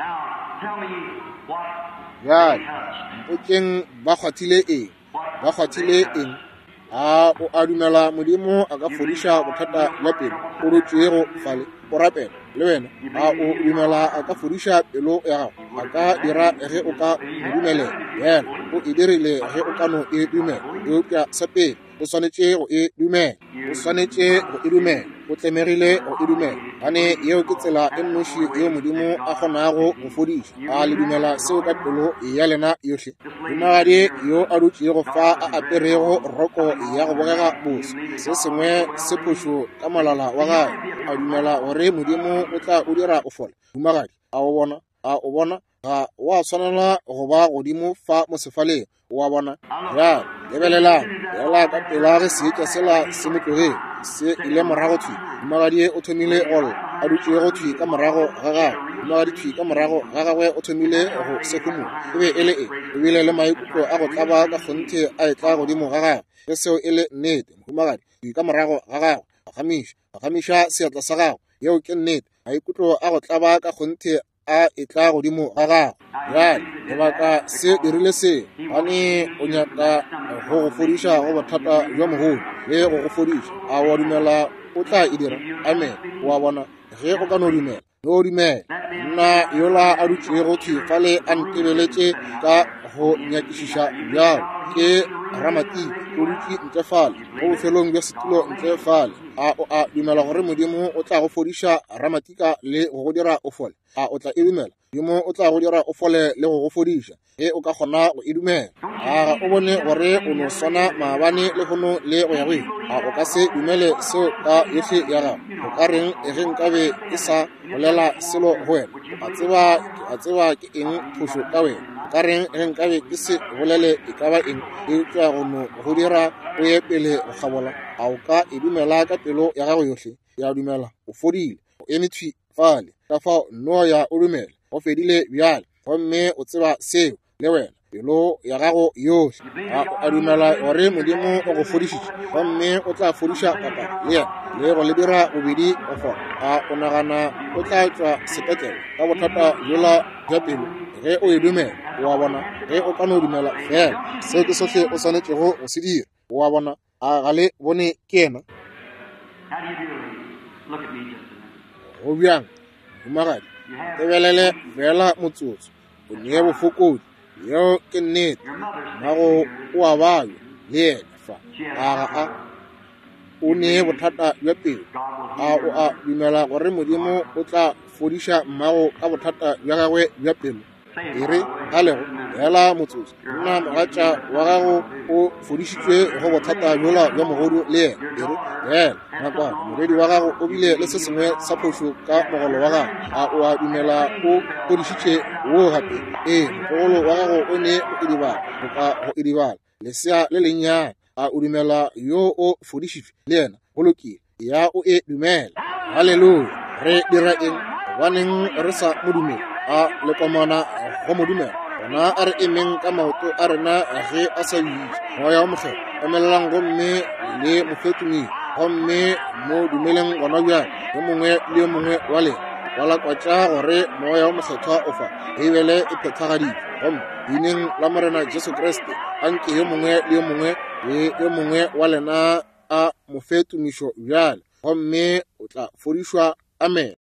Bjale mpotšeng ba kgwathile eng? Ba kgwathile eng? A o a dumela Modimo a ka fodiša bothata bja pelo o dutšego fale o rapela le wena? A o dumela a ka fodiša pelo ya gago? A ka dira ge o ka mo dumelela. Yena o e dirile ge o ka no e dumela. Eupša sa pele o swanetše go e dumela. O swanetše go e dumela. O tlemegile go e dumela. Gane yeo ke tsela e nnoši yeo Modimo a kgonago go fodiša. A le dumela seo ka pelo ya lena yohle? Mohumagadi yo a dutšego fa a aperego roko ya go bogega boso, se sengwe se phošo ka molala wa gagwe. A dumela gore Modimo o tla o dira o fole? Mohumagadi, a o bona? A o bona? Ga wa swanela go ba godimo fa mo sefaleng. O a bona? Bjale lebelelang, bjala ka pela ge seetša sela se mo tlogele, se ile morago thwi. Mohumagadi o thomile go lla, a dutšego thwi ka morago ga gagwe. Mohumagadi thwi ka morago ga gagwe o thomile go sehumola. E be e le eng? O bile le maikutlo a go tlaba ka kgonthe a etla godimo ga gagwe. Ge seo e le nnete, mohumagadi thwi ka morago ga gagwe, phagamiša seatla sa gago. Yeo ke nnete. Maikutlo a go tlaba ka kgonthe a etla godimo ga gago. Bjale lebaka se dirile se, gane o nyaka go go fodiša go bothata bja mogolo le go go fodiša. A wa dumela o tla e dira? Amen. O a bona, ge o ka no dumela, no dumela. Nna yola a dutšego thwi fale a ntebeletše ka go nyakišiša bjalo, ke ramatiki, o dutše ntle fale go bofelong bja setulo ntle fale. A o a dumela gore Modimo o tla go fodiša ramatika le go go dira o fole? A o tla e dumela? Modimo o tla go dira o fole le go go fodiša ge o ka kgona go e dumela. A ga o bone gore o no swana maabane le hono le go ya go ile? A o ka se dumele seo ka yohle ya gago? O ka reng ge nkabe ke sa bolela selo go wena? O a tseba, ke a tseba ke eng phošo ka wena. O ka reng ge nkabe ke se bolele e ka ba eng eupša go no go dira o ye pele go kgabola? A o ka e dumela ka pelo ya gago yohle? Ke a dumela o fodile. O eme thwi fale. Ka fao no ya o dumela. Go fedile bjale. Gomme o tseba seo le wena, pelo ya gago yohle. A o a dumela gore Modimo o go fodišitše, gomme o tla fodiša papa le yena le go le dira bobedi go fola? A o nagana o tla tšwa sepetlele ka bothata bjola bja pelo ge o e dumela? O a bona, ge o ka no dumela fela, seo ke sohle o swanetšego go se dira. O a bona, a ga le bone ke yena? How do you do, lady? Look at me just a minute. Go bjang, mohumagadi? Tebelele fela motsotso. O nee bofokodi. Yeo ke nnete. Your mother's Mmago o a babja le yena fa. A ga a? O nee bothata bja pelo. A o a dumela gore Modimo o tla fodiša mmago ka bothata bja gagwe bja pelo? E re a lego fela motsotso. Nna mogatša wa gago o fodišitšwe go bothata bjola bja mogodu le yena. E re fela nakwana, morwedi wa gago o bile le se sengwe sa phošo ka mogolo wa gago. A o a dumela o fodišitše wo gape? Ee, motlogolo wa gago o ne go idibala, boka go idibala, lesea le lennyane. A o dumela yo o fodišitšwe le yena? Go lokile, ya o e dumela. Haleluya! Re dira eng? Gobaneng re sa Mo dumele? A le komana go Mo dumela? Gona a re emeng ka maoto a rena ge a sa bitša. Moya wo Mokgethwa, emelelang gomme le Mo fe tumelo, gomme Mo dumeleng gona bjale, yo mongwe le yo mongwe wa lena. Kwalakwatša gore Moya wo Mokgethwa o fa. Beibele e phethagaditšwe. Gomme Leineng la Morena Jesu Kriste, anke yo mongwe le yo mongwe le yo mongwe wa lena a Mo fe tumišo bjale, gomme o tla fodišwa. Amene.